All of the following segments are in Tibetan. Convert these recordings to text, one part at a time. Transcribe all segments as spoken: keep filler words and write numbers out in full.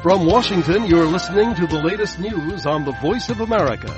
From Washington, you're listening to the latest news on the Voice of America.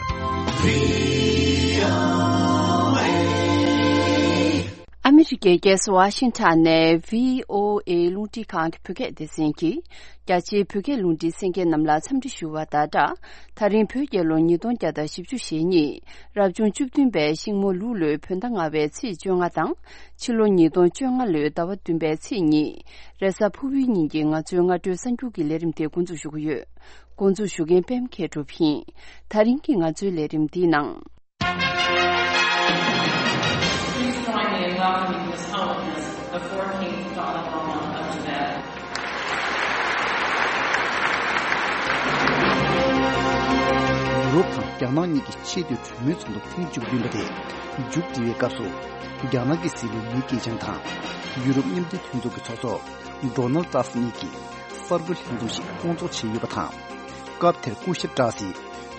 ཨ་མི་རི་ཀའི་རྒྱལ་ས་ཝ་ཤིང་ཊོན་ནས་བྷི་ཨོ་ཨེ་རླུང་འཕྲིན་ཁང་གི་བོད་སྐད་སྡེ་ཚན་གྱིས་རྒྱ་ཆེའི་བོད་སྐད་རླུང་འཕྲིན་གསན་མཁན་རྣམས་ལ་འཚམས་འདྲི་ཞུ་བ་དང་སྦྲགས། ད་རིང་བོད་རྒྱལ་ལོ་ཉིས་སྟོང་བརྒྱ་དང་བཞི་བཅུ་ཞེ་གཉིས། རབ་བྱུང་བཅུ་བདུན་པའི་ཤིང་མོ་ལུག་ལོའི་བོད་ཟླ་ལྔ་པའི་ཚེས་བཅོ་ལྔ་དང་། ཕྱི་ལོ་ཉིས་སྟོང་བཅོ་ལྔ་ལོའི་ཟླ་བ་བདུན་པའི་ཚེས་གཉིས། རེས་གཟའ་ཕུར་བུའི་ཉིན་གྱི་ང་ཚོའི་སྔ་དྲོའི་གསར་འགྱུར་གྱི་ལས་རིམ་དེ་འགོ་འཛུགས་ཞུ་གི་ཡོད། འགོ་འཛུགས་ཞུ་མཁན་པད་མ་མཁས་གྲུབ་ཡིན། ད་རིང་གི་ང་ཚོའི་ལས་རིམ་འདིའི་ནང་། Please join me in welcoming His Holiness, the fourteenth Dalai Lama of Tibet. ཡུ་རོབ་དང་རྒྱ་ནག་གཉིས་ཀྱི་ཆེས་མཐོའི་གྲོས་མོལ་ཚོགས་འདུ་ཐེངས་བཅུ་བདུན་པ་དེ་མཇུག་སྒྲིལ་བའི་སྐབས་སུ། རྒྱ་ནག་གི་སྲིད་བློན་ལི་ཁེ་ཆང་དང་ཡུ་རོབ་མཉམ་འབྲེལ་མཐུན་ཚོགས་ཀྱི་ཚོགས་གཙོ་ཌོ་ནལ་ཏྲམ་གཉིས་ཀྱིས་གསར་འགོད་ལྷན་འཛོམས་ཤིག་སྐོང་ཚོགས་བྱས་ཡོད་པ་དང་། སྐབས་དེར་སྐུ་ཞབས་ཏྲ་སིས་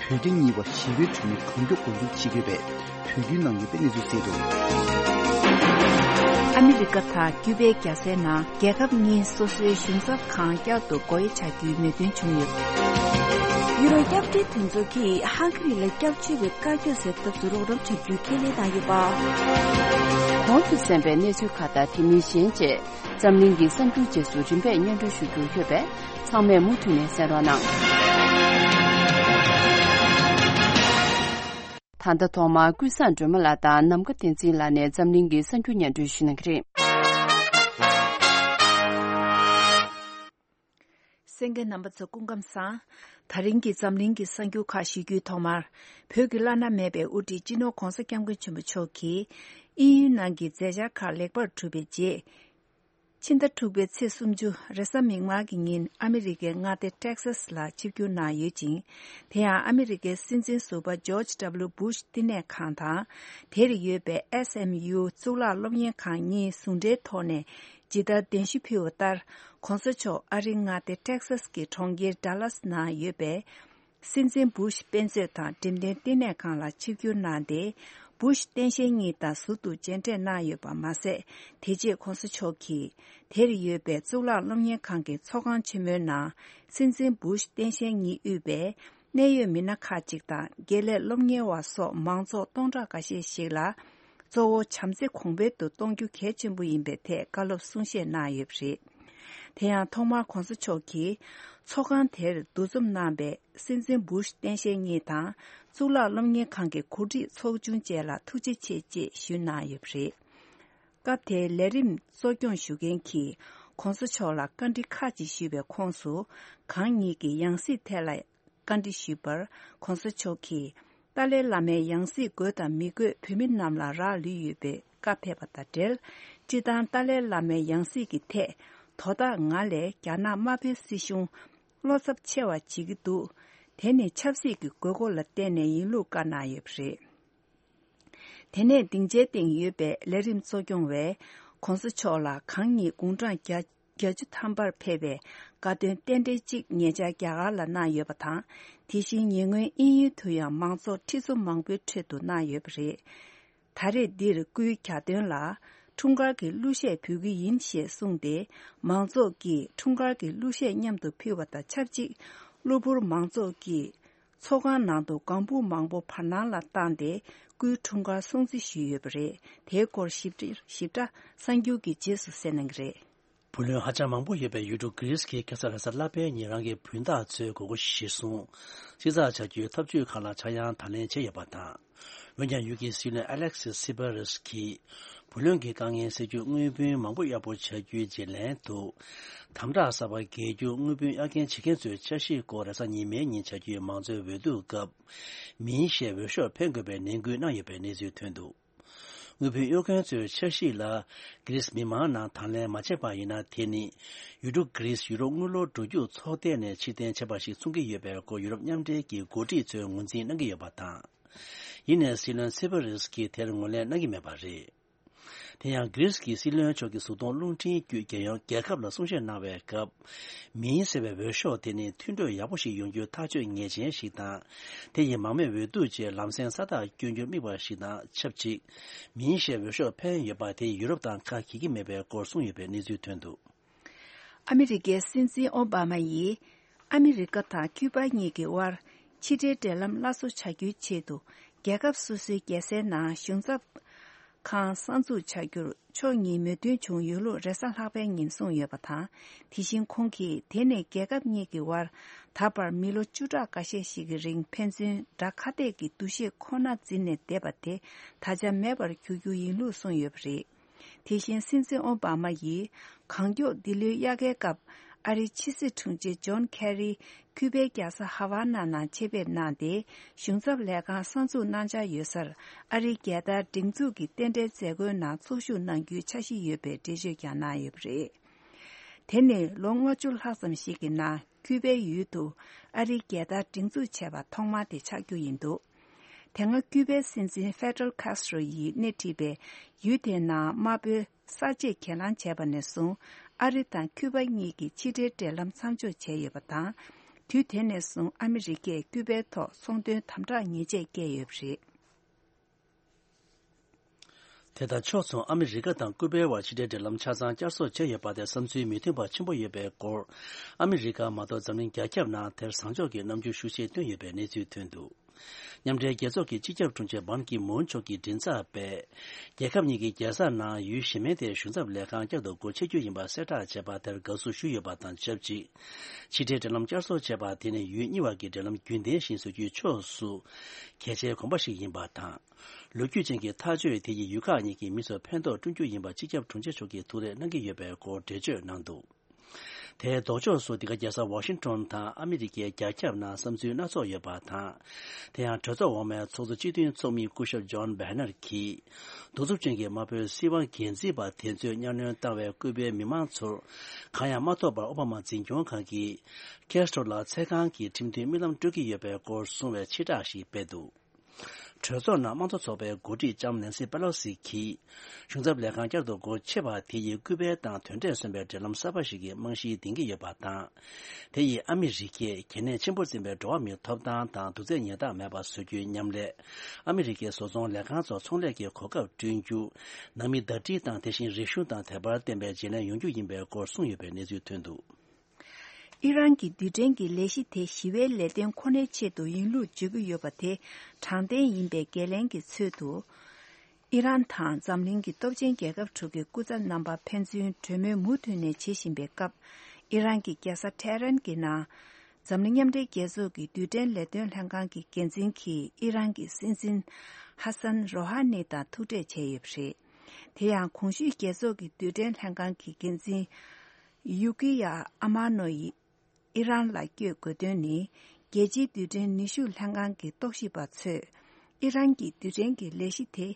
བོད་རྒྱ་གཉིས་བར་ཞི་བའི་གྲོས་མོལ་གང་མགྱོགས་འགོ་འཛུགས་བྱེད་དགོས་པའི་འབོད་སྐུལ་གནང་ཡོད་པའི་གནས་ཚུལ་གསལ་འདུག། ཨ་མི་རི་ཀ་དང་ཀིའུ་པའི་རྒྱལ་སའི་ནང་རྒྱལ་ཁབ་གཉིས་སོ་སོའི་གཞུང་ཚབ་ཁང་བསྐྱར་དུ་སྒོ་དབྱེ་བྱ་རྒྱུའི་མོས་མཐུན་བྱུང་ཡོད། ཡུ་རོབ་སྐྱབས་བཅོལ་མཐུན་ཚོགས་ཀྱིས་ཧང་གྷི་རི་ལ་སྐྱབས་བཅོལ་བའི་བཀའ་བཀྱོན་སེལ་ཐབས་སུ་རོགས་རམ་བྱ་རྒྱུའི་ཁས་ལེན་གནང་ཡོད་པ། གོང་དུ་གསན་པའི་གནས་ཚུལ་ཁག་དང་དེ་མིན་གཞན་བཅས། འཛམ་གླིང་གི་གསར་འགྱུར་རྗེས་སུ་རིམ་པས་སྙན་སྒྲོན་ཞུ་རྒྱུ་ཡོད་པས། ཚང་མས་མུ་མཐུད་ནས་གསན་རོགས་གནང་། ད་ལྟ་ཐོག་མར་ཀུན་བཟང་སྒྲོལ་མ་ལགས་དང་ནམ་མཁའ་བསྟན་འཛིན་ལགས་ནས་འཛམ་གླིང་གི་གསར་འགྱུར་སྙན་སྒྲོན་ཞུ་གནང་གི་རེད། གསན་མཁན་རྣམ་པ་ཚོ་སྐུ་ཁམས་བཟང་། ད་རིང་གི་འཛམ་གླིང་གི་གསར་འགྱུར་ཁག་ཞུ་རྒྱུའི་ཐོག་མར། བོད་ཀྱི་བླ་ན་མེད་པའི་དབུ་ཁྲིད་སྤྱི་ནོར་༧གོང་ས་༧སྐྱབས་མགོན་ཆེན་པོ་མཆོག་གིས་དབྱིན་ཡུལ་ནང་གི་མཛད་འཆར་ཁག་ལེགས་པར་གྲུབ་པའི་རྗེས། ཕྱི་ཟླ་དྲུག་པའི་ཚེས་སུམ་ཅུ་རེས་གཟའ་མིག་དམར་གྱི་ཉིན་ཨ་མི་རི་ཀའི་མངའ་སྡེ་ཊེག་སཱས་ལ་ཆིབས་བསྒྱུར་གནང་ཡོད་ཅིང་། དེ་ཡང་ཨ་མི་རི་ཀའི་སྲིད་འཛིན་ཟུར་པ་ཇོརྗ་ཌབ་ལིའུ་བྷུཤ་བསྟི་གནས་ཁང་དང་། དེར་ཡོད་པའི་ཨེས་ཨེམ་ཡུ་གཙུག་ལག་སློབ་གཉེར་ཁང་གཉིས་ཟུང་འབྲེལ་ཐོག་ནས་ཇི་ལྟར་གདན་ཞུ་ཕུལ་བ་ལྟར། ྋགོང་ས་མཆོག་ཨ་རིའི་མངའ་སྡེ་ཊེག་སཱས་ཀྱི་གྲོང་ཁྱེར་ཌ་ལཱས་ནང་ཡོད་པའི་སྲིད་འཛིན་བྷུཤ་དཔེ་མཛོད་དང་འགྲེམས་སྟོན་བསྟི་གནས་ཁང་ལ་ཆིབས་བསྒྱུར་གནང་སྟེ། བྷུཤ་སྟངས་དཔྱལ་གཉིས་དང་ཟུར་དུ་མཇལ་འཕྲད་གནང་ཡོད་པ་མ་ཟད། དེ་རྗེས་ྋགོང་ས་མཆོག་གིས་དེར་ཡོད་པའི་གཙུག་ལག་སློབ་གཉེར་ཁང་གི་ཚོགས་ཁང་ཆེན་མོའི་ནང་སྲིད་འཛིན་བྷུཤ་སྟངས་དཔྱལ་གཉིས་དབུས་པའི་གནད་ཡོད་མི་སྣ་ཁག་ཅིག་དང་དགེ་ལས་སློབ་གཉེར་བ་སོགས་མང་ཚོགས་སྟོང་ཕྲག་འགའ་ཤས་ཤིག་ལ། གཙོ་བོ་བྱམས་བརྩེ་གོང་འཕེལ་དུ་གཏོང་རྒྱུ་གལ་ཆེན་པོ་ཡིན་པའི་ཐད་བཀའ་སློབ་གསུང་བཤད་གནང་ཡོད་པ་རེད། དེ་ཡང་ཐོག་མར་ྋགོང་ས་མཆོག་གིས་ཚོགས་ཁང་དེར་འདུ་འཛོམས་གནང་པའི་སྲིད་འཛིན་བྷུཤ་སྟངས་དཔྱལ་གཉིས་དང་གཙུག་ལག་སློབ་གཉེར་ཁང་གི་འགོ་ཁྲིད་ཚོགས་ཆུང་བཅས་ལ་ཐུགས་རྗེ་ཆེ་ཅེས་ཞུས་གནང་ཡོད་པ་རེད། སྐབས་དེའི་ལས་རིམ་གཙོ་སྐྱོང་ཞུ་མཁན་གྱིས་ྋགོང་ས་མཆོག་ལ་བཀའ་འདྲི་ཁག་ཅིག་ཞུས་པའི་ཁོངས་སུ། གང་ཉིད་ཀྱི་ཡང་སྲིད་ཐད་ལ་བཀའ་འདྲི་ཞུས་པར་ྋགོང་ས་མཆོག་གིས་ཏཱ་ལའི་བླ་མའི་ཡང་སྲིད་དགོས་དང་མི་དགོས་བོད་མི་རྣམས་ལ་རག་ལུས་ཡོད་པའི་བཀའ་ཕེབས་པ་དང་འབྲེལ། སྤྱིར་བཏང་ཏཱ་ལའི་བླ་མའི་ཡང་སྲིད་ཀྱི་ཐད་དོ་བདག་ང་ལས་རྒྱ་ནག་དམར་པོའི་སྲིད་གཞུང་བློ་འཚབ་ཆེ་བ་བྱེད་ཀྱི་འདུག། དེ་ནི་ཆབ་སྲིད་ཀྱི་དགོས་མཁོ་ལ་བརྟེན་ནས་ཡིན་ལུགས་བཀའ་གནང་ཡོད་པ་རེད། དེ་ནས་སྡིངས་ཆའི་སྟེང་ཡོད་པའི་ལས་རིམ་གཙོ་སྐྱོང་བས་ྋགོང་ས་མཆོག་ལ་གང་ཉིད་དགུང་གྲངས་བརྒྱ་བརྒྱད་ཅུ་ཐམ་པར་ཕེབས་པའི་དགའ་སྟོན་རྟེན་འབྲེལ་གཅིག་ཉེ་ཆར་རྒྱ་གར་ལ་གནང་ཡོད་པ་དང་། དེ་བཞིན་ཉེ་སྔོན་དབྱིན་ཡུལ་དུ་ཡང་མང་ཚོགས་ཁྲི་ཚོ་མང་པོའི་ཁྲོད་དུ་གནང་ཡོད་པ་རེད། ད་རེས་འདིར་སྐུའི་གྱ་སྟོན་ལ་འཁྲུངས་སྐར་གྱི་གླུ་གཞས་ཕུལ་གྱི་ཡིན་ཞེས་གསུངས་ཏེ། མང་ཚོགས་ཀྱིས་འཁྲུངས་སྐར་གྱི་གླུ་གཞས་མཉམ་དུ་ཕུལ་བ་དང་ཆབས་ཅིག་གློ་བུར་མང་ཚོགས་ཀྱིས་ཚོགས་ཁང་ནང་དུ་ལྒང་བུ་མང་པོ་བར་སྣང་ལ་བཏང་སྟེ་སྐུའི་འཁྲུངས་སྐར་སྲུང་བརྩི་ཞུས་ཡོད་པ་རེད། དེའི་སྐོར་ཞིབ་ཕྲ་ཞིབ་ཕྲ་གསར་འགྱུར་གྱི་རྗེས་སུ་གསན་གནང་གི་རེད། བུ་ལོན་ཧ་ཅང་མང་པོ་ཡོད་པའི་ཡུལ་གྲུ་གྷི་རིས་ཀྱིས་ཁ་སང་རེས་གཟའ་ལྷག་པའི་ཉིན་རང་གི་བུན་བདག་ཚོའི་དགོས་མཁོ་གཞིར་བཟུང་། ཕྱིར་ཚགས་བྱ་རྒྱུའི་ཐབས་ཇུས་ཁག་ལ་ཆག་ཡང་དང་ལེན་བྱས་ཡོད་པ་དང་། འོན་ཀྱང་ཡུལ་གྱི་སྲིད་བློན་ཨ་ལེག་སི་སི་པ་རེས་ཀྱིས་བུ་ལོན་གྱི་དཀའ་ངལ་སེལ་རྒྱུར་དངུལ་བུན་མང་པོ་གཡར་པོ་བྱ་རྒྱུའི་བརྗེ་ལེན་དུ། དམ་དྲག་གསར་པ་འགེལ་རྒྱུ་དངུལ་བུན་གཡར་འགན་བྱེད་མཁན་ཚོའི་འཆར་གཞིའི་སྐོར་རེས་གཟའ་ཉི་མའི་ཉིན་བྱ་རྒྱུའི་མང་གཙོའི་འོས་བསྡུ་སྐབས། མིན་ཞེས་འོས་ཤོག་འཕེན་དགོས་པའི་ནན་སྐུལ་གནང་ཡོད་པའི་གནས་ཚུལ་ཐོན་འདུག། དངུལ་བུན་གཡོར་མཁན་ཚོའི་འཆར་གཞི་ལ་གྷི་རིས་མི་མང་ནང་དང་ལེན་མ་བྱས་པ་ཡིན་ན། དེ་ནི་ཡུལ་གྲུ་གྷི་རིས་ཡུ་རོབ་དངུལ་ལོར་འགྲོ་རྒྱུགས་ཚོགས་སྡེ་ནས་ཕྱིར་འཐེན་བྱས་པ་ཞིག་མཚོན་གྱི་ཡོད་པའི་སྐོར་ཡུ་རོབ་མཉམ་འབྲེལ་གྱི་འགོ་ཁྲིད་ཚོས་ངོས་འཛིན་གནང་གི་ཡོད་པ་དང་། ཡིན་ནའི་སྲིད་བློན་སི་པ་རེས་ཀྱིས་དེར་ངོས་ལེན་གནང་གི་མེད་པ་རེད། དེ་ཡང་གྷི་རིས་ཀྱི་སྲིད་བློན་མཆོག་གིས་གཟུགས་མཐོང་རླུང་འཕྲིན་བརྒྱུད་རྒྱལ་ཡོངས་རྒྱལ་ཁབ་ལ་གསུང་བཤད་གནང་བའི་སྐབས། མིན་ཟེར་བའི་འོས་ཤོག་དེ་ནི་མཐུན་གྲོས་ཡག་པོ་ཞིག་ཡོང་རྒྱུའི་ཐག་གཅོད་ངེས་ཅན་ཞིག་དང་། དེ་ཡིས་མང་མོས་འོས་བསྡུ་བཅས་ལམ་སེང་ས་ཐག་བསྐྱོན་རྒྱུར་དམིགས་པ་ཞིག་དང་ཆབས་ཅིག། མིན་ཞེས་འོས་ཤོག་འཕེན་ཡོད་པ་དེས་ཡུ་རོབ་དང་ཁ་གྱེས་ཀྱི་མེད་པའི་སྐོར་གསུངས་ཡོད་པའི་གནས་ཚུལ་ཐོན་འདུག། ཨ་མི་རི་ཀའི་སྲིད་འཛིན་ཨོ་བྷ་མ་ཡིས་ ཨ་མི་རི་ཀ་དང་ཁྱུ་པ་གཉིས་ཀྱི་དབར་ཕྱི་འབྲེལ་འབྲེལ་ལམ་སླར་གསོ་བྱ་རྒྱུའི་ཆེད་དུ། རྒྱལ་ཁབ་སོ་སོའི་རྒྱལ་སའི་ནང་གཞུང་ཚབ་ཁང་གསར་འཛུགས་བྱ་རྒྱུར་ཕྱོགས་གཉིས་མོས་མཐུན་བྱུང་ཡོད་ལུགས་རེས་གཟའ་ལྷག་པའི་ཉིན་གསུངས་ཡོད་པ་དང་། དེ་བཞིན་ཁོང་གིས་དེ་ནི་རྒྱལ་ཁབ་གཉིས་ཀྱི་དབར་ད་བར་མི་ལོ་བཅུ་ཕྲག་འགའ་ཤས་ཤིག་གི་རིང་ཕན་ཚུན་དགྲ་ཁ་གཏད་ཀྱི་འདུ་ཤེས་ཁོ་ན་འཛིན་ནས་བསྡད་པ་དེ་ད་ཆ་མེད་པར་འགྱུར་རྒྱུ་ཡིན་ལུགས་གསུངས་ཡོད་པ་རེད། དེ་བཞིན་སྲིད་འཛིན་ཨོ་བྷ་མ་ཡིས་གང་མགྱོགས་འདི་ལོའི་དབྱར་ཁའི་སྐབས་ཨ་རིའི་ཕྱི་སྲིད་དྲུང་ཆེ་ཇོན་ཁེ་རི་ཁྱུ་པའི་རྒྱལ་ས་ཧ་ཝ་ན་ནང་ཆེད་ཕེབས་གནང་སྟེ། གཞུང་ཚབ་ལས་ཁང་གསར་འཛུགས་གནང་འཆར་ཡོད་སར་ཨ་རིའི་རྒྱལ་དར་སྒྲེང་འཛུགས་ཀྱི་རྟེན་འབྲེལ་མཛད་སྒོའི་ནང་ཚོགས་ཞུགས་གནང་རྒྱུའི་འཆར་གཞི་ཡོད་པའི་འགྲེལ་བརྗོད་ཀྱང་གནང་ཡོད་པ་རེད། དེ་ནི་ལོ་ལྔ་བཅུ་ལྷག་ཙམ་ཞིག་གི་ནང་ཁྱུ་པའི་ཡུལ་དུ་ཨ་རིའི་རྒྱལ་དར་སྒྲེང་འཛུགས་བྱས་པ་ཐོག་མ་དེ་ཆགས་རྒྱུ་ཡིན་འདུག་དེ་སྔ་ཁྱུ་པའི་སྲིད་འཛིན་ཧྥེ་ཏྲལ་ཁཱས་ཏྲོ་ཡིས་སྣེ་ཁྲིད་པའི་ཡུལ་དེའི་ནང་དམར་པོའི་གསར་བརྗེས་གྱེན་ལངས་བྱས་པ་ནས་བཟུང་། ཨ་རི་དང་ཁྱུ་པ་གཉིས་ཀྱི་ཕྱི་འབྲེལ་འབྲེལ་ལམ་མཚམས་འཇོག་བྱས་ཡོད་པ་དང་། དུས་དེ་ནས་བཟུང་ཨ་མི་རི་ཀས་ཁྱུ་པའི་ཐོག་ཚོང་དོན་དམ་དྲག་ཉེས་ཆད་བཀལ་ཡོད་པ་རེད། དེ་དང་ཕྱོགས་མཚུངས་ཨ་མི་རི་ཀ་དང་ཀུ་པའི་བར་ཕྱི་འབྲེལ་འབྲེལ་ལམ་ཆ་ཚང་བསྐྱར་གསོ་བྱས་ཡོད་པ་དེ་བསམ་ཚུལ་མི་མཐུན་པ་ཆེན་པོ་ཡོད་པའི་སྐོར། ཨ་མི་རི་ཀ་མ་གཏོགས་འཛམ་གླིང་རྒྱ་ཁྱབ་ནང་དེར་བཟང་ཕྱོགས་ཀྱི་རྣམ་འགྱུར་ཤུགས་ཆེ་བཏོན་ཡོད་པའི་གནས་ཚུལ་ཐོན་འདུག་མཉམ་འབྲེལ་རྒྱལ་ཚོགས་ཀྱི་སྤྱི་ཁྱབ་དྲུང་ཆེ་བྷན་ཀི་མུན་མཆོག་གིས་མགྲིན་ཚབ་པས། རྒྱལ་ཁབ་གཉིས་ཀྱི་རྒྱལ་ས་ནང་ཡུལ་གཞན་མིན་དེར་གཞུང་ཚབ་ལས་ཁང་བསྐྱར་དུ་སྒོ་ཕྱེ་རྒྱུ་ཡིན་པ་གསལ་བསྒྲགས་བྱས་པ་དེར་དགའ་བསུ་ཞུས་ཡོད་པ་དང་ཆབས་ཅིག་ཕྱི་འབྲེལ་འབྲེལ་ལམ་བསྐྱར་གསོ་བྱས་པ་དེ་ནི་ཡུལ་གཉིས་བར་གྱི་འབྲེལ་ལམ་རྒྱུན་ལྡན་བཞིན་བཟོ་རྒྱུའི་ཕྱོགས་སུ་གལ་ཆེའི་གོམ་པ་ཞིག་ཡིན་པ་དང་། ལོ་རྒྱུས་ཅན་གྱི་ཐག་གཅོད་དེ་ཡིས་ཡུལ་ཁག་གཉིས་ཀྱི་མི་ཚོར་ཕན་ཐོགས་བསྐྲུན་རྒྱུ་ཡིན་པ་སྤྱི་ཁྱབ་དྲུང་ཆེ་མཆོག་གིས་ཐུགས་རེ་གནང་གི་ཡོད་པའི་སྐོར་འགྲེལ་བརྗོད་གནང་འདུག་དེའི་ལྡོག་ཕྱོགས་སུ་འདི་ག་རྒྱལ་ས་ཝ་ཤིང་ཊོན་དང་ཨ་མི་རི་ཀའི་རྒྱ་ཁྱབ་ནང་བསམ་ཚུལ་སྣ་ཚོགས་ཡོད་པ་དང་། དེ་ཡང་གྲོས་ཚོགས་འོག་མའི་ཚོགས་གཙོ་སྤྱི་མཐུན་ཚོགས་མི་སྐུ་ཞབས་ཇོན་བྷེ་ནར་གྱིས། གདུག་རྩུབ་ཅན་གྱི་དམར་པོའི་སྲིད་དབང་སྒེར་འཛིན་པ་དེ་ཚོས་གཉའ་གནོན་བཏང་བའི་ཀུ་པའི་མི་མང་ཚོར་གང་ཡང་མ་ཐོབ་པར་ཨོ་བྷ་མ་འཛིན་སྐྱོང་ཁང་གིས་ཁེ་སི་ཊོ་ལ་ཚེ་གང་གི་ཁྲིམས་མཐུན་རྨི་ལམ་སྤྲོད་ཀྱི་ཡོད་པའི་སྐོར་གསུངས་བའི་ཕྱིར་བསྒྲགས་ཤིག་སྤེལ་འདུག་གྲོས་ཚོགས་ནང་དམངས་གཙོ་ཚོགས་པའི་འགོ་ཁྲིད་ལྕམ་ནན་སི་པེ་ལོ་སི་གིས་གཞུང་ཚབ་ལས་ཁང་བསྐྱར་དུ་སྒོ་ཕྱེ་བ་དེ་ཡིས་ཀུ་པའི་དང་དོན་འབྲས་སོན་པའི་འབྲེལ་ལམ་གསར་པ་ཞིག་གི་རྨང་གཞི་འདིང་གི་ཡོད་པ་དང་། དེ་ཡིས་ཨ་མི་རི་ཀས་གལ་གནད་ཆེན་པོར་འཛིན་པའི་འགྲོ་བ་མིའི་ཐོབ་ཐང་དང་གདུག་རྩུབ་ཉེས་རྡུང་མེད་པ་བཟོ་རྒྱུའི་མཉམ་ལས་ཨ་མི་རི་ཀའི་བཟོ་ཚོང་ལས་ཁང་ཚོར་ཚོང་ལས་ཀྱི་གོ་སྐབས་བསྐྲུན་རྒྱུ། ནང་མི་ཟླ་སྒྲིལ་དང་དེ་བཞིན་རིག་གཞུང་དང་དད་པར་བརྟེན་པའི་བརྗེ་ལེན་ཡོང་རྒྱུ་ཡིན་པའི་སྐོར་གསུངས་ཡོད་པའི་གནས་ཚུལ་ཐོན་འདུག་ཨི་རན་གྱི་རྡུལ་ཕྲན་གྱི་ལས་གཞི་དེ་ཞི་བའི་ལས་དོན་ཁོ་ནའི་ཆེད་དུ་ཡིན་ལུགས་བརྗོད་ཀྱི་ཡོད་པ་དེ་དྲང་བདེན་ཡིན་པའི་འགན་ལེན་གྱི་ཚུལ་དུ། ཨི་རན་དང་འཛམ་གླིང་གི་སྟོབས་ཆེན་རྒྱལ་ཁབ་དྲུག་གི་སྐུ་ཚབ་རྣམ་པ་ཕན་ཚུན་གྲོས་མོལ་མུ་མཐུད་ནས་བྱེད་བཞིན་པའི་སྐབས། ཨི་རན་གྱི་རྒྱལ་ས་ཐེ་རན་གྱི་ནང་འཛམ་གླིང་མཉམ་འབྲེལ་རྒྱལ་ཚོགས་ཀྱི་རྡུལ་ཕྲན་ལས་དོན་ལྷན་ཁང་གི་འགན་འཛིན་གྱིས་ཨི་རན་གྱི་སྲིད་འཛིན་ཧ་སན་རོ་ཧ་ནི་དང་ཐུག་འཕྲད་བྱས་ཡོད་པ་རེད། དེ་ཡང་གོང་ཞུས་རྒྱལ་ཚོགས་ཀྱི་རྡུལ་ཕྲན་ལྷན་ཁང་གི་འགན་འཛིན་ཡུ་ཀི་ཡ་ཨ་མ་ནོ་ཡིས། ཨི་རན་ལ་བསྐྱོད་དགོས་དོན་ནི། རྒྱལ་སྤྱིའི་རྡུལ་ཕྲན་ནུས་ཤུགས་ལྷན་ཁང་གི་རྟོག་ཞིབ་པ་ཚོས། ཨི་རན་གྱི་རྡུལ་ཕྲན་གྱི་ལས་གཞི་དེ་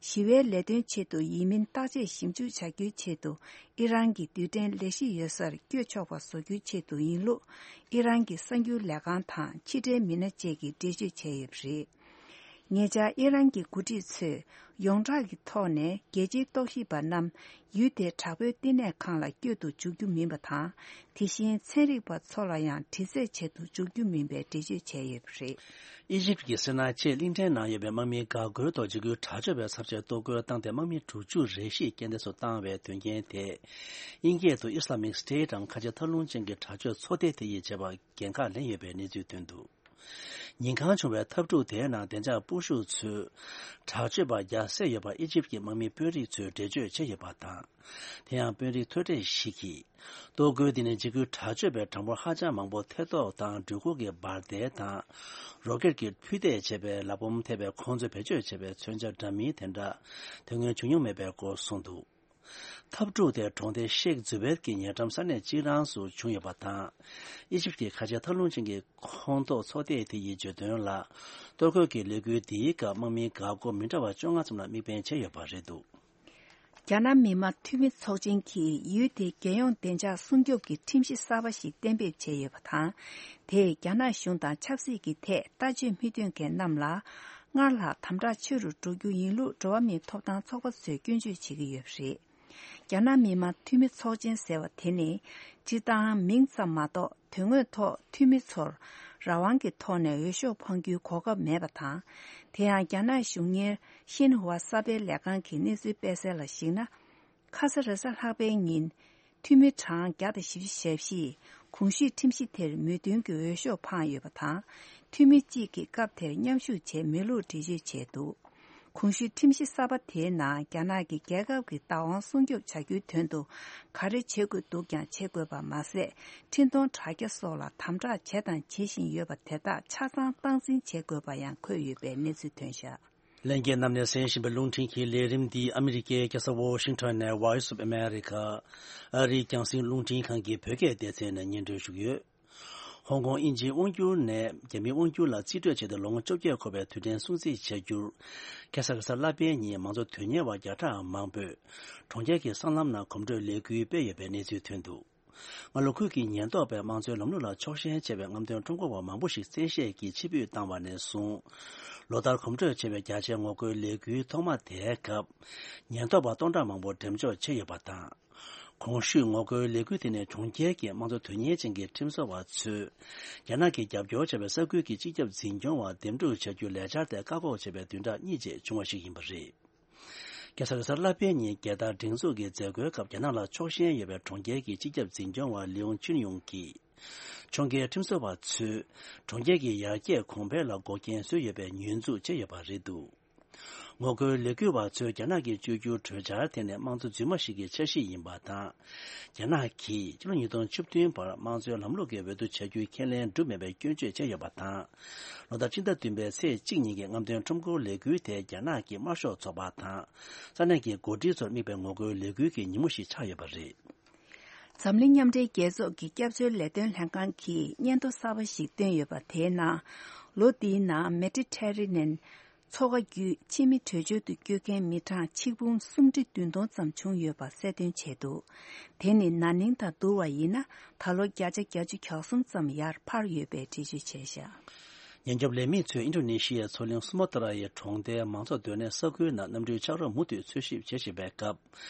ཞི་བའི་ལས་དོན་ཆེད་དུ་ཡིན་མིན་བརྟག་དཔྱད་ཞིབ་འཇུག་བྱ་རྒྱུའི་ཆེད་དུ། ཨི་རན་གྱི་རྡུལ་ཕྲན་ལས་གཞི་ཡོད་སར་བསྐྱོད་ཆོག་པ་བཟོ་རྒྱུའི་ཆེད་དུ་ཡིན་ལུགས། ཨི་རན་གྱི་གསར་འགྱུར་ལས་ཁང་དང་ཕྱི་འབྲེལ་མི་སྣ་བཅས་ཀྱིས་འགྲེལ་བརྗོད་བྱས་ཡོད་པ་རེད། ཉེ་ཆར་ཨི་རན་གྱི་འགོ་ཁྲིད་ཚོས་ཡོངས་གྲགས་ཀྱི་ཐོག་ནས་རྒྱལ་སྤྱིའི་རྟོག་ཞིབ་པ་རྣམས་ཡུལ་དེའི་དྲག་པོའི་བསྟི་གནས་ཁང་ལ་བསྐྱོད་དུ་འཇུག་རྒྱུ་མིན་པ་དང་། དེ་བཞིན་ཚན་རིག་པ་ཚོ་ལ་ཡང་དྲི་རྩད་བྱེད་དུ་འཇུག་རྒྱུ་མིན་པའི་འགྲེལ་བརྗོད་བྱས་ཡོད་པ་རེད། ཨི་ཇིབ་ཀྱི་སི་ནའི་ཆེས་གླིང་ཕྲན་ནང་ཡོད་པའི་དམག་མིའི་འགག་སྒོའི་ཐོག་འཇིགས་སྐུལ་དྲག་སྤྱོད་པའི་ཚབས་ཆེའི་གཏོར་རྒོལ་བཏང་སྟེ་དམག་མི་དྲུག་ཅུ་རེ་བཞི་རྐྱེན་འདས་སུ་བཏང་བའི་དོན་རྐྱེན་དེས། དབྱིན་སྐད་དུ་Islamic State འམ་ཁ་ཆེ་མཐའ་ལྷུང་ཅན་གྱི་དྲག་སྤྱོད་ཚོགས་སྡེ་དེ་ཡིས་བྱས་པ་འགན་ཁག་ལེན་ཡོད་པའི་གནས་ཚུལ་ཐོན་འདུག་ཉིན་གང་བྱུང་བའི་འཐབ་འཁྲུག་དེའི་ནང་བདེ་འཇགས་སྤོབས་ཤུགས་ཚོས་དྲག་སྤྱོད་པ་བརྒྱ་བསད་ཡོད་པ་ཨི་ཇིབ་ཀྱི་དམག་མི་དཔོན་རིགས་ཚོས་འགྲེལ་བརྗོད་བྱས་ཡོད་པ་དང་། དེ་ཡང་དཔོན་རིགས་ཐོས་གྲས་ཤིག་གིས། གཏོར་རྒོལ་འདི་ནི་འཇིགས་སྐུལ་དྲག་སྤྱོད་པའི་གྲངས་འབོར་ཧ་ཅང་མང་པོ་ཐེ་གཏོགས་དང་འགྲུལ་འཁོར་གྱི་འབར་མདེལ་དང་། རོ་ཀེད་ཀྱིས་འཕུར་མདེལ་བྱས་པའི་ལག་འབོམ་ཐེབས་པའི་ཁོང་ཚོས་བེད་སྤྱོད་བྱས་པའི་མཚོན་ཆ་འདྲ་མིན་དེ་འདྲ་དེ་སྔོན་བྱུང་མྱོང་མེད་པའི་སྐོར་གསུངས་འདུག་འཐབ་འཁྲུག་དེ་གྲོང་སྡེ་ཤེག་ཛུ་བེད་ཀྱི་ཉེ་འགྲམ་ས་གནས་གཅིག་རང་སུ་བྱུང་ཡོད་པ་དང་། ཨི་ཇིབ་ཀྱི་ཁ་ཆེ་མཐའ་ལྷུང་ཅན་གྱི་ཁོངས་གཏོགས་ཚོགས་སྡེ་དེ་ཡིས་བརྗོད་དོན་ལ། གཏོར་རྒོལ་གྱི་ལས་འགུལ་འདིའི་སྐབས་དམག་མིའི་འགག་སྒོ་མི་འདྲ་བ་བཅོ་ལྔ་ཙམ་ལ་དམིགས་འབེན་བྱས་ཡོད་པ་རེད་འདུག་རྒྱ་ནག་མི་དམངས་འཐུས་མི་ཚོགས་ཆེན་གྱིས་ཡུལ་དེའི་རྒྱལ་ཡོངས་བདེ་འཇགས་སྲུང་སྐྱོབ་ཀྱི་ཁྲིམས་གཞི་གསར་པ་ཞིག་གཏན་འབེབས་བྱས་ཡོད་པ་དང་། དེས་རྒྱ་ནག་གཞུང་དང་ཆབ་སྲིད་ཀྱི་ཐད་ལྟ་སྤྱོད་མི་མཐུན་མཁན་རྣམས་ལ། སྔར་ལྷག་དམ་དྲག་ཆེ་རུ་འགྲོ་རྒྱུ་ཡིན་ལུགས་འགྲོ་བ་མིའི་ཐོབ་ཐང་ཚོགས་པ་ཚོས་སྐྱོན་བརྗོད་བྱེད་ཀྱི་ཡོད་པ་རེད། རྒྱ་ནག་མི་དམངས་འཐུས་མི་ཚོགས་ཆེན་ཟེར་བ་དེ་ནི། སྤྱིར་བཏང་མིང་ཙམ་མ་གཏོགས་དོན་དངོས་ཐོག་འཐུས་མི་ཚོར་རང་དབང་གི་ཐོག་ནས་འོས་ཤོག་འཕང་རྒྱུའི་གོ་སྐབས་མེད་པ་དང་། དེ་ཡང་རྒྱ་ནག་གཞུང་གཉེར་ཤིན་ཧྭ་གསར་སྤེལ་ལས་ཁང་གིས་གནས་ཚུལ་སྤེལ་གསལ་ལ་གཞིགས་ན། ཁ་ས་རེས་གཟའ་ལྷག་པའི་ཉིན། འཐུས་མི་གྲངས་བརྒྱ་དང་བཞི་བཅུ་ཞེ་བཞི་ཡིས་ གོང་ཞུས་ཁྲིམས་གཞི་དེར་མོས་མཐུན་གྱི་འོས་ཤོག་འཕངས་ཡོད་པ་དང་། འཐུས་མི་གཅིག་གིས་སྐབས་དེར་མཉམ་ཞུགས་བྱས་མེད་ལུགས་འགྲེལ་བརྗོད་བྱས་འདུག་གོང་ཞུས་ཁྲིམས་གཞི་གསར་པ་དེའི་ནང་རྒྱ་ནག་གིས་རྒྱལ་ཁབ་ཀྱི་བདག་དབང་སྲུང་སྐྱོབ་བྱ་རྒྱུའི་དོན་དུ་ག་རེ་བྱེད་དགོས་འདུག་ཀྱང་བྱེད་དགོས་པ་མ་ཟད། འཕྲིན་གཏོང་དྲ་རྒྱ་སོགས་ལ་དམ་དྲག་བྱས་དང་བྱེད་བཞིན་ཡོད་པ་དེ་དག་ཆ་ཚང་སྟངས་འཛིན་བྱེད་དགོས་པ་ཡང་འཁོད་ཡོད་པའི་གནས་ཚུལ་ཐོན་བཞག་ལྷན་རྒྱས་རྣམས་ནས་གསན་བཞིན་པའི་རླུང་འཕྲིན་གྱི་ལས་རིམ་འདི་ཨ་མི་རི་ཀའི་རྒྱལ་ས་ཝོ་ཤིང་ཊོན་ནས་Voice of America ཨ་རིའི་རྒྱང་སྲིང་རླུང་འཕྲིན་ཁང་གི་བོད་སྐད་སྡེ་ཚན་ནས་སྙན་སྒྲོན་ཞུ་གི་ཡོད། ཧོང་ཀོང་དབྱིན་ཇིའི་དབང་སྒྱུར་ནས་རྒྱ་མིའི་དབང་སྒྱུར་ལ་རྩིས་སྤྲོད་བྱས་ཏེ་ལོ་ངོ་བཅོ་བརྒྱད་འཁོར་བའི་དུས་དྲན་སྲུང་བརྩི་བྱ་རྒྱུར། ཁ་སང་གི་གཟའ་ལྷག་པའི་ཉིན་མང་གཙོ་དོན་གཉེར་བ་བརྒྱ་ཕྲག་མང་པོས་གྲོང་ཁྱེར་གྱི་སྲང་ལམ་ནང་གོམ་བགྲོད་ལས་འགུལ་སྤེལ་ཡོད་པའི་གནས་ཚུལ་ཐོན་འདུག་སྔ་ལོ་ཁུལ་གྱི་ཉེན་རྟོག་པས་དམངས་གཙོའི་ལམ་ལུགས་ལ་ཕྱོགས་ཞེན་བྱས་པའི་རྔམ་སྟོན་ཁྲོམ་སྐོར་བ་མང་པོ་ཞིག་བཙན་ཤེད་ཀྱིས་ཕྱིར་འབུད་བཏང་བ་ནས་བཟུང་། ལོ་ལྟར་གོམ་བགྲོད་བྱས་པའི་རྒྱ་ཆེའི་ངོ་རྒོལ་ལས་འགུལ་ཐོག་མ་དེའི་སྐབས། ཉེན་རྟོག་པ་སྟོང་ཕྲག་མང་པོ་འགྲེམས་འཇོག་བྱས་ཡོད་པ་དང་། གོང་ཞུས་ངོ་རྒོལ་ལས་འགུལ་དེ་ནི་གྲོང་ཁྱེར་གྱི་དམངས་གཙོ་དོན་གཉེར་ཅན་གྱི་ཁྲིམས་བཟོ་བ་ཚོས། རྒྱ་ནག་གིས་རྒྱབ་སྐྱོར་བྱས་པའི་ས་ཁུལ་གྱི་སྤྱི་ཁྱབ་འཛིན་སྐྱོང་བ་འདེམས་སྒྲུག་བྱ་རྒྱུའི་ལས་འཆར་དེ་བཀག་འགོག་བྱས་པའི་བདུན་ཕྲག་གཉིས་རྗེས་བྱུང་བ་ཞིག་ཡིན་པ་རེད། ཁ་སང་གཟའ་ལྷག་པའི་ཉིན་རྒྱལ་དར་སྒྲེང་འཛུགས་ཀྱི་མཛད་སྒོའི་སྐབས་རྒྱ་ནག་ལ་ཕྱོགས་ཞེན་ཡོད་པའི་གྲོང་ཁྱེར་གྱི་སྤྱི་ཁྱབ་འཛིན་སྐྱོང་བ་ལིའུ་ཅུན་ཡུང་གིས། ཁྱོང་རྒྱལ་ཁྲིམས་བཟོ་བ་ཚོས་གྲོང་ཁྱེར་གྱི་ཡར་རྒྱས་གོང་འཕེལ་ལ་འགོག་རྐྱེན་བཟོས་ཡོད་པའི་ཉེས་འཛུགས་བྱས་ཡོད་པ་རེད་འདུག་ངོ་རྒོལ་ལས་འགུལ་བ་ཚོས་རྒྱ་ནག་གིས་བཅོས་བསྒྱུར་གྲོས་འཆར་དེ་ནི་དམངས་གཙོ་རྫུན་མ་ཞིག་གི་འཆར་གཞི་ཡིན་པ་དང་། རྒྱ་ནག་གིས་ཕྱི་ལོ་ཉིས་སྟོང་བཅུ་བདུན་བར་དམངས་གཙོའི་ལམ་ལུགས་ཀྱི་འོས་བསྡུ་བྱ་རྒྱུའི་ཁས་ལེན་གྲུབ་མེད་པའི་སྐྱོན་བརྗོད་བྱས་ཡོད་པ་དང་། ལོ་ལྟར་སྤྱི་ཟླ་བདུན་པའི་ཚེས་གཅིག་ཉིན་གྱི་རྔམ་སྟོན་ཁྲོམ་སྐོར་ལས་འགུལ་དེ་རྒྱ་ནག་གི་དམར་ཤོག་ཚོགས་པ་དང་། ས་གནས་ཀྱི་འགོ་ཁྲིད་ཚོར་དམིགས་པའི་ངོ་རྒོལ་ལས་འགུལ་གྱི་ཉིན་མོ་ཞིག་ཆགས་ཡོད་པ་རེད། འཛམ་གླིང་མཉམ་འབྲེལ་རྒྱལ་ཚོགས་ཀྱི་སྐྱབས་བཅོལ་ལས་དོན་ལྷན་ཁང་གིས་སྙན་ཐོ་གསར་པ་ཞིག་བཏོན་ཡོད་པ་དེའི་ནང་། ལོ་འདིའི་ནང་མེ་ཏི་ཊེ་རེ་ནན་མཚོ་ཁ་བརྒྱུད་ཕྱི་མི་བྲོས་བྱོལ་དུ་བསྐྱོད་མཁན་མི་གྲངས་ཆིག་འབུམ་སུམ་ཁྲི་བདུན་སྟོང་ཙམ་བྱུང་ཡོད་པ་གསལ་སྟོན་བྱས་འདུག་དེ་ནི་ན་ནིང་དང་བསྡུར་བ་ཡིན་ན་ད་ལོ་བརྒྱ་ཆ་བརྒྱད་ཅུ་གྱ་གསུམ་ཙམ་ཡར་འཕར་ཡོད་པའི་འགྲེལ་བརྗོད་བྱས་བཞག་ཉེན་སྐྱོབ་ལས་མི་ཚོས་ཨིན་ཌོ་ནེ་ཤི་ཡའི་མཚོ་གླིང་སུ་མ་ཏྲ་ཡའི་གྲོང་རྡལ་མང་ཚོགས་སྡོད་གནས་ས་ཁུལ་ནང་གནམ་གྲུའི་ཆག་རོ་མུ་མཐུད་འཚོལ་ཞིབ་བྱེད་བཞིན་པའི་སྐབས།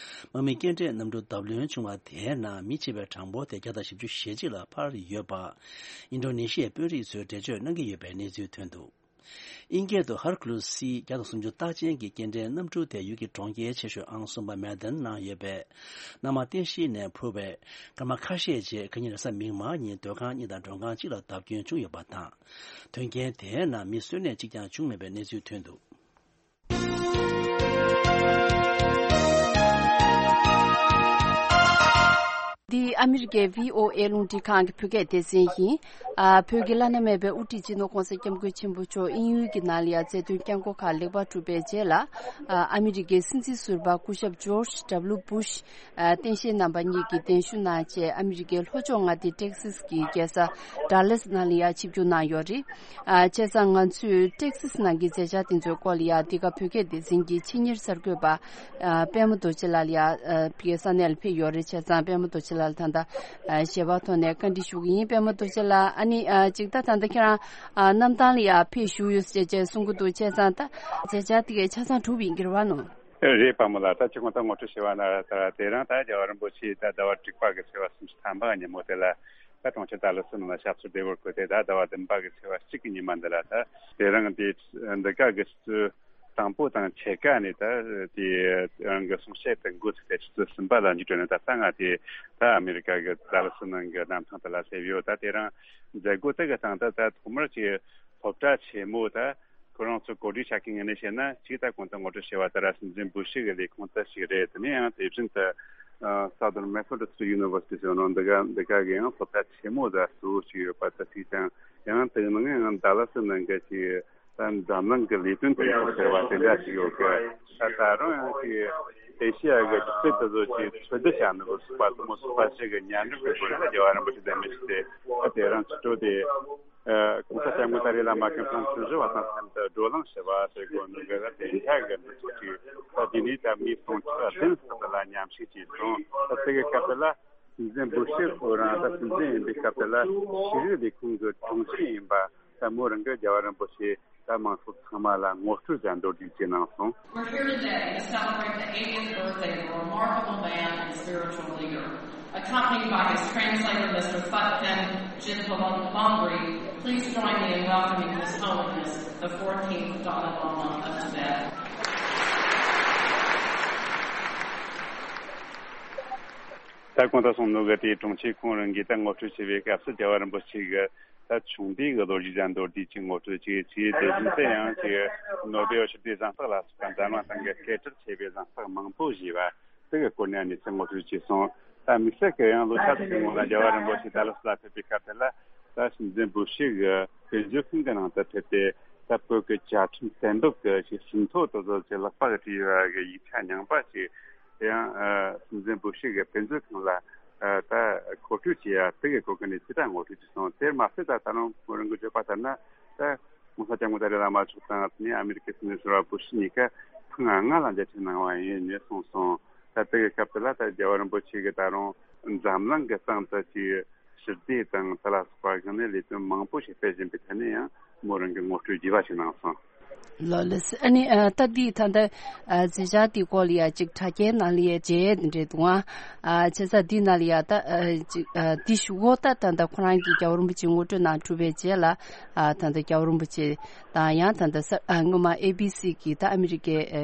དམག་མི་རྐྱེན་འདས་གནམ་གྲུ་བརྡབ་ལྷུང་བྱུང་བ་དེའི་ནང་མི་འཆི་བའི་གྲངས་འབོར་དེ་བརྒྱ་དང་བཞི་བཅུ་ཞེ་གཅིག་ལ་འཕར་ཡོད་པ། ཨིན་ཌོ་ནེ་ཤི་ཡའི་དཔོན་རིགས་ཚོས་འགྲེལ་བརྗོད་གནང་གི་ཡོད་པའི་གནས་ཚུལ་ཐོན་འདུག་དབྱིན་སྐད་དུ་ཧར་ཀུ་ལུ་སི་བརྒྱ་དང་སུམ་ཅུ་རྟགས་ཅན་གྱི་སྐྱེལ་འདྲེན་གནམ་གྲུ་དེ་ཡུལ་གྱི་གྲོང་ཁྱེར་ཆེ་ཤོས་ཨང་གསུམ་པ་མན་ཌན་ནང་ཡོད་པའི་གནམ་དམག་རྟེན་གཞིའི་ནང་འཕུར་བའི་སྐར་མ་ཁ་ཤས་རྗེས་ཁ་ཉིན་རེས་གཟའ་མིག་དམར་ཉིན་སྡོད་ཁང་གཉིས་དང་མགྲོན་ཁང་གཅིག་ལ་བརྡབ་སྐྱོན་བྱུང་ཡོད་པ་དང་། དོན་རྐྱེན་དེའི་ནང་མི་གསོད་ནད་གཅིག་ཀྱང་བྱུང་མེད་པའི་གནས་ཚུལ་ཐོན་འདུག་འདི་ཨ་མི་རི་ཀའི་བྷི་ཨོ་ཨེ་རླུང་འཕྲིན་ཁང་གི་བོད་སྐད་སྡེ་ཚན་ཡིན། ཨ། བོད་ཀྱི་བླ་ན་མེད་པའི་དབུ་ཁྲིད་སྤྱི་ནོར་༸གོང་ས་༸སྐྱབས་མགོན་ཆེན་པོ་མཆོག་དབྱིན་ཡུལ་གྱི་ནང་ལ་ཡང་རྩ་དོན་བསྐྱངས་སྒོ་ཁག་ལེགས་པར་གྲུབ་པའི་རྗེས་ལ། ཨ། ཨ་མི་རི་ཀའི་སྲིད་འཛིན་ཟུར་པ་སྐུ་ཞབས་ཇོརྗ་ཌབ་ལུ་སྦུ་ཤ། ཨ། སྟངས་དཔྱལ་རྣམ་པ་གཉིས་ཀྱིས་གདན་ཞུ་གནང་རྗེས་ཨ་མི་རི་ཀའི་ལྷོ་ཕྱོགས་མངའ་སྡེ་ཊེག་སཱས་ཀྱི་རྒྱལ་ས་ཌ་ལཱས་ནང་ལ་ཡང་ཆིབས་བསྒྱུར་གནང་ཡོད་རེད། ཨ། བྱས་ཙང་ང་ཚོས་ཊེག་སཱས་ནང་གི་མཛད་འཆར་དེ་ཚོའི་སྐོར་ལ་ཡང་འདི་ག་བོད་སྐད་སྡེ་ཚན་གྱི་ཆེད་གཉེར་གསར་འགོད་པ། ཨ། པདྨ་རྡོ་རྗེ་ལགས་ལ་ཡང་། ཨ། ཕ་གིའི་ས་གནས་ལ་ཕེབས་ཡོད་རེད། བྱས་ཙང་པདྨ་རྡོ་རྗེ་ལགས་ལ་ད་ལྟ། ཨ། ཞལ་པར་ཐོག་ནས་བཀའ་འདྲི་ཞུ་གི་ཡིན། པདྨ་རྡོ་རྗེ་ལགས། ཨ་ནི། ཨ། ཅིག་ད་ད་ལྟ་ཁྱེད་རང་། ཨ། གནམ་ཐང་ལ་ཡང་ཕེབས་བཞུགས་ཡོད་ཟེར་བྱས་གསུང་གི་འདུག་བྱས་ཙང་ད་མཛད་འཆར་དེ་གས་ཆ་ཚང་གྲུབ་ཡིན་གྱི་རེད་བ་ནོ། རེད། པདྨ་ལགས། ད་ཅི་གོང་ད་ངོ་སྤྲོད་བྱས་པ་ན་ད་དེ་རིང་ད་རྒྱལ་བ་རིན་པོ་ཆེ་ད་ཟླ་བ་དྲུག་པ་གི་ཚེས་པ་སུམ་ཅུ་ཐམ་པ་ཉིན་མོ་དེ་ལ་ད་གྲོང་ཁྱེར་ཌ་ལཱ་སི་ནང་ལ་ཞབས་སོར་བདེ་བར་བཀོད་དེ་ད་ཟླ་བ་བདུན་པ་གི་ཚེས་པ་གཅིག་གི་ཉི་མ་འདི་ལ་ད་དེ་རིང་འདི་འདི་ག་གི་སྲིད་དང་པོ་དང་ཕྱེད་ཀ་ནས་ད་དེ་རང་གི་གསུང་བཤད་དེ་འགོ་ཚུགས་ཏེ་ཆུ་ཚོད་གསུམ་པ་ལ་འཇིགས་སྒྲོལ་ནས་ད་ལྟ་ང་དེ་ད་ཨ་མི་རི་ཀ་གི་ཌ་ལཱ་སི་ནང་གི་གནམ་ཐང་དེ་ལ་སླེབས་ཡོད། ད་དེ་རིང་མཛད་སྒོ་དེ་གི་སྟེང་ད་ད་ཐོག་མར་གྱི་སློབ་གྲྭ་ཆེན་མོ་ད་ཁོ་རང་ཚོ་གོ་སྒྲིག་བྱ་མཁན་ངོས་ནས་བཤད་ན་གཅིག་ད་གོང་དུ་ངོ་སྤྲོད་བྱས་པ་ལྟར་སྲིད་འཛིན་སྦུ་ཤི་གི་ལས་ཁུངས་དེ་ཞིག་རེད། དེ་ནས་ཡང་དེ་བཞིན་དུ་Southern Methodist University ཟེར་ནོ་འདི་ག་འདི་ག་གི་ཡང་སློབ་གྲྭ་ཆེན་མོ་ད་གཙོ་བོ་ཞིག་ཡོད་པ་ད་ཅིག་དང་ཡང་དེའི་ནང་ཡང་ཌ་ལཱ་སི་ནང་གི་ཅིག་ད་འཛམ་གླིང་གི་ལས་དོན་དེ་ཡང་ཟེར་བ་དེ་འདྲ་ཞིག་ཡོད་གི། ད་ད་རུང་ཡང་ཅིག་ཨེ་ཤི་ཡ་གི་རྒྱུ་རྩལ་དེ་ཚོ་ཅིག་འཚོལ་བསྡུ་བྱ་ནི་གི་ཚོགས་པ་དེ་མོ་ཚོགས་པ་ཞིག་གི་མཉམ་རུབ་ཀྱི་སྒོ་ནས་རྒྱལ་བ་རིན་པོ་ཆེ་དང་མི་ཞིག་དེ་ད་དེ་རིང་ཕྱི་དྲོ་དེ། ཨ། གོང་ས་སྐྱབས་མགོན་ཏཱ་ལའི་བླ་མ་མཁན་ཁྲོམ་བདུན་ཅུ་པ་དང་ལྷན་དུ་བགྲོ་གླེང་ཞུ་བ་ཟེར་དགོས་ནོ་གི་ལ་དེ་འདྲ་གི་འདུ་ཚོགས་ཀྱི་ད་དེ་ནས་ད་མི་སྟོང་ཕྲག་བདུན་ཙམ་ལ་མཉམ་ཞུགས་ཀྱིས་སོང་། ད་དེ་གི་སྐབས་དེ་ལ་སྲིད་འཛིན་སྦུ་ཤི་ཁོ་རང་ད་སྲིད་འཛིན་ཡིན་པའི་སྐབས་དེ་ལ་ཤེས་རིག་ལས་ཁུངས་ཀྱི་དྲུང་ཆེ་ཡིན་པ་ད་མོ་རང་གི་རྒྱལ་བ་རིན་པོ་ཆེ་ད་དམངས་སྲོལ་ཚང་མ་ལ་ངོ་སྤྲོད་ཀྱང་མདོར་བསྡུས་ཀྱིས་གནང་སོང་། We're here today to celebrate the eightieth birthday of a remarkable man and spiritual leader. Accompanied by his translator, Mister Thupten Jinpalongri, please join me in welcoming His Holiness the fourteenth Dalai Lama of Tibet. ད་གོང་དུ་གསུངས་ནོ་གི་དེའི་དྲུང་ཆེ་ཁོང་རང་གིས་ད་ངོ་སྤྲོད་བྱས་པའི་སྐབས་སུ་རྒྱལ་བ་རིན་པོ་ཆེ་གི་ད་ཆུང་དུས་ཀྱི་ལོ་རྒྱུས་དང་མདོར་བསྡུས་ཀྱི་ངོ་སྤྲོད་ཅིག་བྱས། དེ་བཞིན་དུ་ཡང་ཅིག་ནོ་བེལ་ཞི་བདེ་གཟེངས་རྟགས་ལ་སོགས་པ་འཛམ་གླིང་སྟེང་གི་སྐད་སྒྲ་ཆེ་བའི་གཟེངས་རྟགས་མང་པོ་བཞེས་པ་དེ་གི་སྐོར་ནས་གནས་ཚུལ་ངོ་སྤྲོད་བྱས་སོང་། ད་དམིགས་བསལ་གྱི་ཡང་ལོ་ཆ་ཚང་གི་སྔོན་ལ་རྒྱལ་བ་རིན་པོ་ཆེ་ཏཱ་ལ་སི་ལ་ཕེབས་པའི་སྐབས་དེ་ལ། ད་སྲིད་འཛིན་བུ་ཤི་གི་དཔེ་མཛོད་ཁང་གི་ནང་དུ་ཕེབས་ཏེ། ད་བོད་ཀྱི་བཅའ་ཁྲིམས་གཏན་འབེབས་ཀྱི་ཞིག་ཟིན་ཐོ་དེ་ཚོ་ཅིག་ལག་པ་གིས་བྲིས་ཡོད་པ་གི་ཡིག་ཆ་རྙིང་པ་ཞིག་དེ་ཡང་ཨ་སྲིད་འཛིན་བུ་ཤི་གི་དཔེ་མཛོད་ཁང་ལ་ཨ་ད་མཁོ་སྤྲོད་བྱས་ཡ་དེ་གི་སྐོར་གྱི་གནས་ཚུལ་ད་ངོ་སྤྲོད་བྱས་སོང་། དེར་མ་ཟད་ད་ད་རུང་མོ་རང་གིས་བརྗོད་པ་ལྟར་ན། ད་༸གོང་ས་༸སྐྱབས་མགོན་ཏཱ་ལའི་བླ་མ་མཆོག་དང་དེ་ནས་ཨ་མི་རི་ཀའི་སྲིད་འཛིན་ཟུར་པ་བུ་ཤི་གཉིས་ཀ་ཐེངས་ལྔ་ལ་མཇལ་འཕྲད་གནང་བ་ཡིན་ནས་གསུངས་སོང་། ད་དེ་གི་སྐབས་དེ་ལ་ད་རྒྱལ་བ་རིན་པོ་ཆེ་གིས་ད་རུང་འཛམ་གླིང་གི་སྟེང་དུ་ཅིག་ཞི་བདེ་དང་དེ་ལ་སོགས་པ་གི་ནས་ལས་དོན་མང་པོ་ཞིག་སྤེལ་བཞིན་པའི་ཐད་ནས་ཡང་མོ་རང་གིས་ངོ་སྤྲོད་རྒྱས་པ་ཞིག་གནང་སོང་། ལགས་ལགས། ཨ་ནི་ཨ་ད་འདི་ད་ལྟ་ཨ་མཛད་འཆར་འདི་སྐོར་ལ་ཡ་ཅིག་དྲ་རྒྱའི་ནང་ལ་ཡ་མཇལ་འདི་འདྲས་འདུག་ཨ། ཨ་བྱས་ཙང་འདི་ནང་ལ་ཡ་ད་ཨ་ཅིག་ཨ་འདི་ཞུ་འོ་ད་ད་ལྟ་ཁོ་རང་གིས་རྒྱལ་བ་རིན་པོ་ཆེ་ངོ་སྤྲོད་གནང་གྲུབ་པའི་རྗེས་ལ། ཨ་ད་ལྟ་རྒྱལ་བ་རིན་པོ་ཆེ་དང་ཡང་ད་ལྟ་ས་ཨ་སྔོན་མ་ཨེ་བི་སི་གི་ད་ཨ་མི་རི་ཀའི་ཨ་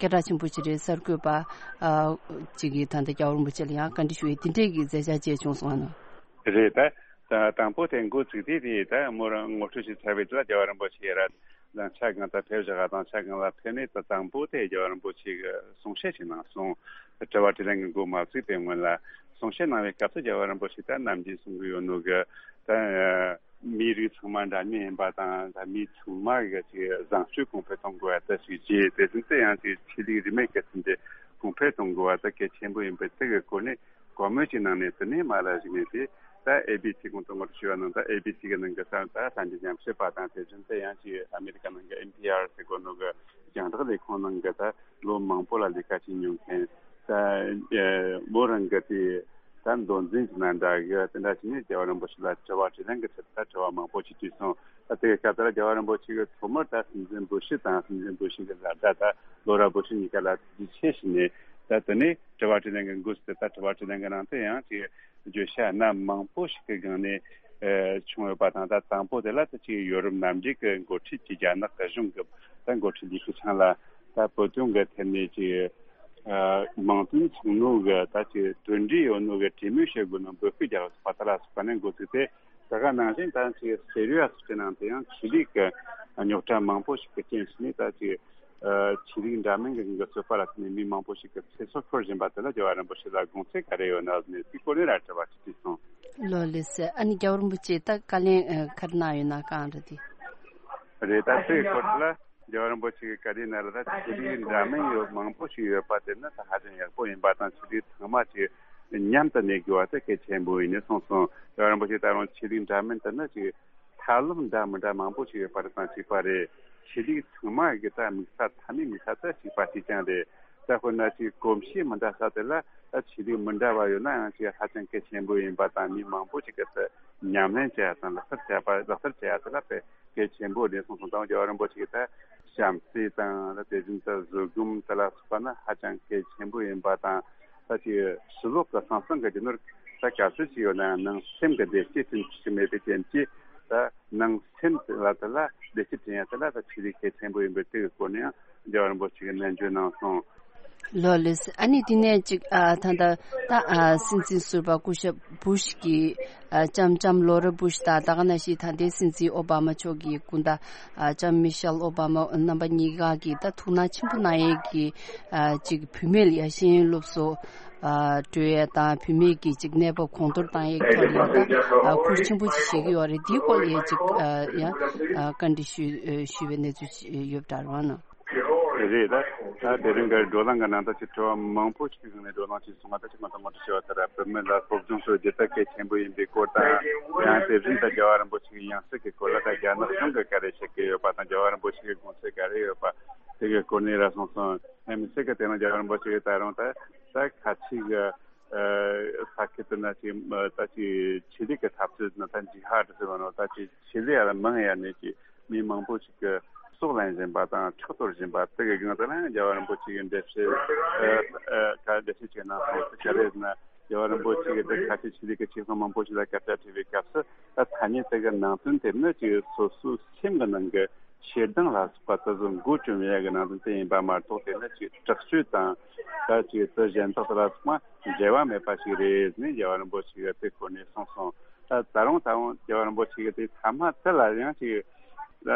སྐད་གྲགས་ཆེན་པོ་ཅིག་རེད། གསར་འགོད་པ་ཨ་ཅིག་གིས་ད་ལྟ་རྒྱལ་བ་རིན་པོ་ཆེ་ལ་ཡང་བཀའ་འདྲི་ཞུ་ཡས་འདི་འདྲས་ཀྱི་མཛད་འཆར་བཅས་བྱུང་སོང་ཨ་ནི། རེད། ད་ད་དང་པོ་དེ་འགོ་ཚུགས་དུས་དེ་ད་མོ་རང་ངོ་སྤྲོད་བྱས་ཚར་བའི་རྗེས་ལ་རྒྱལ་བ་རིན་པོ་ཆེ་ར་ལམ་ཆ་སྒང་དང་ཕེབས་བཞག་ག་དང་ཆ་སྒང་ལ་ཕེབས་ནས་ད་དང་པོ་དེ་རྒྱལ་བ་རིན་པོ་ཆེ་གིས་གསུང་བཤད་ཅིག་གནང་སོང་། དྲི་བ་དྲིས་ལན་གྱི་འགོ་མ་ཚུགས་པའི་སྔོན་ལ་གསུང་བཤད་གནང་བའི་སྐབས་སུ་རྒྱལ་བ་རིན་པོ་ཆེ་ད་ནམ་རྒྱུན་གསུང་གི་ཡོད་ནོ་གི་ད་མིའི་རིགས་ཚང་མ་འདྲ་མཉམ་ཡིན་པ་དང་། ད་མི་ཚང་མ་གི་ཅིག་བཟང་སྤྱོད་གོང་འཕེལ་གཏོང་དགོས་པ་དེ་ཞིག་བརྗོད། དེ་བཞིན་དུ་ཡང་ཅིག་ཆོས་ལུགས་རིས་མེད་ཀྱི་ཐོག་ནས་གོང་འཕེལ་གཏོང་དགོས་པ་དེ་གལ་ཆེན་པོ་ཡིན་པའི་དེ་གི་སྐོར་ནས་བཀའ་མོལ་ཅིག་གནང་ནས། དེ་ནས་མར་ལ་གཞིགས་ནས་དེ་ད་ཨེ་བི་སི་གོང་དུ་ངོ་སྤྲོད་ཞུས་པ་ནང་ད་ཨེ་བི་སི་གི་ནང་གི་ད་ད་གསར་འགྱུར་ཉམས་ཞིབ་པ་དང་། དེ་བཞིན་དུ་ཡང་ཅིག་ཨ་མི་རི་ཀ་ནང་གི་ཨེན་པི་ཨར་ཟེར་གོ་ནོ་གི་རྒྱང་བསྒྲགས་ལས་ཁུངས་ནང་གི་ད་ལོ་མང་པོ་ལ་ལས་ཀ་བྱེད་མྱོང་མཁན། ད་ཨེ་མོ་རང་གི་དེ་ད་མདོ་འཛིན་གྱི་ནང་འདྲ་གི་དེ་འདྲ་བྱས་ནས་རྒྱལ་བ་རིན་པོ་ཆེ་ལ་དྲི་བ་དྲིས་ལན་གྱི་ཚུལ་ད་དྲི་བ་མང་པོ་ཅིག་དྲིས་སོང་། ད་དེ་གི་སྐབས་དེ་ལ་རྒྱལ་བ་རིན་པོ་ཆེ་གིས་ཐོག་མར་ད་སྲིད་འཛིན་བུ་ཤི་དང་སྲིད་འཛིན་བུ་ཤི་གི་ལ་ད་ད་ལོ་ར་བུ་ཤི་གཉིས་ཀ་ལ་ཐུགས་རྗེ་ཆེ་ཞུས་ནས། ད་དེ་ནས་དྲི་བ་དྲིས་ལན་གྱི་འགོ་ཚུགས་ཏེ། ད་དྲི་བ་དྲིས་ལན་གྱི་ནང་དུ་ཡང་ཅིག་བརྗོད་བྱ་སྣ་མང་པོ་ཞིག་གི་སྒང་ནས་ཨེ་བྱུང་ཡོད་པ་དང་། ད་དང་པོ་དེ་ལ་ད་ཅིག་ཡོ་རོབ་མནའ་འབྲེལ་གྱི་འགོ་ཁྲིད་ཀྱི་རྒྱ་ནག་གི་གཞུང་གི་ད་འགོ་ཁྲིད་ལི་ཁེ་ཆང་ལ་ད་བོད་དོན་གྱི་ཐད་ནས་ཅིག་ཨ་མིང་དོན་མཚུངས་ནོ་གི་ད་ཅིག་གྲོས་འདྲིས་ཡོད་ནོ་གི་གྲོས་མོལ་བྱེད་དགོས་ནོ་འབོད་སྐུལ་རྒྱག་པ་དེ་ལ་སོགས་པ་ནས་འགོ་བཙུགས་ཏེ། ད་ག་ནང་བཞིན་ད་ཅིག་སི་རི་ཡ་སི་ཁྲི་ནང་དུ་ཡང་ཆོས་ལུགས་ཀྱི་རྙོག་དྲ་མང་པོ་ཞིག་གི་རྐྱེན་བྱས་ནས། ད་ཅིག་ཨ་ཆོས་ལུགས་འདྲ་མིན་གྱི་འགོ་ཚུགས་པ་ལ་བརྟེན་ནས་མི་མང་པོ་ཞིག་གི་ཚེ་སྲོག་ཤོར་བཞིན་པ་དེ་ལ་རྒྱལ་བ་རིན་པོ་ཆེ་ལ་དགོངས་ཚུལ་ག་རེ་ཡོད་ན་ཟེར་ནས་དེའི་སྐོར་ནས་ར་དྲི་བ་ཅིག་དྲིས་སོང་། ལགས་ལགས་སེ། ཨ་ནི་རྒྱལ་བ་རིན་པོ་ཆེ་ད་བཀའ་ལན་ཨ་ག་རེ་གནང་ཡོད་ན་གང་རེད་དེ། རེད། ད་དེའི་སྐོར་ལ་རྒྱལ་བ་རིན་པོ་ཆེ་གིས་བཀའ་ལན་གནང་ལ། ད་ཆོས་ལུགས་འདྲ་མིན་ཡོད་མང་པོ་ཞིག་ཡོད་པ་དེ་ནི་ད་ཧ་ཅང་ཡག་པོ་ཡིན་པ་དང་། ཆོས་ལུགས་ཚང་མ་ཅིག་མཉམ་དུ་གནས་དགོས་པ་དེ་གལ་ཆེན་པོ་ཡིན་ནས་གསུངས་སོང་། རྒྱལ་བ་རིན་པོ་ཆེ་ད་རུང་ཆོས་ལུགས་འདྲ་མིན་དེ་ནི་ཅིག་ཐབས་ལམ་འདྲ་མི་འདྲ་མང་པོ་ཞིག་ཡོད་པ་རེད་དང་། གཅིག་པ་རེད། ཆོས་ལུགས་ཚང་མ་གི་ད་དམིགས་ས་མཐའ་མའི་དམིགས་ས་ད་གཅིག་པ་གཅིག་རྐྱང་རེད། ད་དཔེར་ན་ཅིག་གོམས་གཤིས་མི་འདྲ་ས་དེ་ལ་ད་ཆོས་ལུགས་མི་འདྲ་བ་ཡོད་ན་ཡང་ཅིག་ཧ་ཅང་གལ་ཆེན་པོ་ཡིན་པ་དང་། མི་མང་པོ་ཞིག་གིས་ད་ཉམས་ལེན་བྱེད་ཡ་དང་ལག་བསྟར་བྱེད་པ། ལག་བསྟར་བྱེད་ཡ་དེ་ལ་དཔེ་གལ་ཆེན་པོ་རེད་གསུངས་སོང་། ད་རྒྱལ་བ་རིན་པོ་ཆེ་གིས་ད་བྱམས་བརྩེ་དང་། ད་དེ་བཞིན་དུ་བཟོད་སྒོམ་དེ་ལ་སོགས་པ་ནི་ཧ་ཅང་གལ་ཆེན་པོ་ཡིན་པ་དང་། ད་ཅིག་ཕྱི་ལོགས་ཀྱི་ཟང་ཟིང་གི་རྒྱུ་ནོར་ད་ག་ཚོད་ཅིག་ཡོད་ན་ཡང་ནང་སེམས་ཀྱི་བདེ་སྐྱིད་བསྐྲུན་ཐུབ་ཀྱི་མེད་པའི་རྐྱེན་གྱིས། ད་ནང་སེམས་དེ་ལ་དེ་ལ་བདེ་སྐྱིད་བསྐྲུན་ཡ་དེ་ལ་ད་ཆོས་ལུགས་གལ་ཆེན་པོ་ཡིན་པའི་དེ་གི་སྐོར་ནས་ཡང་རྒྱལ་བ་རིན་པོ་ཆེ་གིས་ནན་བརྗོད་གནང་སོང་། ལགས་ལགས། ཨ་ནི་དེ་ནས་ཅིག་ཨ་ད་ལྟ་ད་ཨ་སྲིད་འཛིན་ཟུར་པ་སྐུ་ཞབས་བུ་ཤི་གི་ཨ་ལྕམ་ལྕམ་ལོ་ར་བུ་ཤི་དང་། ད་ག་ནང་བཞིན་ད་ལྟའི་སྲིད་འཛིན་ཨོ་བྷ་མ་མཆོག་གི་སྐུ་ཟླ་ཨ་ལྕམ་མི་ཤེལ་ཨོ་བྷ་མ་རྣམ་པ་གཉིས་ཀ་གིས་ད་ཐུགས་སྣང་ཆེན་པོ་གནང་ཡས་ཀྱི་ཨ་ཅིག་བུད་མེད་ལ་ཡ་ཤེས་ཡོན་སློབ་གསོ་ཨ་སྤྲོད་ཡས་དང་། བུད་མེད་ཀྱི་ཅིག་གནས་བབ་གོང་མཐོར་གཏོང་ཡས་ཐོག་ལ་ཡ་ད་ཨ་ཁུར་ཆེན་པོ་ཅིག་བཞེས་ཀྱི་ཡོད་རེད། དེའི་སྐོར་ལ་ཡ་ཅིག་ཨ་ཡ་ཨ་བཀའ་འདྲི་ཞུ་ཞུས་པའི་གནས་ཚུལ་ཡོད་པ་འདྲ་རེད་བ་ན། རེད། ད་ད་དེ་རིང་གི་བགྲོ་གླེང་གི་ནང་ད་ཅིག་དྲི་བ་མང་པོ་ཞིག་གི་ནང་ནས་བགྲོ་གླེང་བྱས་སོང་བ། ད་ཅིག་མ་དང་མ་དྲི་བྱས་པ་ལྟར་བུད་མེད་ལ་སློབ་སྦྱོང་སྤྲོད་རྒྱུ་ད་གལ་ཆེན་པོ་ཡིན་པའི་སྐོར་དང་། ཡང་དེ་བཞིན་དུ་རྒྱལ་བ་རིན་པོ་ཆེ་གི་ཡང་སྲིད་ཀྱི་སྐོར་ལ་ད་རྒྱ་ནག་གཞུང་གིས་ག་རེ་བྱེད་ཀྱི་ཡོད་པ་དང་། རྒྱལ་བ་རིན་པོ་ཆེ་གི་དགོངས་ཚུལ་ག་རེ་ཡོད་པ་དེ་གི་སྐོར་ནས་ར་གསུངས་སོང་། ཡང་མི་ཚད་ཀྱི་དེ་རིང་རྒྱལ་བ་རིན་པོ་ཆེ་གིས་ད་རུང་ད་ད་ཁ་ཆེ་གི་ཨ་ས་ཁུལ་དུ་ན་ཅིག་ད་ཅིག་ཆོས་ལུགས་ཀྱི་འཐབ་རྩོད་ནི་ད་ཇི་ཧཱ་ཌི་ཟེར་བ་ནོ། ད་ཅིག་ཆེད་ལས་ཡར་མང་ཡར་ནས་ཀྱི་མི་མང་པོ་ཞིག་གི་སྲོག་ལེན་བཞིན་པ་དང་ཁྲག་གཏོར་བཞིན་པ་དེ་གི་སྒང་དེ་ལ་ཡང་རྒྱལ་བ་རིན་པོ་ཆེ་གིས་འགྲེལ་བཤད་ཨ་ཨ་ག་འགྲེལ་བཤད་བྱས་གནང་སོང་། དེ་ག་རེ་ཟེར་ན་རྒྱལ་བ་རིན་པོ་ཆེ་གིས་དེ་ཁ་ཆེ་ཆོས་ལུགས་ཀྱི་ཆེ་ཚང་མང་པོ་ཞིག་ལ་སྐད་ཆ་དྲིས་པའི་སྐབས་སུ། ད་ཐ་སྙད་དེ་གི་ནང་དོན་དེ་ནི་ཅིག་སོ་སོའི་སེམས་ཀྱི་ནང་གི་ ཞེ་སྡང་ལ་སོགས་པ་དེ་ཚོ་འགོ་བཅོམ་ཡས་ཀྱི་ནང་དོན་དེ་ཡིན་པ་མ་གཏོགས། དེ་ནི་ཅིག་དྲག་སྤྱོད་དང་ད་ཅིག་དེ་གཞན་དག་དེ་ལ་སོགས་པ་འབྲེལ་བ་མེད་པ་ཞིག་རེད་ནས་རྒྱལ་བ་རིན་པོ་ཆེ་གིས་དེ་སྐོར་ནས་གསུངས་སོང་། ད་ད་རུང་ད་རུང་རྒྱལ་བ་རིན་པོ་ཆེ་གིས་དེ་ཐ་མ་དེ་ལ་ཡང་ཅིག་ད་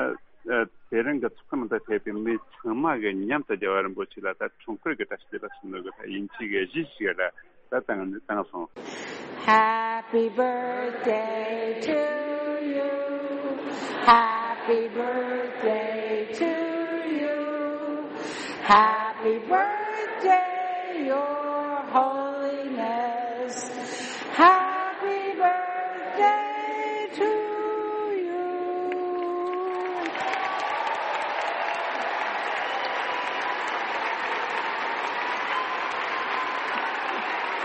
དེ་རིང་གི་ཚོགས་ཁང་ནང་དུ་ཕེབས་པའི་མི་ཚང་མ་གི་མཉམ་དུ་རྒྱལ་བ་རིན་པོ་ཆེ་ལ་ད་འཁྲུངས་སྐར་གྱི་བཀྲ་ཤིས་བདེ་ལེགས་ཞུ་ནོ་གི་ད་ཡིན་གཅིག་གི་གཞི་ཞིག་ལ་ད་བཏང་བཏང་སོང་། Happy birthday to you. Happy birthday to you. Happy birthday, Your Holiness. Happy birthday to you.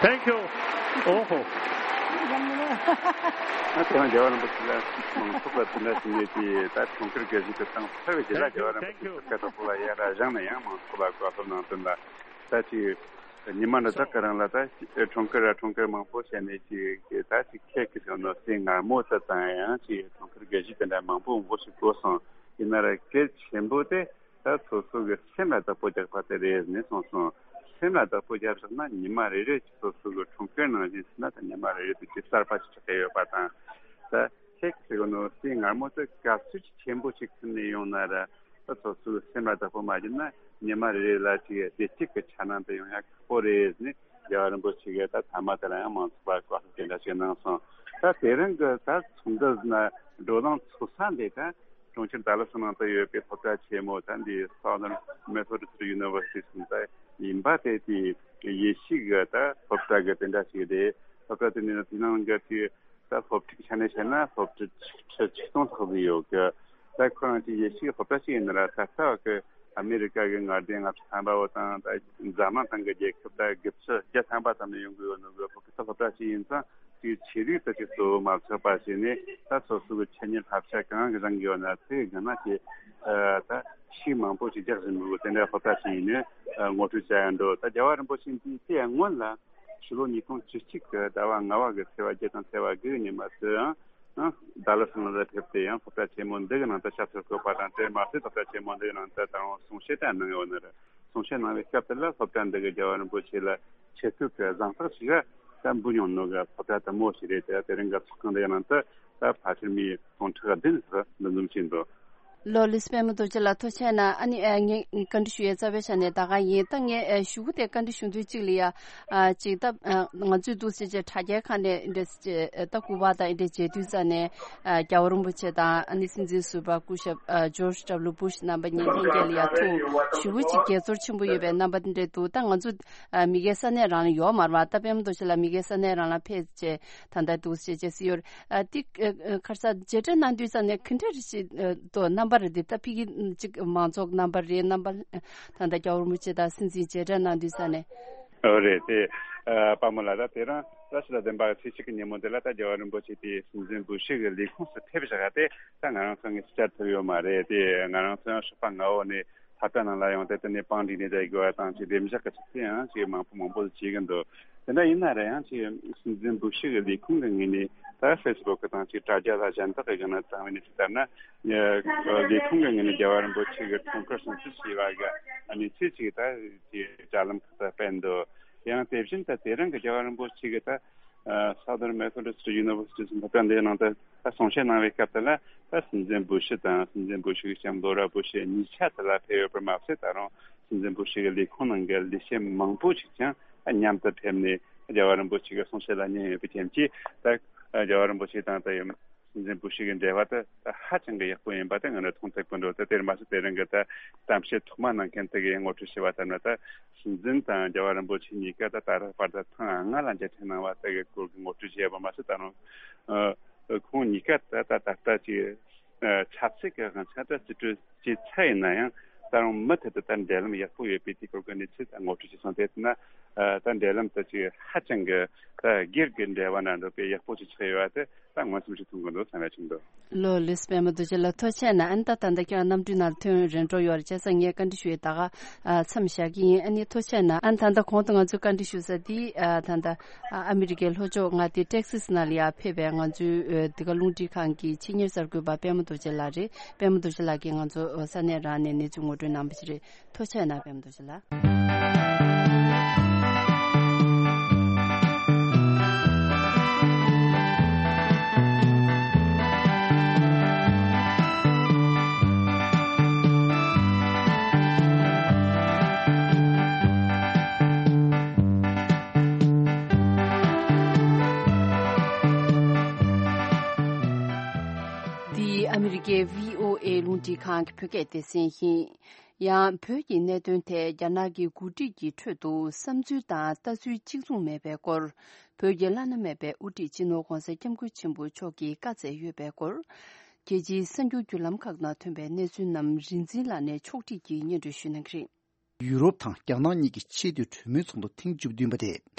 Thank you. Oh. ང་ཚོ་རྒྱལ་བ་རིན་པོ་ཆེ་ལ་མང་ཚོགས་ལ་དེ་འདྲ་ཞིག་ནས་ཀྱི་ད་འཁྲུངས་སྐར་དགའ་བཞིན་དུ་བཏང་ཚར་བའི་རྗེས་ལ། རྒྱལ་བ་རིན་པོ་ཆེ་སྐུ་ཁ་དང་པོ་ལ་ཡར་བཞེངས་ནས་ཡང་མང་ཚོགས་ལ་བཀའ་སློབ་གནང་དོན་ལ། ད་ཅིག་ཉི་མ་འདི་དག་གི་རིང་ལ་ད་འཁྲུངས་སྐར་ར་འཁྲུངས་སྐར་མང་པོ་བྱས་ནས་ཀྱི་ད་ཅིག་ཁྱེད་ཀྱི་ཟེར་ནོ་སེ་ངར་མོ་ད་དང་ཡང་ཅིག་འཁྲུངས་སྐར་དགའ་བཞི་དེ་འདྲ་མང་པོ་མང་པོ་ཞིག་གོ་སོང་། ཡིན་ན་ར་གལ་ཆེན་པོ་དེ་ད་སོ་སོ་གི་སེམས་ལ་བདག་པོ་རྒྱག་པ་དེ་རེད་ནས་གསུངས་སོང་། སེམས་ལ་བདག་པོ་རྒྱབ་བཞག་ན་ཉི་མ་རེ་རེ་གི་སོ་སོ་གི་འཁྲུངས་སྐར་ནང་བཞིན་ཟེར་ན་ད་ཉི་མ་རེ་རེ་དུ་ཅིག་གསར་པ་ཞིག་ཆགས་ཀྱི་ཡོད་པ་དང་། ད་ཁྱེད་ཀྱི་ཟེར་གོ་ནོ་སེ་ངར་མོ་དེ་ག་ཚོད་ཅིག་ཆེན་པོ་ཞིག་ཁུར་ནས་ཡོང་ན་ར། ད་སོ་སོའི་སེམས་ལ་བདག་པོ་མ་བྱས་ན་ཉི་མ་རེ་རེ་ལ་ཅིག་བདེ་སྐྱིད་ཀྱི་འཆར་སྣང་དེ་ཡོང་ཡ་ཁག་པོ་རེད་ཟེར་ནས་རྒྱལ་བ་རིན་པོ་ཆེ་གིས་ད་ཐ་མ་དེ་ལ་ཡང་མང་ཚོགས་ལ་བཀའ་སློབ་དེ་འདྲ་ཞིག་གནང་སོང་། ད་དེ་རིང་གི་ད་ཚོགས་འདུ་ཟེར་ན་བགྲོ་གླེང་ཚོགས་ས་འདི་ད་གྲོང་ཁྱེར་ཌ་ལ་སི་ནང་དུ་ཡོད་པའི་སློབ་གྲྭ་ཆེན་མོ་ད་འདི་Southern Methodist University ཟེར་ད་ཡིན་པ་དེ། དེ་ཡེ་ཤུ་གི་ད་སློབ་གྲྭ་གི་དེ་འདྲ་ཞིག་རེད། སློབ་གྲྭ་དེ་ནི་དེ་ནང་གི་ཅིག་ད་སློབ་ཕྲུག་ཆ་ནས་བཤད་ན་སློབ་ཕྲུག་ཆིག་ཁྲི་ཆིག་སྟོང་ལྷག་ཙམ་ཡོད་གི། ད་ཁོ་རང་ཚོའི་ཡེ་ཤུའི་སློབ་གྲྭ་ཞིག་ཡིན་ན་ར། ད་ལྟ་བ་གི་ཨ་མེ་རི་ཀ་གི་མངའ་སྡེ་ལྔ་བཅུ་ཐམ་པ་བོ་དང་ད་འཛམ་གླིང་སྟེང་གི་རྒྱལ་ཁབ་ད་དགུ་བཅུ་བརྒྱ་ཐམ་པ་ཙམ་ནས་ཡོང་གི་ཡོད་ནོ་གི། ཁོ་གི་ད་སློབ་གྲྭ་ཞིག་ཡིན་ཙང་དེའི་ཆེད་དུ་ད་ཅིག་གཙོ་བོ་མ་ཚོགས་པ་ཞིག་ནས་ད་སོ་སོ་གི་འཆད་ཉན་བསླབ་བྱ་གང་གི་རང་གི་ཡོད་ན་དེ་གི་ནང་གི་ད་ཤུགས་མང་པོ་ཞིག་རྒྱག་བཞིན་པའི་དེ་འདྲ་སློབ་གྲྭ་ཞིག་ཡིན་ནས་ངོ་སྤྲོད་བྱ་ཡ་འགྲོ། ད་རྒྱལ་བ་རིན་པོ་ཆེ་འདི་དེ་སྔོན་ལ་ཕྱི་ལོ་ཉིས་སྟོང་བཅུ་གཅིག་གི་ཟླ་བ་ལྔ་བ་གི་ཚེས་པ་བརྒྱད་དང་ཚེས་པ་དགུ་གི་ཉི་མ་དུའང་ནང་ཌ་ལ་སི་ནང་ལ་ཕེབས་ཏེ་ཡང་སློབ་གྲྭ་ཆེན་མོ་འདི་གི་ནང་དུ་ཞབས་སོར་བཀོད་པ་དང་དེར་མ་ཟད་སློབ་གྲྭ་ཆེན་མོ་འདི་གི་ནང་དུ་ད་རུང་གསུང་བཤད་དང་གནང་ཡོད་ནི་རེད། གསུང་བཤད་གནང་བའི་སྐབས་དེ་ལ་སློབ་གྲྭ་འདི་གི་རྒྱལ་བ་རིན་པོ་ཆེ་ལ་ཆེ་བསྟོད་ཀྱི་གཟེངས་རྟགས་ཤིག་ད་འབུལ་མྱོང་ནོ་གི་སློབ་གྲྭ་དུ་མོ་ཞིག་རེད། དེ་དེ་རིང་གི་ཚོགས་ཁང་འདི་གི་ནང་དུ་ད་ཕལ་ཆེར་མི་སྟོང་ཕྲག་བདུན་ལྷག་འདུ་འཛོམས་བྱས་འདུག་ལོ་ལིས་པད་མ་རྡོ་རྗེ་ལགས་ཐུགས་རྗེ་གནང་། ཨ་ནི་ཨ་ངས་བཀའ་འདྲི་ཞུ་ཡས་རྩ་བའི་ཆ་ནས་ད་ག་ཡིན། ད་ངས་ཨ་ཞུ་གི་དེ་བཀའ་འདྲི་ཞུ་དུས་གཅིག་ལ་ཡ་ཨ་ཅིག་ད་ཨ་ང་ཚོས་འདུག་ཟེར་བྱས་དྲ་རྒྱའི་ཁ་ནས་འདྲ་ཟེར་བྱས་ད་སྐུ་པར་དང་འདྲ་མཇལ་དུས་ཙ་ནས་ཨ་རྒྱལ་བ་རིན་པོ་ཆེ་དང་ཨ་ནི་སྲིད་འཛིན་ཟུར་པ་སྐུ་ཞབས་ཨ་ཇོརྗ་ཌབ་ལུ་བུ་ཤ་རྣམ་པ་གཉིས་ལྷན་རྒྱས་ལ་ཡ་ཐུག་ཞེ་པོ་ཅིག་དགྱེས་ཚོར་ཆེན་པོ་ཡོད་པའི་རྣམ་པ་འདྲ་འདུག་ད་ང་ཚོ་ཨ་མི་སྒེར་ས་གནས་རང་ལ་ཡོད་མ་རེད་པ། ད་པད་མ་རྡོ་རྗེ་ལགས་མི་སྒེར་ས་གནས་རང་ལ་ཕེབས་བྱས་ད་ལྟ་འདུག་ཟེར་བྱས་ཟེར་ཡོད། ཨ་ཏི་ཨ་ཨ་ཁར་ས་མཇལ་འཕྲད་གནང་དུས་ཙ་ནས་ག་འདྲ་རེ་ཞིག་ཨ་དོ་རྣམ་པ་རེད་དེ། ད་ཕ་གི་ཅིག་མང་ཚོགས་རྣམ་པ་རེད། རྣམ་པ་ད་ལྟ་རྒྱལ་བ་རིན་པོ་ཆེ་དང་སྲིད་འཛིན་མཇལ་འཕྲད་གནང་དུས་ཙ་ནས། ཨོ་རེད་དེ། ཨ་དཔའ་མོ་ལགས་ད་དེ་རིང་བཀྲ་ཤིས་ལྷ་ལྡན་པ་ཚེས་གཅིག་གི་ཉིན་མོ་འདི་ལ་ད་རྒྱལ་བ་རིན་པོ་ཆེ་དེ་སྲིད་འཛིན་བུ་ཤི་གི་ལས་ཁུངས་སུ་ཕེབས་བཞག་དེ་ད་ང་རང་ཚོ་ངས་བཅར་ཐུབ་ཡོད་མ་རེད། དེ་ང་རང་ཚོ་ཡང་ཞོགས་པ་སྔ་བོ་ནས་ལྷ་ས་ནང་ལ་ཡོང་སྟེ་དེ་ནས་པང་སྒྲིག་ནས་བསྡད་དགོས་པ་དང་ཅིག་བདེ་འཇགས་ཀྱི་ཆ་རྐྱེན་ཡང་ཅིག་མང་པོ་མང་པོ་ཞིག་བྱེད་ཀྱི་འདུག་དེ་འདྲ་ཡིན་ན་ར་ཡང་ཅིག་སྲིད་འཛིན་བུ་ཤི་གི་ལས་ཁུངས་ཀྱི་ངོས་ནས་ད་ཧྥེ་སི་བུག་དང་ཅིག་དྲ་རྒྱ་ལ་གཞན་དག་གི་སྒང་ན་བཏང་བའི་གནས་ཚུལ་ལྟར་ན། ལས་ཁུངས་ཀྱི་ངོས་ནས་རྒྱལ་བ་རིན་པོ་ཆེ་གི་འཁྲུངས་སྐར་སྲུང་བརྩི་བྱས་པ་གི་གནས་ཚུལ་ཅིག་ད་ཅིག་དྲ་ལམ་ཁག་ཏུ་སྤེལ་འདུག་ཡང་དེ་བཞིན་དུ་དེ་རིང་གི་རྒྱལ་བ་རིན་པོ་ཆེ་གི་ད་Southern Methodist University སློབ་གྲྭ་འདིའི་ནང་དུ་ད་གསུང་བཤད་གནང་བའི་སྐབས་དེ་ལ་ད་སྲིད་འཛིན་བུ་ཤི་དང་སྲིད་འཛིན་བུ་ཤི་གི་ལྕམ་ལོ་ར་བུ་ཤི་གཉིས་ཆ་དེ་ལ་ཕེབས་ཡོད་པར་མ་ཟད། ད་རུང་སྲིད་འཛིན་བུ་ཤི་གི་ལས་ཁུངས་ནང་གི་ལས་བྱེད་མང་པོ་ཞིག་ཀྱང་མཉམ་དུ་ཕེབས་ནས་རྒྱལ་བ་རིན་པོ་ཆེ་གི་གསུང་བཤད་ལ་ཉན་ཡོད་པའི་རྐྱེན་གྱིས། ད་རྒྱལ་བ་རིན་པོ་ཆེ་དང་ད་ཡང་སྲིད་འཛིན་བུ་ཤི་གི་འབྲེལ་བ་དེ་ད་ཧ་ཅང་གི་ཡག་པོ་ཡིན་པ་དེ་ང་རང་མཐོང་ཐུབ་ཀྱི་འདུག་དེ་དེར་མ་ཟད་དེ་རིང་གི་ད་གཏམ་བཤད་ཐོག་མ་གནང་མཁན་དེ་གིས་ངོ་སྤྲོད་བྱས་པ་ལྟར་ན། ད་སྲིད་འཛིན་དང་རྒྱལ་བ་རིན་པོ་ཆེ་གཉིས་ཀ་ད་ད་རེས་བར་དུ་ཐེངས་ལྔ་ལ་མཇལ་འཕྲད་གནང་བ་དེ་གི་སྐོར་གྱི་ངོ་སྤྲོད་བྱས་པ་མ་ཟད། ད་རུང་ཨ་ཁོང་གཉིས་ཀ་ད་ད་ད་ལྟ་ཅིག་ཨ་ཆབ་སྲིད་ཀྱི་དབང་ཆ་ད་རྩིས་སྤྲོད་བྱས་ཚར་ཡིན་ན་ཡང་ད་རུང་མུ་མཐུད་དུ་ད་འབྲེལ་ལམ་ཡག་པོ་ཡོད་པའི་དེ་སྐོར་གྱི་གནས་ཚུལ་ད་ངོ་སྤྲོད་བྱས་སོང་། དེ་ན། ད་འབྲེལ་ལམ་དེ་ཅིག་ཧ་ཅང་གི་ད་སྒེར་གྱི་འབྲེལ་བ་ནང་འགྲོ་པའི་ཡག་པོ་ཅིག་ཆགས་ཡོད་པ་དེ་ད་མངོན་སུམ་ཞིག་མཐོང་གི་འདུག་བསམ་ཡ་ཅིག་འདུག་ལོ་ལེགས་པད་མ་རྡོ་རྗེ་ལགས་ཐུགས་རྗེ་ཆེ་གནང་། ཨ་ནི་ད་ད་ལྟ་ཁྱེད་རང་གནམ་གྲུའི་ནང་ལ་ཐོན་རན་འགྲོ་ཡོད་རེད། བྱས་ཙང་ངས་བཀའ་འདྲི་ཞུ་ཡས་ད་ག་མཚམས་བཞག་གི་ཡིན། ཨ་ནི་ཐུགས་རྗེ་ཆེ་གནང་། ཨ་ནི་ད་ལྟ་གོང་དུ་ང་ཚོས་བཀའ་འདྲི་ཞུ་ས་དེ་ད་ལྟ་ཨ་མི་རི་ཀའི་ལྷོ་ཕྱོགས་མངའ་སྡེ་ཏེག་སིས་ནང་ལ་ཡར་ཕེབས་པའི་ང་ཚོའི་འདི་ག་རླུང་འཕྲིན་ཁང་གི་ཆེད་གཉེར་གསར་འགོད་པ་པད་མ་རྡོ་རྗེ་ལགས་རེད། པད་མ་རྡོ་རྗེ་ལགས་ཀྱིས་ང་ཚོ་ས་གནས་རང་ནས་གནས་ཚུལ་ངོ་སྤྲོད་གནང་བ་ཞིག་རེད། ཐུགས་རྗེ་ཆེ་གནང་། པད་མ་རྡོ་རྗེ་ལགས། འདི་ཨ་མི་རི་ཀའི་བྷི་ཨོ་ཨེ་རླུང་འཕྲིན་ཁང་གི་བོད་སྐད་སྡེ་ཚན་ཡིན། ཡང་བོད་ཀྱི་གནད་དོན་ཐད་རྒྱ་ནག་གི་འགོ་ཁྲིད་ཀྱི་ཁྲོད་དུ་བསམ་ཚུལ་དང་ལྟ་ཚུལ་གཅིག་མཚུངས་མེད་པའི་སྐོར། བོད་ཀྱི་བླ་ན་མེད་པའི་དབུ་ཁྲིད་སྤྱི་ནོར་༧གོང་ས་༧སྐྱབས་མགོན་ཆེན་པོ་མཆོག་གིས་བཀའ་སྩལ་ཡོད་པའི་སྐོར། རྒྱལ་སྤྱིའི་གསར་འགྱུར་བརྒྱུད་ལམ་ཁག་ནང་ཐོན་པའི་གནས་ཚུལ་རྣམས་རིག་འཛིན་ལགས་ནས་ཕྱོགས་སྒྲིག་གིས་སྙན་སྒྲོན་ཞུ་གནང་གི་རེད། ཡུ་རོབ་དང་རྒྱ་ནག་གཉིས་ཀྱི་ཆེས་མཐོའི་གྲོས་མོལ་ཚོགས་འདུ་ཐེངས་བཅུ་བདུན་པ་དེ་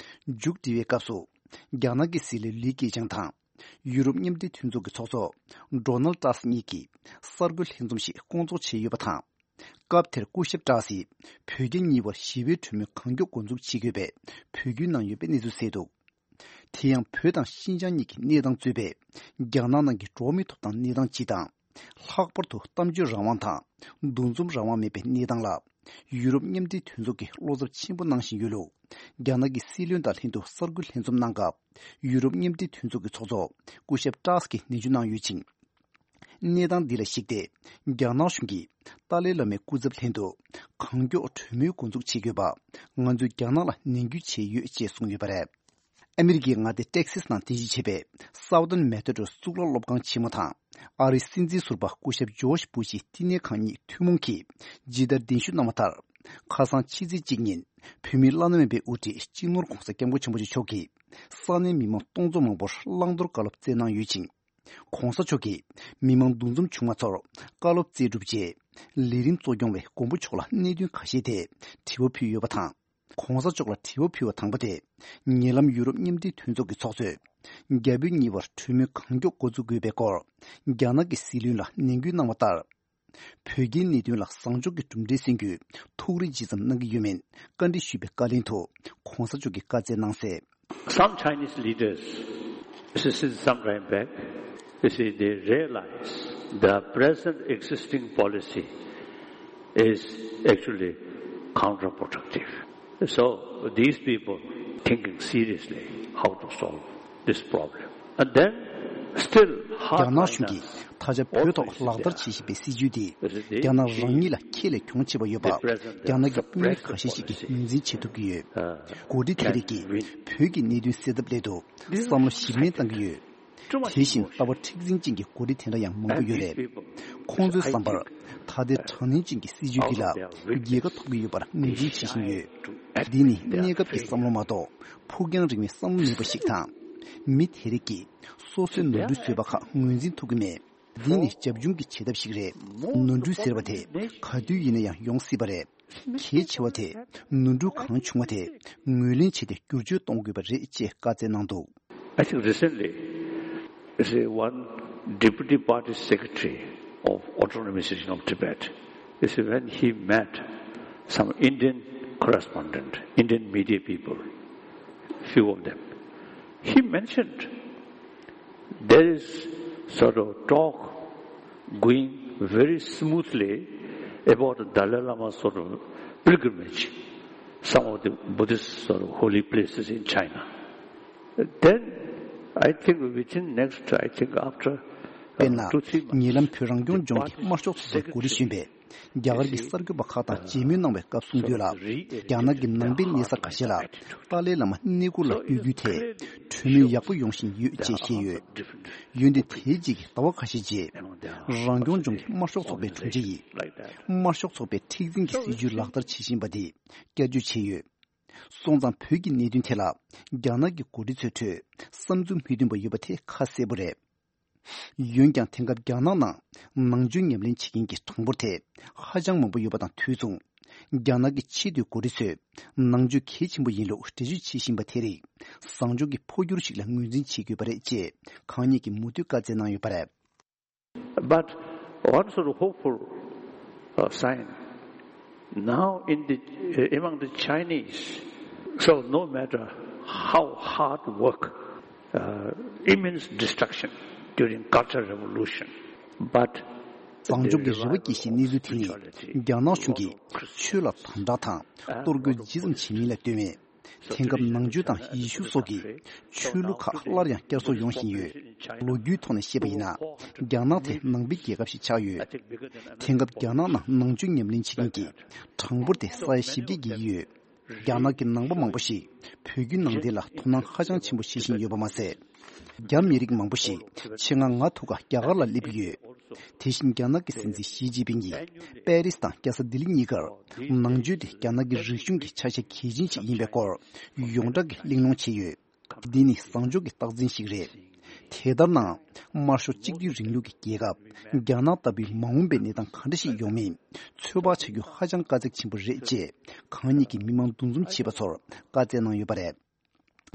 མཇུག་སྒྲིལ་བའི་སྐབས་སུ། རྒྱ་ནག་གི་སྲིད་བློན་ལི་ཁེ་ཆང་དང་། ཡུ་རོབ་མཉམ་འབྲེལ་མཐུན་ཚོགས་ཀྱི་ཚོགས་གཙོ་ཌོ་ནལ་ཏྲམ་གཉིས་ཀྱིས་གསར་འགོད་ལྷན་འཛོམས་ཤིག་བསྐོང་ཚོགས་བྱས་ཡོད་པ་དང་། སྐབས་དེར་སྐུ་ཞབས་ཏྲམ་གྱིས་བོད་རྒྱ་གཉིས་བར་ཞི་བའི་གྲོས་མོལ་གང་མགྱོགས་འགོ་འཛུགས་བྱེད་དགོས་པའི་འབོད་སྐུལ་གནང་ཡོད་པའི་གནས་ཚུལ་གསལ་འདུག་དེ་ཡང་བོད་དང་ཤིན་ཅང་གཉིས་ཀྱི་གནས་སྟངས་གཙོས་པའི་རྒྱ་ནག་ནང་གི་འགྲོ་བ་མིའི་ཐོབ་ཐང་གནས་སྟངས་སྤྱི་དང་། ལྷག་པར་དུ་གཏམ་བརྗོད་རང་དབང་དང་འདུ་འཛོམས་རང་དབང་མེད་པའི་གནས་སྟངས་ལ། ཡུ་རོབ་མཉམ་འབྲེལ་མཐུན་ཚོགས་ཀྱིས་བློ་འཚབ་ཆེན་པོ་གནང་བཞིན་ཡོད་ལུགས། རྒྱ་ནག་གི་སྲིད་བློན་དང་ལྷན་དུ་གསར་འགོད་ལྷན་འཛོམས་གནང་སྐབས། ཡུ་རོབ་མཉམ་འབྲེལ་མཐུན་ཚོགས་ཀྱི་ཚོགས་གཙོ་སྐུ་ཞབས་ཏྲམ་གྱིས་ནན་བརྗོད་གནང་ཡོད་ཅིང་། གནས་སྟངས་འདི་ལ་གཞིགས་ཏེ། རྒྱ་ནག་གཞུང་གིས་ཏཱ་ལའི་བླ་མའི་སྐུ་ཚབ་ལྷན་དུ་གང་མགྱོགས་གྲོས་མོལ་འགོ་འཛུགས་བྱེད་དགོས་པ། ང་ཚོས་རྒྱ་ནག་ལ་ནན་སྐུལ་བྱས་ཡོད་ཅེས་གསུངས་ཡོད་པ་རེད། ཨ་མི་རི་ཀའི་མངའ་སྡེ་ཏེག་སིས་ནང་རྟེན་གཞི་བྱས་པའི་Southern Methodist་གཙུག་ལག་སློབ་ཁང་ཆེན་མོ་དང་། ཨ་རིའི་སྲིད་འཛིན་ཟུར་པ་སྐུ་ཞབས་ཇོརྗ་བུ་ཤི་བསྟི་གནས་ཁང་གཉིས་ཐུན་མོང་གིས་ཇི་ལྟར་གདན་ཞུ་གནང་བ་ལྟར། ཁ་སང་ཕྱི་ཚེས་གཅིག་ཉིན་བོད་མིའི་བླ་ན་མེད་པའི་དབུ་ཁྲིད་སྤྱི་ནོར་༧གོང་ས་༧སྐྱབས་མགོན་ཆེན་པོ་མཆོག་གིས་ས་གནས་མི་མང་སྟོང་ཚོ་མང་པོར་བླང་དོར་བཀའ་སློབ་སྩལ་གནང་ཡོད་ཅིང་། ༸གོང་ས་མཆོག་གིས་མི་མང་འདུ་འཛོམས་བྱུང་མ་ཚོར་བཀའ་སློབ་སྩལ་གྲུབ་རྗེས། ལས་རིམ་གཙོ་སྐྱོང་བས་མགོན་པོ་མཆོག་ལ་གནད་དོན་ཁ་ཤས་ཐད་དྲི་བ་ཕུལ་ཡོད་པ་དང་། ༸གོང་ས་མཆོག་ལ་དྲི་བ་ཕུལ་བ་དང་པོ་དེ། ཉེ་ལམ་ཡུ་རོབ་མཉམ་འབྲེལ་མཐུན་ཚོགས་ཀྱི་ཚོགས་གཙོས། རྒྱ་བོད་གཉིས་བར་གྲོས་མོལ་གང་མགྱོགས་འགོ་འཛུགས་དགོས་པའི་སྐོར། རྒྱ་ནག་གི་སྲིད་བློན་ལ་ནན་སྐུལ་གནང་བ་ལྟར། བོད་རྒྱའི་གནད་དོན་ལ་བཟང་ཕྱོགས་ཀྱི་གྲུབ་འབྲས་སོན་རྒྱུའི་ཐུགས་རེ་ཇི་ཙམ་གནང་གི་ཡོད་མེད་བཀའ་འདྲི་ཞུས་པའི་བཀའ་ལན་དུ། ༸གོང་ས་མཆོག་གིས་བཀའ་སྩལ་གནང་གསལ། Some Chinese leaders, since some time back, you see, they realize the present existing policy is actually counterproductive. So these people thinking seriously how to solve this problem. And then still རྒྱ་hard ནག་གཞུང་གིས་finance ད་ཆ་བོད་ཐོག་ལག་བསྟར་བྱེད་བཞིན་པའི་སྲིད་ཇུས་དེ་རྒྱ་ནག་རང་ཉིད་ལ་ཁྱད་ལས་གྱོང་ཆེ་བ་ཡོད་པ་རྒྱ་ནག་གི་དཔོན་རིགས་ཁ་ཤས་ཤིག་གིས་ངོས་འཛིན་བྱེད་ཐུབ་ཀྱི་ཡོད། འགོ་ཁྲིད་དེ་རིགས་ཀྱིས་བོད་ཀྱི་གནད་དོན་སེལ་ཐབས་སླད་དུ་བསམ་བློ་ཞིབ་ནན་གཏང་གི་ཡོད། དེ་བཞིན་ལྟ་བ་མཁྲེགས་འཛིན་ཅན་གྱི་འགོ་ཁྲིད་དེ་འདྲ་ཡང་མང་པོ་ཡོད་རེད། ཁོང་ཚོའི་བསམ་པར་ད་ལྟའི་དྲག་གནོན་ཅན་གྱི་སྲིད་ཇུས་འདི་ལ་རྒྱལ་ཁ་ཐོབ་ཀྱི་ཡོད་པར་ངོས་འཛིན་བྱེད་བཞིན་ཡོད། འདི་ནི་གནས་སྐབས་ཀྱི་བསམ་བློ་མ་གཏོགས་ཕུགས་རྒྱང་རིང་བའི་བསམ་བློ་མེད་པ་ཞིག་དང་། མི་དེ་རིགས་ཀྱིས་སོ་སོའི་ནོར་འཁྲུལ་བཟོས་པ་ཁག་ངོས་འཛིན་ཐུབ་ཀྱི་མེད། འདི་ནི་རྒྱབ་ལྗོངས་ཀྱི་བྱེད་ཐབས་ཤིག་རེད། ནོར་འཁྲུལ་ཟེར་བ་དེ་ག་དུས་ཡིན་ན་ཡང་ཡོང་སྲིད་པ་རེད། གལ་ཆེ་བ་དེ་ནོར་འཁྲུལ་གང་བྱུང་བ་དེ་ངོས་ལེན་བྱས་ཏེ་བསྒྱུར་བཅོས་གཏོང་དགོས་པ་རེད་ཅེས་བཀའ་སྩལ་གནང་འདུག I think recently, you see, one deputy party secretary of Autonomous Region of Tibet, you see, when he met some Indian correspondent, Indian media people, few of them, he mentioned there is sort of talk going very smoothly about the Dalai Lama's sort of pilgrimage, some of the Buddhist sort of holy places in China. Then I think within next, I think after, uh, དཔེར་ན། two, three months, ཉེ་ལམ་བོད་རང་སྐྱོང་ལྗོངས་ཀྱི་དམར་ཤོག་ཚོགས་པའི་འགོ་ཁྲིད་གཞོན་པས་རྒྱ་གར་གྱི་གསར་འགོད་པ་ཁག་དང་མཇལ་མོལ་གནང་བའི་སྐབས་གསུངས་དོན་ལ། རྒྱ་ནག་གི་ནང་པའི་གནས་ས་ཁ་ཤས་ལ་ཏཱ་ལའི་བླ་མ་གནས་སྐོར་ལ་ཕེབས་རྒྱུའི་ཐད་གྲོས་མོལ་ཡག་པོ་ཡོང་བཞིན་ཡོད་ཅེས་བཤད་ཡོད། འོན་ཏེ་དེའི་རྗེས་ཀྱི་ཟླ་བ་ཁ་ཤས་རྗེས། རང་སྐྱོང་ལྗོངས་ཀྱི་དམར་ཤོག་ཚོགས་པའི་དྲུང་ཆེ་ཡིས། དམར་ཤོག་ཚོགས་པའི་མཁྲེགས་འཛིན་གྱི་སྲིད་ཇུས་ལག་བསྟར་བྱེད་བཞིན་པ་དེ་བསྐྱར་བརྗོད་བྱས་ཡོད། སོང་ཙང་བོད་ཀྱི་གནད་དོན་ཐད་ལ་རྒྱ་ནག་གི་འགོ་ཁྲིད་ཚོའི་ཁྲོད་བསམ་ཚུལ་མི་མཐུན་པ་ཡོད་པ་དེ་ཁ་གསལ་པོ་རེད། འོན་ཀྱང་དེང་སྐབས་རྒྱ་ནག་ནང་ནང་ཆོས་ཉམས་ལེན་བྱེད་མཁན་གྱི་གྲངས་འབོར་དེ་ཧ་ཅང་མང་པོ་ཡོད་པ་དང་དུས་མཚུངས། རྒྱ་ནག་གི་ཆེས་མཐོའི་འགོ་ཁྲིད་ཚོས་ནང་ཆོས་གལ་ཆེན་པོ་ཡིན་ལུགས་འགྲེལ་བརྗོད་བྱེད་བཞིན་པ་དེ་རིགས་བཟང་ཕྱོགས་ཀྱི་འཕོ་འགྱུར་ཞིག་ལ་ངོས་འཛིན་བྱེད་དགོས་པ་རེད་ཅེས་གང་ཉིད་ཀྱིས་མུ་མཐུད་བཀའ་སྩལ་གནང་ཡོད་པ་རེད། But one sort of hopeful uh, sign now in the uh, among the Chinese. So no matter how hard work, uh, immense destruction during Cultural Revolution, but བཟང་ཕྱོགས་ཀྱི་རེ་བ་སྐྱེ་བཞིན་གནས་ཚུལ་དེ་ནི་རྒྱ་ནག་གཞུང་གིས་ཆོས་ལ་དམ་དྲག་དང་གཏོར་རྒོལ་ཇི་ཙམ་བྱེད་མིན་ལ་ལྟོས་མེད། དེང་སྐབས་ནང་ཆོས་དང་ཡེ་ཤུ་སོགས་ཀྱི་ཆོས་ལུགས་ཁག་སླར་ཡང་བསྐྱར་གསོ་ཡོང་བཞིན་ཡོད། ལོ་རྒྱུས་ཐོག་ནས་བཤད་པ་ཡིན་ན། རྒྱ་ནག་དེ་ནང་པའི་རྒྱལ་ཁབ་ཞིག་ཆགས་ཡོད། དེང་སྐབས་རྒྱ་ནག་ནང་ནང་ཆོས་ཉམས་ལེན་བྱེད་མཁན་གྱི་གྲངས་འབོར་དེ་ས་ཡ་བཞི་བརྒྱ་བརྒལ་གྱི་ཡོད། རྒྱ་ནག་གི་ནང་པ་མང་པོ་ཞིག་བོད་བརྒྱུད་ནང་བསྟན་ལ་དོ་སྣང་ཧ་ཅང་ཆེན་པོ་བྱེད་བཞིན་ཡོད་པ་མ་ཟད། རྒྱ་མི་རིགས་མང་པོ་ཞིག་ཆེད་མངགས་ང་ཐུག་ག་རྒྱ་གར་ལ་སླེབས་ཀྱི་ཡོད། དེ་བཞིན་རྒྱ་ནག་གི་སྲིད་འཛིན་ཞི་ཅིན་ཕིང་གིས་པེ་རིས་དང་རྒྱལ་ས་ལྡི་ལི་གཉིས་ཀར་ནང་ཆོས་དེ་རྒྱ་ནག་གི་རིག་གཞུང་གི་ཆ་ཤས་གལ་ཆེན་ཞིག་ཡིན་པའི་སྐོར་ཡོངས་གྲགས་ཀྱི་གླེང་སློང་བྱས་ཡོད། འདི་ནི་བཟང་ཕྱོགས་ཀྱི་རྟགས་མཚན་ཞིག་རེད། དེ་ལྟར་ན། དམར་ཤོག་གཅིག་སྡུད་རིང་ལུགས་ཀྱི་རྒྱལ་ཁབ་རྒྱ་ནག་ལྟ་བུའི་མ་འོངས་པའི་གནས་སྟངས་ག་འདྲ་ཞིག་ཡོང་མིན་ཚོད་དཔག་བྱ་རྒྱུ་ཧ་ཅང་དཀའ་ཚེགས་ཆེན་པོ་རེད་ཅེས་གང་ཉིད་ཀྱིས་མི་མང་འདུ་འཛོམས་བྱེད་པ་ཚོར་བཀའ་སྩལ་གནང་ཡོད་པ་རེད།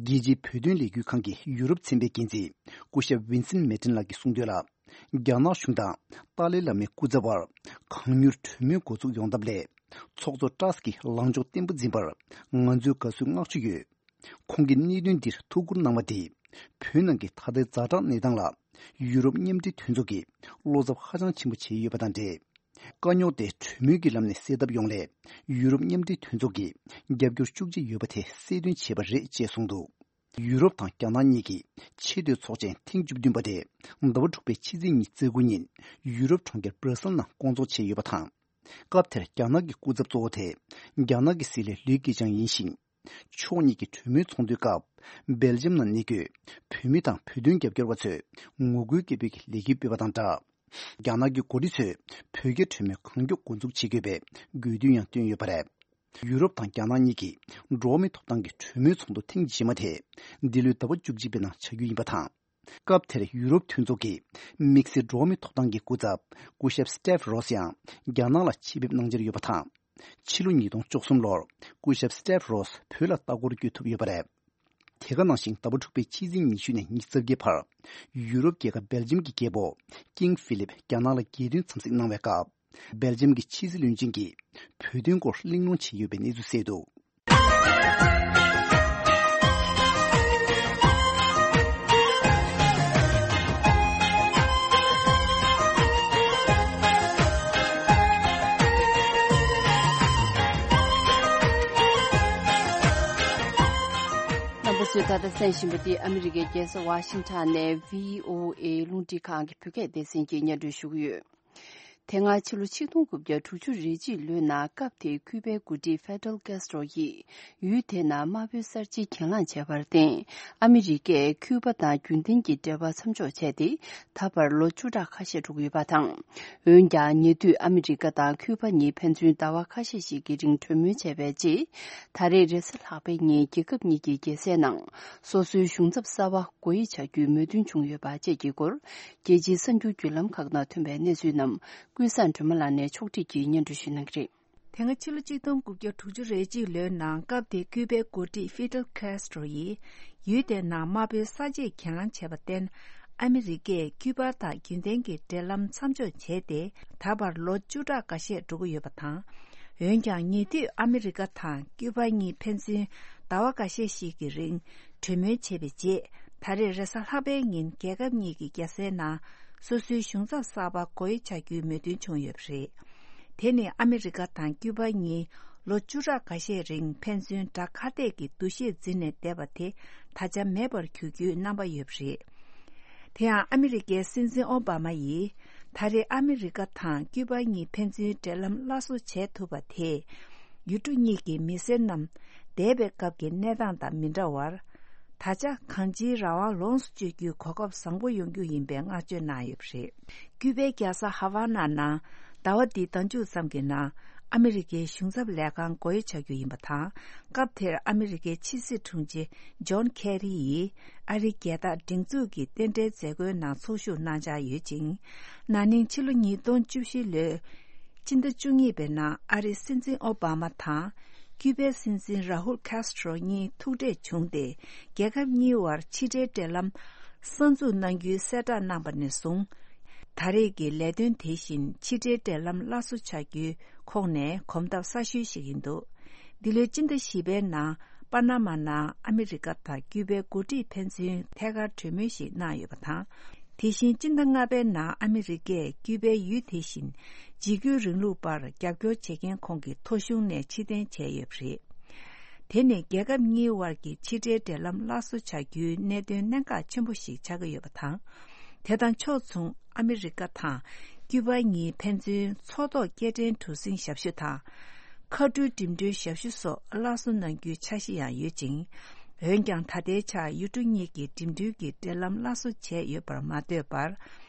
རྒྱལ་སྤྱིའི་བོད་དོན་ལས་འགུལ་ཁང་གི་ཡུ་རོབ་ཚན་པའི་འགན་འཛིན་སྐུ་ཞབས་ཝིན་སེན་མེ་ཏིན་ལགས་ཀྱིས་གསུངས་དོན་ལ། རྒྱ་ནག་གཞུང་དང་ཏཱ་ལའི་བླ་མའི་སྐུ་ཚབ་བར་གང་མྱུར་གྲོས་མོལ་འགོ་འཛུགས་ཡོང་ཐབས་སླད། ཚོགས་གཙོ་ཏྲས་ཀྱིས་ལངས་ཕྱོགས་བརྟན་པོ་འཛིན་པར་ང་ཚོས་དགའ་བསུ་བསྔགས་བརྗོད་ཡོད། ཁོང་གིས་གནད་དོན་འདིར་ཐུགས་ཁུར་གནང་བ་དེས། བོད་ནང་གི་ད་ལྟའི་ཛ་དྲག་གནས་སྟངས་ལ། ཡུ་རོབ་མཉམ་འབྲེལ་མཐུན་ཚོགས་ཀྱིས་བློ་འཚབ་ཧ་ཅང་ཆེན་པོ་བྱས་ཡོད་པ་དང་འབྲེལ། དཀའ་རྙོག་དེ་གྲོས་མོལ་གྱི་ལམ་ནས་སེལ་ཐབས་ཡོང་སླད། ཡུ་རོབ་མཉམ་འབྲེལ་མཐུན་ཚོགས་ཀྱིས་རྒྱབ་སྐྱོར་ཤུགས་ཆེ་ཡོད་པ་དེ་གསལ་སྟོན་བྱས་པ་རེད་ཅེས་གསུངས་འདུག་ཡུ་རོབ་དང་རྒྱ་ནག་གཉིས་ཀྱི་ཆེས་མཐོའི་ཚོགས་ཆེན་ཐེངས་བཅུ་བདུན་པ་དེ་ཟླ་བ་དྲུག་པའི་ཕྱི་ཚེས་ཉི་ཤུ་རྩ་དགུ་ཉིན་ཡུ་རོབ་གྲོང་ཁྱེར་སྦྲ་སེལ་ནང་བསྐོང་ཚོགས་བྱས་ཡོད་པ་དང་། སྐབས་དེར་རྒྱ་ནག་གི་སྐུ་ཚབ་གཙོ་བོ་དེ་རྒྱ་ནག་གི་སྲིད་བློན་ལི་ཁེ་ཆང་ཡིན་ཞིང་། ཕྱོགས་གཉིས་ཀྱི་གྲོས་མོལ་ཚོགས་འདུའི་སྐབས། སྦེལ་ཇམ་ནང་གནས་འཁོད་བོད་མི་དང་བོད་དོན་རྒྱབ་སྐྱོར་བ་ཚོས་ངོ་རྒོལ་སྐད་འབོད་ཀྱི་ལས་འགུལ་སྤེལ་བ་དང་སྦྲགས། རྒྱ་ནག་གི་འགོ་ཁྲིད་ཚོས་བོད་རྒྱ་གྲོས་མོལ་གང་མགྱོགས་འགོ་འཛུགས་བྱེད་དགོས་པའི་དགོས་འདུན་ཡང་བཏོན་ཡོད་པ་རེད། ཡུ་རོབ་དང་རྒྱ་ནག་གཉིས་ཀྱི་འགྲོ་བ་མིའི་ཐོབ་ཐང་གི་གྲོས་མོལ་ཚོགས་འདུ་ཐེངས་རྗེས་མ་དེ་འདི་ལོའི་ཟླ་བ་བཅུ་གཅིག་པའི་ནང་བྱ་རྒྱུ་ཡིན་པ་དང་། སྐབས་དེར་ཡུ་རོབ་མཐུན་ཚོགས་ཀྱི་དམིགས་བསལ་འགྲོ་བ་མིའི་ཐོབ་ཐང་གི་སྐུ་ཚབ་སྐུ་ཞབས་སི་ཏེབ་རོས་ཡང་རྒྱ་ནག་ལ་ཆེད་ཕེབས་གནང་འཆར་ཡོད་པ་དང་། ཕྱི་ལོ་ཉིས་སྟོང་བཅུ་གསུམ་ལོར་སྐུ་ཞབས་སི་ཏེབ་རོས་བོད་ལ་ལྟ་སྐོར་བསྐྱོད་ཐུབ་ཡོད་པ་རེད། དེ་ག་ནང་བཞིན་ཟླ་བ་དྲུག་པའི་ཕྱི་ཚེས་ཉི་ཤུ་ནས་ཉི་ཤུ་རྩ་བརྒྱད་བར་ཡུ་རོབ་རྒྱལ་ཁབ་སྦེལ་ཇམ་གྱི་རྒྱལ་པོ་ཀིང་ཧྥི་ལིབ་རྒྱ་ནག་ལ་རྒྱལ་སྟོན་འཚམས་གཟིགས་གནང་བའི་སྐབས། སྦེལ་ཇམ་གྱི་ཕྱི་སྲིད་བློན་ཆེན་གྱིས་བོད་དོན་སྐོར་གླེང་སློང་བྱས་ཡོད་པའི་གནས་ཚུལ་གསལ་འདུག་རྣམ་པ་ཚོས་ད་ལྟ་གསན་བཞིན་པ་འདི་ཨ་མི་རི་ཀའི་རྒྱལ་ས་ཝ་ཤིང་ཊོན་ནས་བྷི་ཨོ་ཨེ་རླུང་འཕྲིན་ཁང་གི་བོད་སྐད་སྡེ་ཚན་གྱིས་སྙན་སྒྲོན་ཞུ་གི་ཡོད། དེ་སྔ་ཕྱི་ལོ་ཆིག་སྟོང་དགུ་བརྒྱ་དྲུག་ཅུ་རེ་གཅིག་ལོའི་ནང་སྐབས་དེའི་ཁྱུ་པའི་འགོ་ཁྲིད་ཧྥེ་ཌེལ་ཀེ་སི་ཊོ་ཡིས་ཡུལ་དེའི་ནང་དམར་པོའི་གསར་བརྗེ་གྱེན་ལངས་བྱས་པར་བརྟེན། ཨ་མི་རི་ཀས་ཁྱུ་པ་དང་རྒྱུན་ལྡན་གྱི་འབྲེལ་བ་མཚམས་འཇོག་བྱས་ཏེ། ད་བར་ལོ་བཅུ་ཕྲག་ཁ་ཤས་འགྲོ་གི་ཡོད་པ་དང་། འོན་ཀྱང་ཉེ་དུས་ཨ་མི་རི་ཀ་དང་ཁྱུ་པ་གཉིས་ཕན་ཚུན་ཟླ་བ་ཁ་ཤས་ཤིག་གི་རིང་གྲོས་མོལ་བྱས་པའི་རྗེས། ད་རེས་རེས་གཟའ་ལྷག་པའི་ཉིན་རྒྱལ་ཁབ་གཉིས་ཀྱི་རྒྱལ་སའི་ནང་སོ་སོའི་གཞུང་ཚབ་གསར་པ་སྒོ་དབྱེ་བྱ་རྒྱུའི་མོས་མཐུན་བྱུང་ཡོད་པ་བཅས་ཀྱི་སྐོར། རྒྱལ་སྤྱིའི་གསར་འགྱུར་བརྒྱུད་ལམ་ཁག་ནང་ཐོན་པའི་གནས་ཚུལ་རྣམས་ཀུན་བཟང་སྒྲོལ་མ་ལགས་ནས་ཕྱོགས་བསྒྲིགས་ཀྱིས་སྙན་སྒྲོན་ཞུ་གནང་གི་རེད། དེ་སྔ་ཕྱི་ལོ་ཆིག་སྟོང་དགུ་བརྒྱ་དྲུག་ཅུ་རེ་གཅིག་ལོའི་ནང་སྐབས་དེའི་ཁྱུ་པའི་འགོ་ཁྲིད་ཧྥི་ཌེལ་ཀེ་སི་ཊོ་ཡིས་ཡུལ་དེའི་ནང་དམར་པོའི་གསར་བརྗེས་གྱེན་ལངས་བྱས་པར་བརྟེན། ཨ་མི་རི་ཀས་ཁྱུ་པ་དང་རྒྱུན་ལྡན་གྱི་འབྲེལ་ལམ་མཚམས་འཇོག་བྱས་ཏེ། ད་བར་ལོ་བཅུ་ཕྲག་འགའ་ཤས་འགྲོ་གི་ཡོད་པ་དང་། འོན་ཀྱང་ཉེ་དུས་ཨ་མི་རི་ཀ་དང་ཁྱུ་པ་གཉིས་ཕན་ཚུན་ཟླ་བ་འགའ་ཤས་ཤིག་གི་རིང་གྲོས་མོལ་བྱས་པའི་རྗེས། ད་རེས་རེས་གཟའ་ལྷག་པའི་ཉིན་རྒྱལ་ཁབ་གཉིས་ཀྱི་རྒྱལ་སའི་ནང་སོ་སོའི་གཞུང་ཚབ་གསར་པ་སྒོ་དབྱེ་བྱ་རྒྱུའི་མོས་མཐུན་བྱུང་ཡོད་པ་རེད། དེ་ནི་ཨ་མི་རི་ཀ་དང་ཁྱུ་པ་གཉིས་ལོ་བཅུ་ཕྲག་འགའ་ཤས་རིང་ཕན་ཚུན་དགྲ་ཁ་གཏད་ཀྱི་འདུ་ཤེས་འཛིན་ནས་བསྡད་པ་དེ་ད་ཆ་མེད་པར་གྱུར་རྒྱུའི་རྣམ་པ་ཡོད་པ་རེད། དེ་ཡང་ཨ་མི་རི་ཀའི་སྲིད་འཛིན་ཨོ་བྷ་མ་ཡིས་ད་རེས་ཨ་མི་རི་ཀ་དང་ཁྱུ་པ་གཉིས་ཕན་ཚུན་འབྲེལ་ལམ་སླར་གསོ་བྱེད་ཐུབ་པ་དེས་ཡུལ་གྲུ་གཉིས་ཀྱི་མི་སེར་རྣམས་འདས་པའི་སྐབས་ཀྱི་གནས་སྟངས་དང་མི་འདྲ་བར། ད་ཆ་གང་ཅིའི་རང་དབང་ལོངས་སུ་སྤྱོད་རྒྱུའི་གོ་སྐབས་བཟང་པོ་ཡོང་རྒྱུ་ཡིན་པའི་བསྔགས་བརྗོད་གནང་ཡོད་པ་རེད། ཁྱུ་པའི་རྒྱལ་ས་ཧ་ཝ་ན་ནང་ཟླ་བ་འདིའི་ཟླ་མཇུག་ཙམ་གྱི་ནང་ཨ་མི་རི་ཀའི་གཞུང་ཚབ་ལས་ཁང་སྒོ་དབྱེ་བྱ་རྒྱུ་ཡིན་པ་དང་། སྐབས་དེར་ཨ་མི་རི་ཀའི་ཕྱི་སྲིད་དྲུང་ཆེ་ཇོན་ཁེ་རི་ཡིས་ཨ་རིའི་རྒྱལ་དར་སྒྲེང་འཛུགས་ཀྱི་རྟེན་འབྲེལ་མཛད་སྒོའི་ནང་ཚོགས་ཞུགས་གནང་འཆར་ཡོད་ཅིང་། ན་ནིང་ཕྱི་ལོ་ཉིས་སྟོང་བཅུ་བཞི་ལོའི་ སྤྱི་ཟླ་བཅུ་གཉིས་པའི་ནང་ཨ་རིའི་སྲིད་འཛིན་ཨོ་བྷ་མ་དང་ཀྱུ་པའི་སྲིད་འཛིན་ར་ཧུལ་ཁཱས་ཊྲོ་གཉིས་ཐུག་འཕྲད་བྱུང་སྟེ། རྒྱལ་ཁབ་གཉིས་དབར་ཕྱི་འབྲེལ་འབྲེལ་ལམ་གསར་འཛུགས་གནང་རྒྱུའི་གསལ་བསྒྲགས་གནང་པ་ནས་བཟུང་། ད་རེས་ཀྱི་ལས་དོན་དེ་བཞིན་ཕྱི་འབྲེལ་འབྲེལ་ལམ་སླར་གསོ་བྱ་རྒྱུའི་ཁོངས་ནས་གོམ་སྟབས་གསར་ཤོས་ཤིག་ཡིན་འདུག་འདི་ལོའི་སྤྱི་ཟླ་བཞི་པའི་ནང་པ་ན་མ་ནང་ཨ་མི་རི་ཀ་དང་ཀྱུ་པའི་འགོ་ཁྲིད་ཕན་ཚུན་ཐད་ཀར་གྲོས་མོལ་ཞིག་གནང་ཡོད་པ་དང་། དེ་བཞིན་སྤྱི་ཟླ་ལྔ་པའི་ནང་ཨ་མི་རི་ཀས་ཀྱུ་པའི་ཡུལ་དེ་བཞིན་འཇིགས་སྐུལ་རིང་ལུགས་པར་རྒྱབ་སྐྱོར་བྱེད་མཁན་ཁོངས་ཀྱི་ཐོ་གཞུང་ནས་ཕྱིར་འཐེན་བྱས་ཡོད་པ་རེད། དེ་ནི་རྒྱལ་ཁབ་གཉིས་དབར་གྱི་ཕྱི་འབྲེལ་འབྲེལ་ལམ་སླར་གསོ་བྱ་རྒྱུའི་གནད་དོན་གནད་འགག་ཆེན་པོ་ཞིག་ཆགས་ཀྱི་ཡོད་པ་དང་། དེ་དང་ཕྱོགས་མཚུངས་ཨ་མི་རི་ཀ་དང་ཀྱུ་པ་གཉིས་ཕན་ཚུན་མཚོ་ཐོག་སྐྱེལ་འདྲེན་གྲུ་གཟིངས་ཞབས་ཞུ་དང་། མཁའ་འགྲུལ་འགྲིམ་འགྲུལ་ཞབས་ཞུ་སོགས་སླར་གསོ་གནང་རྒྱུའི་འཆར་གཞི་ཡང་ཡོད་ཅིང་། འོན་ཀྱང་ད་ལྟའི་ཆར་ཡུལ་གྲུ་གཉིས་ཀྱི་འགྲིམ་འགྲུལ་གྱི་འབྲེལ་ལམ་སླར་གསོ་བྱས་ཡོད་པར་མ་ལྟོས་པར།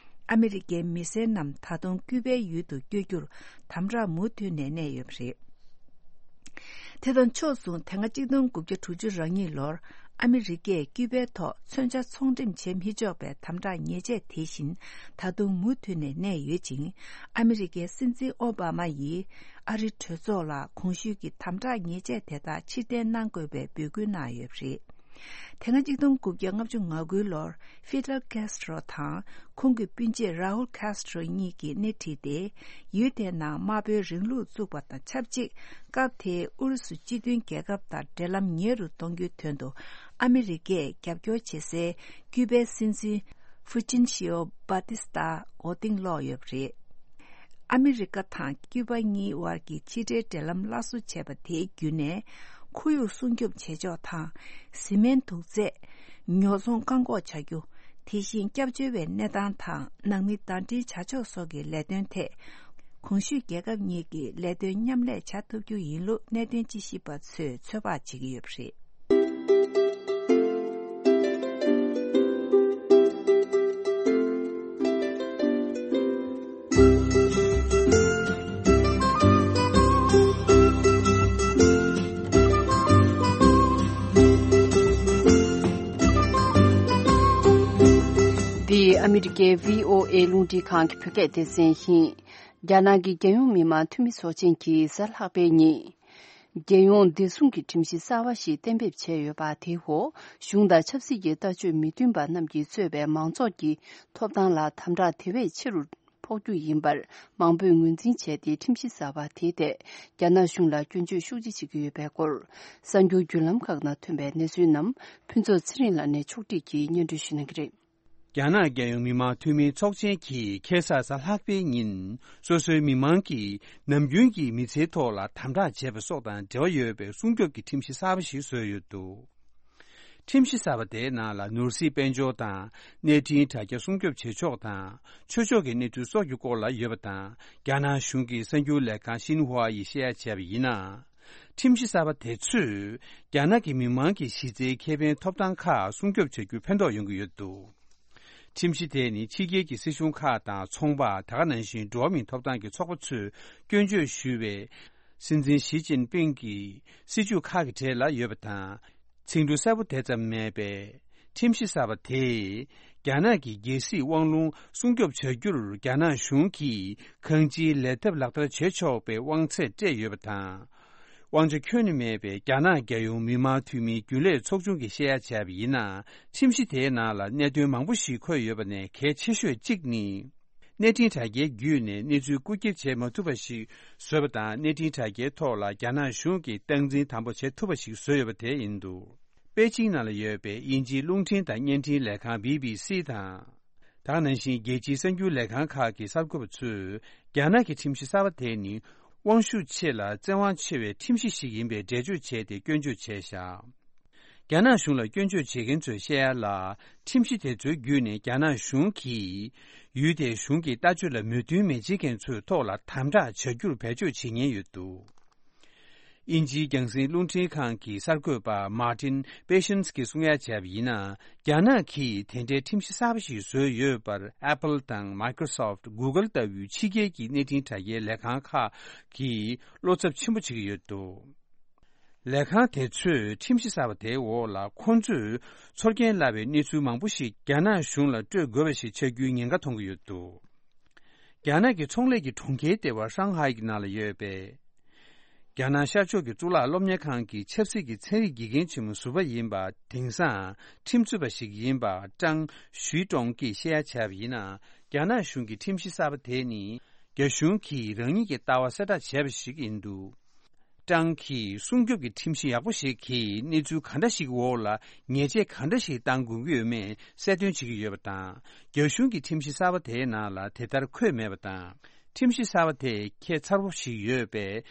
ཨ་མི་རི་ཀའི་མི་སེར་རྣམས་ད་དུང་ཀྱུ་པའི་ཡུལ་དུ་བསྐྱོད་རྒྱུར་དམ་དྲག་མུ་མཐུད་ནས་གནས་ཡོད་པ་རེད། དེ་དང་ཕྱོགས་མཚུངས་དེ་སྔ་གཅིག་སྟོང་དགུ་བརྒྱ་དྲུག་ཅུ་རེ་གཉིས་ལོར་ཨ་མི་རི་ཀས་ཀྱུ་པའི་ཐོག་མཚོན་ཆ་ཚོང་འགྲེམས་བྱེད་མི་ཆོག་པའི་དམ་དྲག་ཉེས་ཆད་དེ་བཞིན་ད་དུང་མུ་མཐུད་ནས་གནས་ཡོད་ཅིང་། ཨ་མི་རི་ཀའི་སྲིད་འཛིན་ཨོ་བྷ་མ་ཡིས་ཨ་རི་གྲོས་ཚོགས་ལ་གོང་ཞུས་ཀྱི་དམ་དྲག་ཉེས་ཆད་དེ་དག་ཕྱིར་འཐེན་གནང་དགོས་པའི་འབོད་སྐུལ་གནང་ཡོད་པ་རེད། དེ་སྔ་གཅིག་སྟོང་དགུ་བརྒྱ་ལྔ་བཅུ་ང་དགུ་ལོར་ཧྥི་ཌལ་ཁཱས་ཊྲོ་དང་ཁོང་གི་སྤུན་མཆེད་ར་ཧུལ་ཁཱས་ཊྲོ་གཉིས་ཀྱིས་སྣེ་ཁྲིད་དེ། ཡུལ་དེའི་ནང་དམར་པོའི་རིང་ལུགས་བཙུགས་པ་དང་ཆབས་ཅིག་སྐབས་དེའི་ཨུ་རུ་སུ་སྤྱི་མཐུན་རྒྱལ་ཁབ་དང་འབྲེལ་ལམ་ཉེ་རུ་གཏོང་རྒྱུའི་དོན་དུ་ཨ་མི་རི་ཀས་རྒྱབ་སྐྱོར་བྱེད་སའི་ཀྱུ་པའི་སྲིད་འཛིན་ཧྥུ་ཅིན་ཤིའོ་བྷ་ཏི་སྟ་མགོ་རྟིང་སློག་ཡོད་པ་རེད། ཨ་མི་རི་ཀ་དང་ཀྱུ་པ་གཉིས་དབར་གྱི་ཕྱི་འབྲེལ་འབྲེལ་ལམ་སླར་གསོ་བྱས་པ་དེའི་བརྒྱུད་ནས། ཁོར་ཡུག་སྲུང་སྐྱོབ་བྱེད་ཕྱོགས་དང་། བཟི་སྨན་དུག་རྫས། ཉོ་ཚོང་བཀག་འགོག་བྱ་རྒྱུ། དེ་བཞིན་སྐྱབས་བཅོལ་བའི་གནས་སྟངས་དང་ནང་མི་ཟླ་སྒྲིལ་བྱ་ཕྱོགས་སོགས་ཀྱི་ལས་དོན་ཐད། གོང་ཞུས་རྒྱལ་ཁབ་གཉིས་ཀྱིས་ལས་དོན་མཉམ་ལས་བྱ་ཐུབ་རྒྱུ་ཡིན་ལུགས་གནད་དོན་དཔྱད་ཞིབ་པ་ཚོས་ཚོད་དཔག་བྱེད་ཀྱི་ཡོད་པ་རེད། འདི་ཨ་མི་རི་ཀའི་བྷི་ཨོ་ཨེ་རླུང་འཕྲིན་ཁང་གི་བོད་སྐད་སྡེ་ཚན་ཡིན། རྒྱ་ནག་གི་རྒྱལ་ཡོངས་མི་དམངས་འཐུས་མི་ཚོགས་ཆེན་གྱིས་གཟའ་ལྷག་པའི་ཉིན། རྒྱལ་ཡོངས་བདེ་སྲུང་གི་ཁྲིམས་གཞི་གསར་བ་ཞིག་གཏན་འབེབས་བྱས་ཡོད་པ་དེའི་འོག་གཞུང་དང་ཆབ་སྲིད་ཀྱི་ལྟ་སྤྱོད་མི་མཐུན་པ་རྣམས་ཀྱིས་གཙོས་པའི་མང་ཚོགས་ཀྱི་ཐོབ་ཐང་ལ་དམ་དྲག་དེ་བས་ཆེ་རུ་ཕོག་རྒྱུ་ཡིན་པར་མང་པོས་ངོས་འཛིན་བྱས་ཏེ། ཁྲིམས་གཞི་གསར་བ་དེའི་ཐད་རྒྱ་ནག་གཞུང་ལ་སྐྱོན་བརྗོད་ཤུགས་ཆེ་བྱེད་ཀྱི་ཡོད་པའི་སྐོར། གསར་འགྱུར་བརྒྱུད་ལམ་ཁག་ནང་ཐོན་པའི་གནས་ཚུལ་རྣམས་ཕུན་ཚོགས་ཚེ་རིང་ལགས་ནས་ཕྱོགས་སྒྲིག་གིས་སྙན་སྒྲོན་ཞུ་གནང་གི་རེད། རྒྱ་ནག་རྒྱལ་ཡོངས་མི་དམངས་འཐུས་མིའི་ཚོགས་ཆེན་གྱིས་ཁ་སང་གཟའ་ལྷག་པའི་ཉིན་སོ་སོའི་མི་མང་གིས་ནམ་རྒྱུན་གྱི་མི་ཚེའི་ཐོག་ལ་དམ་དྲག་བྱས་པ་སོགས་དང་འབྲེལ་བ་ཡོད་པའི་སྲུང་སྐྱོབ་ཀྱི་ཁྲིམས་གཞི་གསར་པ་ཞིག་བཟོས་ཡོད་འདུག་ཁྲིམས་གཞི་གསར་པ་དེའི་ནང་ལ་ནོར་སྲིད་དཔལ་འབྱོར་དང་གནས་འཕྲིན་དྲ་རྒྱ་སྲུང་སྐྱོབ་བྱེད་ཕྱོགས་དང་། ཆོས་ཕྱོགས་ཀྱི་གནས་ཚུལ་སོགས་ཀྱི་སྐོར་ལ་ཡོད་པ་དང་། རྒྱ་ནག་གཞུང་གི་གསར་འགྱུར་ལས་ཁང་ཤིན་ཧྭ་ཡིས་བཤད་ཡ་བྱས་པ་ཡིན་ན། ཁྲིམས་གཞི་གསར་པ་དེ་ཚོས་རྒྱ་ནག་གི་མི་དམངས་ཀྱི་གཞི་རྩའི་ཁེ་ཕན་ཐོབ་ཐང་ཁག་སྲུང་སྐྱོབ་བྱ་རྒྱུར་ཕན་ཐོགས་ཡོང་གི་ཡོད་འདུག་ཁྲིམས་གཞི་དེ་ནི་ཕྱི་རྒྱལ་གྱི་སྲིད་གཞུང་ཁག་དང་ཚོང་པ། དེ་ག་ནང་བཞིན་འགྲོ་བ་མིའི་ཐོབ་ཐང་གི་ཚོགས་པ་ཚོས་སྐྱོན་བརྗོད་ཞུས་པའི་སྲིད་འཛིན་ཞི་ཅིན་ཕིང་གི་སྲིད་ཇུས་ཁག་གི་གྲས་ལ་ཡོད་པ་དང་། ཚིག་འབྲུ་གསལ་པོ་དེ་ཙམ་མེད་པས། ཁྲིམས་གཞི་གསར་པ་དེས་རྒྱ་ནག་གི་རྒྱལ་སྲིད་དབང་ལུང་སྲུང་སྐྱོབ་བྱ་རྒྱུར་རྒྱ་ནག་གཞུང་གིས་གང་ཅིའི་ལས་ཐབས་ལག་བསྟར་བྱེད་ཆོག་པའི་དབང་ཚད་སྤྲད་ཡོད་པ་དང་། དབང་ཆ་ཁྱོན་ནས་མེད་པའི་རྒྱ་ནག་རྒྱལ་ཡོངས་མི་དམངས་འཐུས་མིའི་རྒྱུན་ལས་ཚོགས་ཆུང་གིས་བཤད་ཡ་བྱས་པ་ཡིན་ན། ཁྲིམས་གཞི་དེའི་ནང་ལ་གནད་དོན་མང་པོ་ཞིག་འཁོད་ཡོད་པ་ནས་གལ་ཆེ་ཤོས་གཅིག་ནི། གནས་འཕྲིན་དྲ་རྒྱའི་བརྒྱུད་ནས་གནས་ཚུལ་རྐུ་འཁྱེར་བྱེད་མ་ཐུབ་པ་ཞིག་བཟོས་པ་དང་། གནས་འཕྲིན་དྲ་རྒྱའི་ཐོག་ལ་རྒྱ་ནག་གཞུང་གིས་སྟངས་འཛིན་དམ་པོ་བྱེད་ཐུབ་པ་ཞིག་བཟོས་ཡོད་པ་དེ་ཡིན་འདུག་པེ་ཅིང་ནང་ལ་ཡོད་པའི་དབྱིན་ཇིའི་རླུང་འཕྲིན་དང་བརྙན་འཕྲིན་ལས་ཁང་བི་བི་སི་དང་། དེ་ག་ནང་བཞིན་རྒྱལ་སྤྱིའི་གསར་འགྱུར་ལས་ཁང་ཁག་གི་གསར་འགོད་པ་ཚོས། རྒྱ་ནག་གི་ཁྲིམས་གཞི་གསར་པ་དེ་ནི། དབང་ཤུགས་ཆེ་ལ་བཙན་དབང་ཆེ་བའི་ཁྲིམས་གཞི་ཞིག་ཡིན་པའི་འགྲེལ་བརྗོད་བྱས་ཏེ་སྐྱོན་བརྗོད་བྱས་བཞག་རྒྱ་ནག་གཞུང་ལ་སྐྱོན་བརྗོད་བྱེད་མཁན་ཚོས་བཤད་ཡ་ལ། ཁྲིམས་གཞི་དེ་ཚོའི་བརྒྱུད་ནས་རྒྱ་ནག་གཞུང་གིས་ཡུལ་དེའི་གཞུང་གི་ལྟ་སྤྱོད་ལ་མོས་མཐུན་མི་བྱེད་མཁན་ཚོའི་ཐོག་ལ་དམ་དྲག་བྱ་རྒྱུར་བེད་སྤྱོད་བྱེད་ཉེན་ཡོད་འདུག་དབྱིན་ཇིའི་རྒྱང་སྲིང་རླུང་འཕྲིན་ཁང་གི་གསར་འགོད་པ་Martin Patience གྱིས་གསུང་ཡ་བྱས་པ་ཡིན་ན། རྒྱ་ནག་གིས་དེ་འདྲའི་ཁྲིམས་གཞི་གསར་པ་ཞིག་བཟོས་ཡོད་པར་Apple དང་Microsoft། Google ལྟ་བུའི་ཕྱི་རྒྱལ་གྱི་གནས་འཕྲིན་དྲ་རྒྱའི་ལས་ཁང་ཁག་གིས་བློ་འཚབ་ཆེན་པོ་བྱེད་ཀྱི་ཡོད་འདུག་ལས་ཁང་དེ་ཚོས་ཁྲིམས་གཞི་གསར་པ་དེའི་འོག་ལ་ཁོང་ཚོས་ཚོར་སྐྱེན་སླ་བའི་གནས་ཚུལ་མང་པོ་ཞིག་རྒྱ་ནག་གཞུང་ལ་སྤྲོད་དགོས་པ་ཞིག་ཆགས་རྒྱུའི་ཉེན་ཁ་མཐོང་གི་ཡོད་འདུག་རྒྱ་ནག་གི་ཚོང་ལས་ཀྱི་གྲོང་ཁྱེར་ལྟེ་བ་ཧྲང་ཧའེ་གི་ནང་ལ་ཡོད་པའི་རྒྱ་ནག་ཤར་ཕྱོགས་ཀྱི་གཙུག་ལག་སློབ་གཉེར་ཁང་གི་ཆབ་སྲིད་ཀྱི་ཚན་རིག་དགེ་རྒན་ཆེན་མོ་ཟུར་པ་ཡིན་པ། དེང་སང་ཁྲིམས་རྩོད་པ་ཞིག་ཡིན་པ་ཀྲང་ཞུས་ཀྲོང་གིས་བཤད་ཡ་བྱས་པ་ཡིན་ན། རྒྱ་ནག་གཞུང་གི་ཁྲིམས་གཞི་གསར་པ་དེ་ནི་རྒྱ་གཞུང་གིས་རང་ཉིད་ཀྱི་ལྟ་བ་གསལ་བསྒྲགས་བྱས་པ་ཞིག་ཡིན་འདུག་ཀྲང་གིས་སྲུང་སྐྱོབ་ཀྱི་ཁྲིམས་གཞི་ཡག་པོ་ཞིག་གིས་གནས་ཚུལ་ག་འདྲ་ཞིག་འོག་ལ་ཉེས་ཆད་ག་འདྲ་ཞིག་གཏང་དགོས་ཀྱི་ཡོད་མེད་གསལ་སྟོན་བྱེད་ཀྱི་ཡོད་པ་དང་། རྒྱ་གཞུང་གི་ཁྲིམས་གཞི་གསར་པ་དེའི་ནང་ལ་དེ་ལྟར་འཁོད་མེད་པ་དང་། ཁྲིམས་གཞི་གསར་པ་དེ་ཁྱད་མཚར་པོ་ཞིག་ཡོད་པས།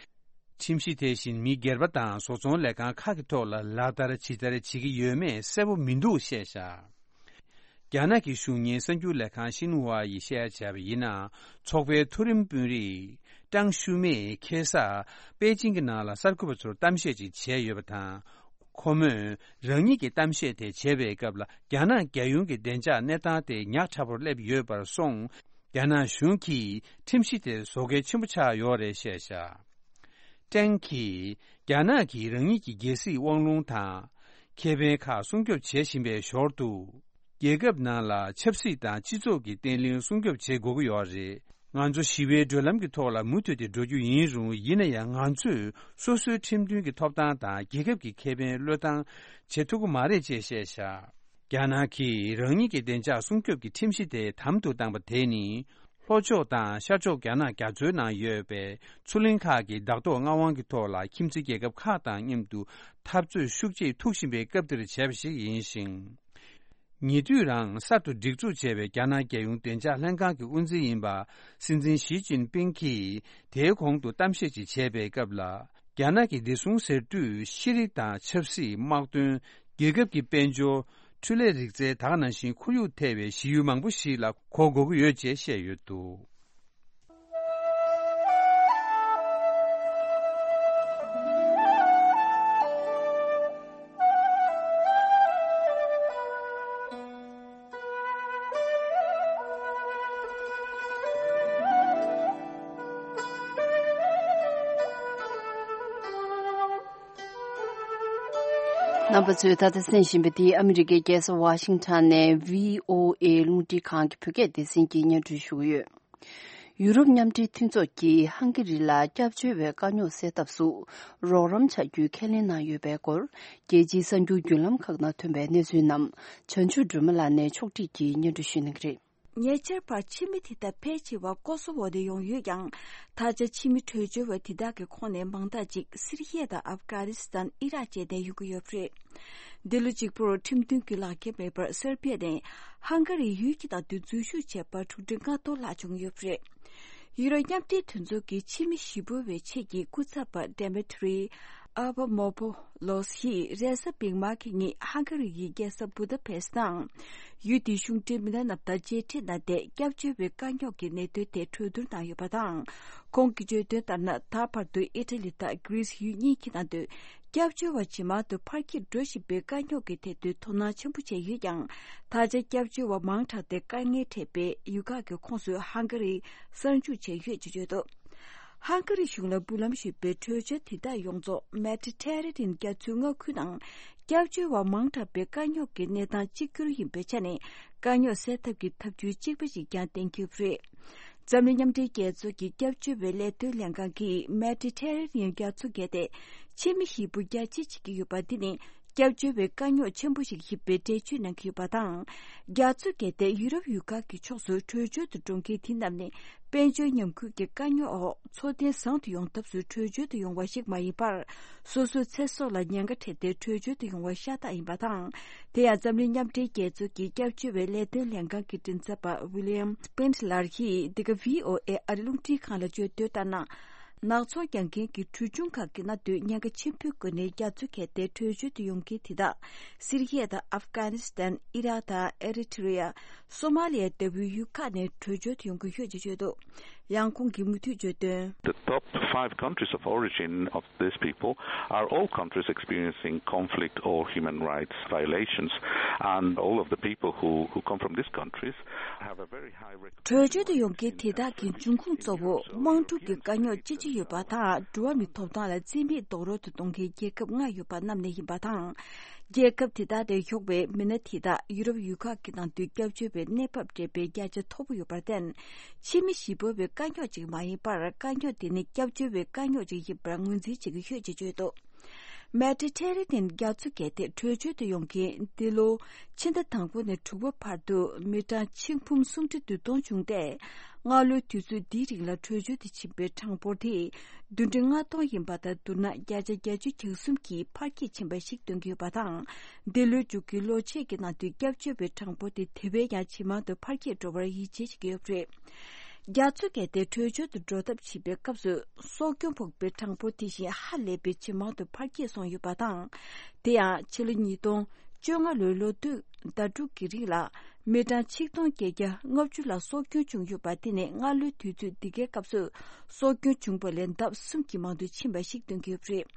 ཁྲིམས་གཞི་དེ་བཞིན་མི་སྒེར་པ་དང་བཟོ་ཚོང་ལས་ཁང་ཁག་གི་ཐོག་ལ་ལག་བསྟར་ཇི་ལྟར་བྱེད་ཀྱི་ཡོད་མེད་གསལ་པོ་མི་འདུག་བཤད་བཞག་རྒྱ་ནག་གི་གཞུང་གཉེར་གསར་འགྱུར་ལས་ཁང་ཤིན་ཧྭ་ཡིས་བཤད་བྱས་པ་ཡིན་ན། ཚོགས་པའི་མཐོ་རིམ་དཔོན་རིགས་ཀྲང་ཤུ་མེས་ཁ་སང་པེ་ཅིང་གི་ནང་ལ་གསར་འགོད་པ་ཚོར་གཏམ་བཤད་ཅིག་བྱས་ཡོད་པ་དང་། ཁོ་མོས་རང་ཉིད་ཀྱི་གཏམ་བཤད་དེ་བྱས་པའི་སྐབས་ལ། རྒྱ་ནག་རྒྱལ་ཡོངས་ཀྱི་བདེ་འཇགས་གནས་སྟངས་དེ་ཉག་ཕྲ་པོར་སླེབས་ཡོད་པར་སོང་། རྒྱ་ནག་གཞུང་གིས་ཁྲིམས་གཞི་དེ་བཟོ་གལ་ཆེན་པོ་ཆགས་ཡོད་རེད་བཤད་བཞག་ཀྲེང་གིས་རྒྱ་ནག་གིས་རང་ཉིད་ཀྱི་རྒྱལ་སྲིད་དབང་ལུང་དང་ཁེ་ཕན་ཁག་སྲུང་སྐྱོབ་བྱེད་བཞིན་པའི་ཞོར་དུ། རྒྱལ་ཁབ་ནང་ལ་ཆབ་སྲིད་དང་སྤྱི་ཚོགས་ཀྱི་བརྟན་ལྷིང་སྲུང་སྐྱོབ་བྱེད་དགོས་ཀྱི་ཡོད་རེད། ང་ཚོ་ཞི་བའི་བགྲོད་ལམ་གྱི་ཐོག་ལ་མུ་མཐུད་དེ་འགྲོ་རྒྱུ་ཡིན་རུང་། ཡིན་ན་ཡང་ང་ཚོས་སོ་སོའི་ཁྲིམས་མཐུན་གྱི་ཐོབ་ཐང་དང་རྒྱལ་ཁབ་ཀྱི་ཁེ་ཕན་བློས་བཏང་བྱེད་ཐུབ་ཀྱི་མ་རེད་ཅེས་བཤད་བཞག་རྒྱ་ནག་གིས་རང་ཉིད་ཀྱི་བདེ་འཇགས་སྲུང་སྐྱོབ་ཀྱི་ཁྲིམས་གཞི་དེ་དམ་དུ་བཏང་པ་དེ་ནི། ལྷོ་ཕྱོགས་དང་ཤར་ཕྱོགས་རྒྱ་ནག་རྒྱ་མཚོའི་ནང་ཡོད་པའི་མཚོ་གླིང་ཁག་གི་བདག་ཐོག་མངའ་དབང་གི་ཐོག་ལ་ཁྱིམ་མཚེས་རྒྱལ་ཁབ་ཁག་དང་མཉམ་དུ་འཐབ་རྩོད་ཤུགས་ཆེ་ཐུག་བཞིན་པའི་སྐབས་འདིར་བྱས་པ་ཞིག་ཡིན་ཞིང་། ཉེ་དུས་རང་གསར་དུ་སྒྲིག་འཛུགས་བྱས་པའི་རྒྱ་ནག་རྒྱལ་ཡོངས་བདེ་འཇགས་ལྷན་ཁང་གི་དབུ་འཛིན་ཡིན་པ་སྲིད་འཛིན་ཞི་ཅིན་ཕིང་གིས་དེའི་གོང་དུ་གཏམ་བཤད་ཅིག་བྱས་པའི་སྐབས་ལ། རྒྱ་ནག་གི་བདེ་སྲུང་ཟེར་དུས་ཤེས་རིག་དང་ཆབ་སྲིད། དམག་དོན། རྒྱལ་ཁབ་ཀྱི་དཔལ་འབྱོར། འཕྲུལ་ལས་རིག་རྩལ་དག་ནང་བཞིན་ཁོར་ཡུག་ཐེ་བའི་གཞི་ཡུལ་མང་པོ་ཞིག་ལ་གོ་དགོས་ཀྱི་ཡོད་ཅེས་བཤད་ཡོད་འདུག་རྣམ་པ་ཚོས་ད་ལྟ་གསན་བཞིན་པ་འདི་ཨ་མི་རི་ཀའི་རྒྱལ་ས་ཝ་ཤིང་ཊོན་ནས་བྷི་ཨོ་ཨེ་རླུང་འཕྲིན་ཁང་གི་བོད་སྐད་སྡེ་ཚན་གྱིས་སྙན་སྒྲོན་ཞུ་གི་ཡོད། ཡུ་རོབ་མཉམ་འབྲེལ་མཐུན་ཚོགས་ཀྱིས་ཧང་ག་རི་ལ་སྐྱབས་བཅོལ་བའི་དཀའ་རྙོག་སེལ་ཐབས་སུ་རོགས་རམ་བྱ་རྒྱུའི་ཁས་ལེན་གནང་ཡོད་པའི་སྐོར། རྒྱལ་སྤྱིའི་གསར་འགྱུར་བརྒྱུད་ལམ་ཁག་ནང་ཐོན་པའི་གནས་ཚུལ་རྣམས་བྱང་ཆུབ་སྒྲོལ་མ་ལགས་ནས་ཕྱོགས་སྒྲིག་གིས་སྙན་སྒྲོན་ཞུ་གནང་གི་རེད། ཉེ་ཆར་བར་ཕྱི་མི་དེ་དག་ཕལ་ཆེ་བ་ཀོ་སོ་ཝོ་ནས་ཡོང་ཡོད་ཀྱང་། ད་ཆ་ཕྱི་མི་བྲོས་བྱོལ་བ་དེ་དག་གི་ཁོངས་ནས་མང་དག་ཅིག་སི་རི་ཡ་དང་ཨབ་གྷ་ནི་སི་ཐན། ཨི་རག་བཅས་ནས་ཡོང་གི་ཡོད་པ་རེད། འདི་ལོ་གཅིག་པུར་ཁྲིམས་མཐུན་གྱི་ལག་འཁྱེར་མེད་པར་སེར་བྷི་ཡ་ནས་ཧང་ག་རིའི་ཡུལ་གྱི་ནང་དུ་འཛུལ་ཞུགས་བྱས་པར་དྲུག་ཁྲི་ལྔ་སྟོང་ལྷག་བྱུང་ཡོད་པ་རེད། ཡུ་རོབ་མཉམ་འབྲེལ་མཐུན་ཚོགས་ཀྱི་ཕྱི་མི་ཞི་རྒོལ་བའི་ཆེད་ཀྱི་སྐུ་ཚབ་པ་ཌེ་མི་ཊི་རི་ཨ་བ་མོ་པོ་ལོ་སི་ཡིས་རེས་གཟའ་མིག་དམར་གྱི་ཉིན་ཧང་ག་རི་ཡི་རྒྱལ་ས་བུ་ད་པེ་སི་ཊི་དང་། ཡུལ་དེའི་གཞུང་འབྲེལ་མི་སྣ་རྣམས་དང་མཇལ་འཕྲད་གནང་སྟེ། སྐྱབས་བཅོལ་བའི་དཀའ་རྙོག་གི་གནད་དོན་ཐད་གྲོས་བསྡུར་གནང་ཡོད་པ་དང་། ཁོང་གིས་བརྗོད་དོན་ལྟར་ན། ད་བར་དུ་ཨི་ཊ་ལི་དང་གྷི་རི་སི་ཡུལ་གཉིས་ཀྱི་ནང་དུ་སྐྱབས་བཅོལ་བ་ཇེ་མང་དུ་འཕར་འགྱུར་འགྲོ་བཞིན་པའི་དཀའ་རྙོག་གི་ཐད་དུ་དོ་སྣང་ཆེན་པོ་བྱས་ཡོད་ཀྱང་། ད་ཆ་སྐྱབས་བཅོལ་བ་མང་དྲགས་ཏེ་དཀའ་ངལ་འཕྲད་པའི་ཡུལ་ཁག་གི་ཁོངས་སུ་ཧང་ག་རི་གསར་འཇུག་བྱས་ཡོད་ཅེས་བརྗོད་འདུག་ཧང་ག་རི་གཞུང་ལ་འབུལ་ལམ་ཞུས་པའི་བྲོས་བྱོལ་དེ་དག་ཡོངས་རྫོགས་མེ་ཌི་ཊེ་རེ་ནི་ཡན་རྒྱ་མཚོའི་མངའ་ཁུལ་དང་། སྐྱབས་བཅོལ་བ་མང་དྲགས་པའི་དཀའ་རྙོག་གི་གནས་སྟངས་གཅིག་གྱུར་ཡིན་པའི་ཆ་ནས། དཀའ་རྙོག་སེལ་ཐབས་ཀྱི་ཐབས་བྱུས་གཅིག་པ་ཞིག་ཀྱང་གཏན་འཁེལ་བ་རེད། འཛམ་གླིང་མཉམ་འབྲེལ་རྒྱལ་ཚོགས་ཀྱི་སྐྱབས་བཅོལ་བའི་ལས་དོན་ལྷན་ཁང་གིས་མེ་ཌི་ཊེ་རེ་ནི་ཡན་རྒྱ་མཚོ་བརྒལ་ཏེ། ཕྱི་མི་ཞིག་པུ་རྒྱ་ཆེ་བྱེད་ཀྱི་ཡོད་པ་འདི་ནི། སྐྱབས་བཅོལ་བའི་དཀའ་རྙོག་ཆེན་པོ་ཞིག་ཡིན་པའི་འགྲེལ་བརྗོད་གནང་གི་ཡོད་པ་དང་། རྒྱ་མཚོ་བརྒལ་ཏེ་ཡུ་རོབ་ཡུལ་ཁག་གི་ཕྱོགས་སུ་བྲོས་བྱོལ་དུ་འགྲོ་མཁན་དེ་རྣམས་ནི། དཔལ་འབྱོར་ཉམས་རྒུད་ཀྱི་དཀའ་རྙོག་འོག་འཚོ་རྟེན་བཟང་དུ་ཡོང་ཐབས་སུ་བྲོས་བྱོལ་དུ་ཡོང་བ་ཞིག་མ་ཡིན་པར། སོ་སོའི་ཚེ་སྲོག་ལ་ཉེན་ཁ་འཕྲད་དེ་བྲོས་བྱོལ་དུ་ཡོང་བ་ཤ་སྟག་ཡིན་པ་དང་། དེ་ཡང་འཛམ་གླིང་མཉམ་འབྲེལ་རྒྱལ་ཚོགས་ཀྱི་སྐྱབས་བཅོལ་བའི་ལས་དོན་ལྷན་ཁང་གི་མགྲིན་ཚབ་པ་ཝི་ལི་ཡམ་སྤེན་ལར་གྱིས་འདི་ག་བྷི་ཨོ་ཨེ་ཨ་རི་རླུང་འཕྲིན་ཁང་ལ་བརྗོད་དོན་ལྟར་ན། ནག་ཚོང་རྒྱག་མཁན་གྱི་གྲོན་ཆུང་ཁག་གི་ནང་དུ་ཉེན་ཁ་ཆེན་པོའི་སྒོ་ནས་རྒྱ་མཚོ་བརྒལ་ཏེ་བྲོས་བྱོལ་དུ་ཡོང་མཁན་དེ་དག་སི་རི་ཡ་དང་ཨབ་གྷ་ནི་སི་ཐན། ཨི་རག་དང་ཨེ་རི་ཊི་རི་ཡ། སོ་མ་ལི་ཡ་ལྟ་བུའི་ཡུལ་ཁག་ནས་བྲོས་བྱོལ་དུ་ཡོང་གི་ཡོད་ཅེས་བརྗོད་འདུག་ཡང་ཁོང་གིས་མུ་མཐུད་བརྗོད་དོན། The top five countries of origin of these people are all countries experiencing conflict or human rights violations, and all of the people who, who come from these countries have a very high record. བྲོས་བྱོལ་དུ་ཡོང་མཁན་དེ་དག་གི་འབྱུང་ཁུངས་གཙོ་བོ་དམངས་ཁྲོད་ཀྱི་དཀའ་རྙོག་ཅི་ཆེ་ཡོད་པ་དང་། འགྲོ་བ་མིའི་ཐོབ་ཐང་ལ་བརྩི་མེད་རྡོག་རོལ་དུ་གཏོང་མཁན་རྒྱལ་ཁབ་ལྔ་ཡོད་པ་རྣམས་ནས་ཡིན་པ་དང་། རྒྱལ་ཁབ་དེ་དག་ནས་ཡོང་བའི་མི་སྣ་དེ་དག་ཡུ་རོབ་ཡུལ་ཁག་གི་ནང་དུ་སྐྱབས་བཅོལ་བའི་གནས་བབ་སྤྲད་པའི་བརྒྱ་ཆ་མཐོ་པོ་ཡོད་པར་བརྟེན། ཕྱི་མི་ཞིག་འབོད་པའི་དཀའ་རྙོག་ཅིག་མ་ཡིན་པར། དཀའ་རྙོག་དེ་ནི་སྐྱབས་བཅོལ་བའི་དཀའ་རྙོག་ཅིག་ཡིན་པར་ངོས་འཛིན་བྱེད་ཀྱི་ཡོད་ཅེས་བརྗོད་འདུག་མེ་ཌི་ཊེ་རེ་ནེན་རྒྱ་མཚོ་བརྒལ་ཏེ་བྲོས་བྱོལ་དུ་ཡོང་མཁན་འདི་ལོ་ཕྱི་ཟླ་དང་པོ་ནས་དྲུག་པ་བར་དུ་མི་གྲངས་ཆིག་འབུམ་སུམ་ཁྲི་བདུན་སྟོང་བྱུང་སྟེ། སྔ་ལོའི་དུས་ཚོད་འདིའི་རིང་ལ་བྲོས་བྱོལ་དུ་ཕྱིན་པའི་གྲངས་འབོར་དེ་བདུན་ཁྲི་ལྔ་སྟོང་ཡིན་པ་དང་། བསྡུར་ན་བརྒྱ་ཆ་བརྒྱད་ཅུ་གྱ་གསུམ་གྱིས་འཕར་སྐྱེད་ཕྱིན་པ་ཞིག་སྟོན་གྱི་ཡོད་པ་དང་། འདི་ལོའི་མཇུག་གི་ལོ་ཕྱེད་ཀྱི་ནང་དུ་སྐྱབས་བཅོལ་བའི་གྲངས་འབོར་དེ་དེ་བས་ཀྱང་ཇེ་མང་དུ་འཕར་སྐྱེད་འགྲོ་བར་ཡིད་ཆེས་བྱེད་ཀྱི་ཡོད་པ་རེད། རྒྱ་མཚོ་བརྒལ་ཏེ་བྲོས་བྱོལ་དུ་འགྲོ་ཐབས་བྱེད་པའི་སྐབས་སུ། སྲོག་སྐྱོན་ཕོག་པའི་གྲངས་འབོར་དེ་བཞིན་ཧ་ལས་པའི་ཇེ་མང་དུ་འཕར་སྐྱེད་སོང་ཡོད་པ་དང་། དེ་ཡང་ཕྱི་ལོ་ཉིས་སྟོང་བཅོ་ལྔ་ལོའི་ལོ་དུས་ཟླ་དྲུག་གི་རིང་ལ་མི་གྲངས་ཆིག་སྟོང་བརྒྱད་བརྒྱ་ལྔ་བཅུ་ལ་སྲོག་སྐྱོན་བྱུང་ཡོད་པ། དེ་ནི་སྔ་ལོའི་དུས་ཚོད་འདི་གའི་སྐབས་སུ་སྲོག་སྐྱོན་བྱུང་བ་ལས་ལྡབ་གསུམ་གྱིས་མང་དུ་ཕྱིན་པ་ཞིག་སྟོན་གྱི་ཡོད་པ་རེད།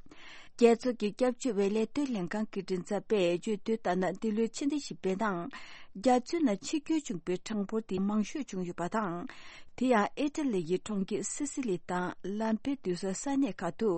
རྒྱལ་ཚོགས་ཀྱི་སྐྱབས་བཅོལ་བའི་ལས་དོན་ལྷན་ཁང་གི་མགྲིན་ཚབ་པས་བརྗོད་དོན་ལྟར་ན། འདི་ལོའི་ཕྱི་ཟླ་བཞི་པའི་ནང་རྒྱ་མཚོའི་ནང་འཆི་སྐྱོན་བྱུང་པའི་གྲངས་འབོར་དེ་མང་ཤོས་བྱུང་ཡོད་པ་དང་། དེ་ཡང་ཨི་ཊ་ལི་ཡི་གྲོང་ཁྱེར་སི་སི་ལི་དང་ལམ་པེ་དུ་ས་ས་གནས་ཁག་ཏུ་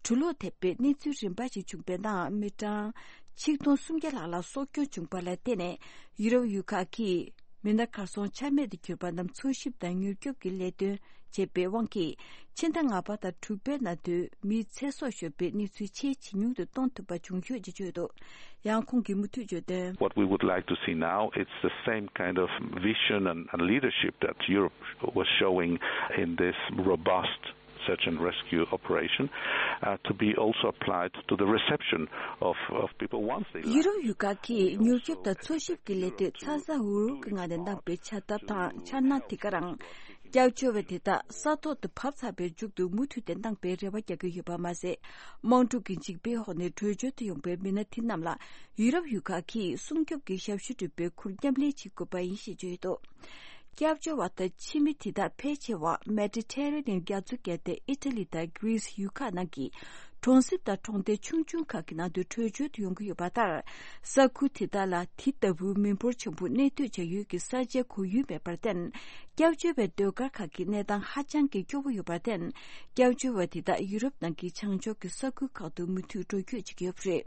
གྲུ་ལོག་ཐེབས་པའི་གནས་ཚུལ་རིམ་པ་ཞིག་བྱུང་པའི་ནང་། མི་གྲངས་ཆིག་སྟོང་སུམ་བརྒྱ་ལྷག་ལ་སྲོག་སྐྱོན་བྱུང་པ་ལ་བརྟེན་ནས། ཡུ་རོབ་ཡུལ་ཁག་གིས་མི་སྣ་གར་སོང་ཆ་མེད་དུ་གྱུར་པ་རྣམས་འཚོལ་ཞིབ་དང་མྱུར་སྐྱོབ་ཀྱི་ལས་དོན་བྱས་པའི་དབང་གིས། ཕྱི་ཟླ་ལྔ་པ་དང་དྲུག་པའི་ནང་དུ་མིའི་ཚེ་སྲོག་ཤོར་བའི་གནས་ཚུལ་ཆེས་ཇེ་ཉུང་དུ་གཏོང་ཐུབ་པ་བྱུང་ཡོད་ཅེས་བརྗོད་འདུག་ཡང་ཁོང་གིས་མུ་མཐུད་བརྗོད་དོན། What we would like to see now, it's the same kind of vision and, and leadership that Europe was showing in this robust search and rescue operation, uh, to be also applied to the reception of, of people once they land. ཡུ་རོབ་ཡུལ་ཁག་གིས་མྱུར་སྐྱོབ་དང་འཚོལ་ཞིབ་ཀྱི་ལས་དོན་ཚ་ཚ་འུར་འུར་གྱི་ངང་ནས་གནང་བའི་བྱ་ཐབས་དང་འཆར་སྣང་དེ་ག་རང་། སྐྱབས་བཅོལ་བ་དེ་དག་ས་ཐོག་ཏུ་བབས་ཚར་བའི་མཇུག་ཏུ་མུ་མཐུད་དེ་གནང་པའི་རེ་བ་རྒྱག་གི་ཡོད་པ་མ་ཟད། དམག་འཁྲུག་གི་འཇིགས་པའི་འོག་ནས་བྲོས་བྱོལ་དུ་ཡོང་པའི་མི་སྣ་དེ་རྣམས་ལ་ཡུ་རོབ་ཡུལ་ཁག་གིས་སྲུང་སྐྱོབ་ཀྱི་ཞབས་ཞུ་སྒྲུབ་པའི་ཁུར་མཉམ་ལེན་བྱེད་དགོས་པ་ཡིན་ཞེས་བརྗོད་ཡོད་འདུག་སྐྱབས་བཅོལ་བ་དང་ཕྱི་མི་དེ་དག་ཕལ་ཆེ་བ་མེ་ཌི་ཊེ་རེ་ནེན་རྒྱ་མཚོ་བརྒལ་ཏེ་ཨི་ཊ་ལི་དང་གྷི་རིས་ཡུལ་ཁག་ནང་གི་གྲོང་གསེབ་དང་གྲོང་རྡལ་ཆུང་ཆུང་ཁག་གི་ནང་དུ་བྲོས་བྱོལ་དུ་ཡོང་གི་ཡོད་པ་ལྟར། ས་ཁུལ་དེ་དག་ལ་དེ་ལྟ་བུའི་མི་འབོར་ཆེན་པོ་གནས་སྡོད་བྱ་ཡུལ་གྱི་ས་ཆའི་ཁོར་ཡུག་མེད་པར་བརྟེན། སྐྱབས་བཅོལ་བའི་ཟློས་གར་ཁག་གི་གནས་སྟངས་ཧ་ཅང་གི་སྐྱོ་བོ་ཡོད་པར་བརྟེན། སྐྱབས་བཅོལ་བ་དེ་དག་ཡུ་རོབ་ནང་གི་བྱང་ཕྱོགས་ཀྱི་ས་ཁུལ་ཁག་ཏུ་མུ་མཐུད་འགྲོ་སྐྱོད་བྱེད་ཀྱི་ཡོད་པ་རེད།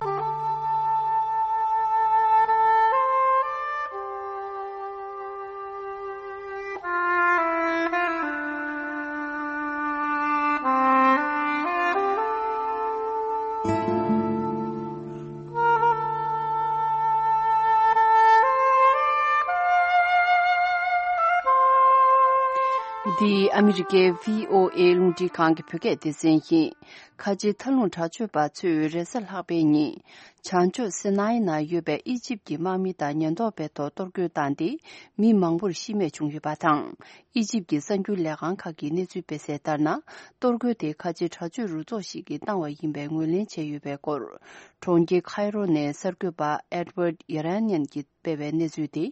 འདི་ཨ་མི་རི་ཀའི་བྷི་ཨོ་ཨེ་རླུང་འཕྲིན་ཁང་གི་བོད་སྐད་སྡེ་ཚན་ཡིན། ཁ་ཆེ་མཐའ་ལྷུང་དྲག་སྤྱོད་པ་ཚོས་རེས་གཟའ་ལྷག་པའི་ཉིན། བྱང་ཕྱོགས་སི་ནའི་ནང་ཡོད་པའི་ཨི་ཇིབ་ཀྱི་དམག་མི་དང་ཉེན་རྟོག་པའི་ཐོག་གཏོར་རྒོལ་བཏང་སྟེ། མི་མང་པོར་ཤི་རྨས་བྱུང་ཡོད་པ་དང་། ཨི་ཇིབ་ཀྱི་གསར་འགྱུར་ལས་ཁང་ཁག་གིས་གནས་ཚུལ་སྤེལ་གསལ་ལྟར་ན། གཏོར་རྒོལ་དེ་ཁ་ཆེ་དྲག་སྤྱོད་རུ་ཚོགས་ཤིག་གིས་བཏང་བ་ཡིན་པའི་ངོས་ལེན་བྱས་ཡོད་པའི་སྐོར། གྲོང་ཁྱེར་ཁའི་རོ་ནས་གསར་འགོད་པ་ཨེ་ཌི་ཝར་ཡེ་ར་ནན་གྱིས་སྤེལ་བའི་གནས་ཚུལ་དེ།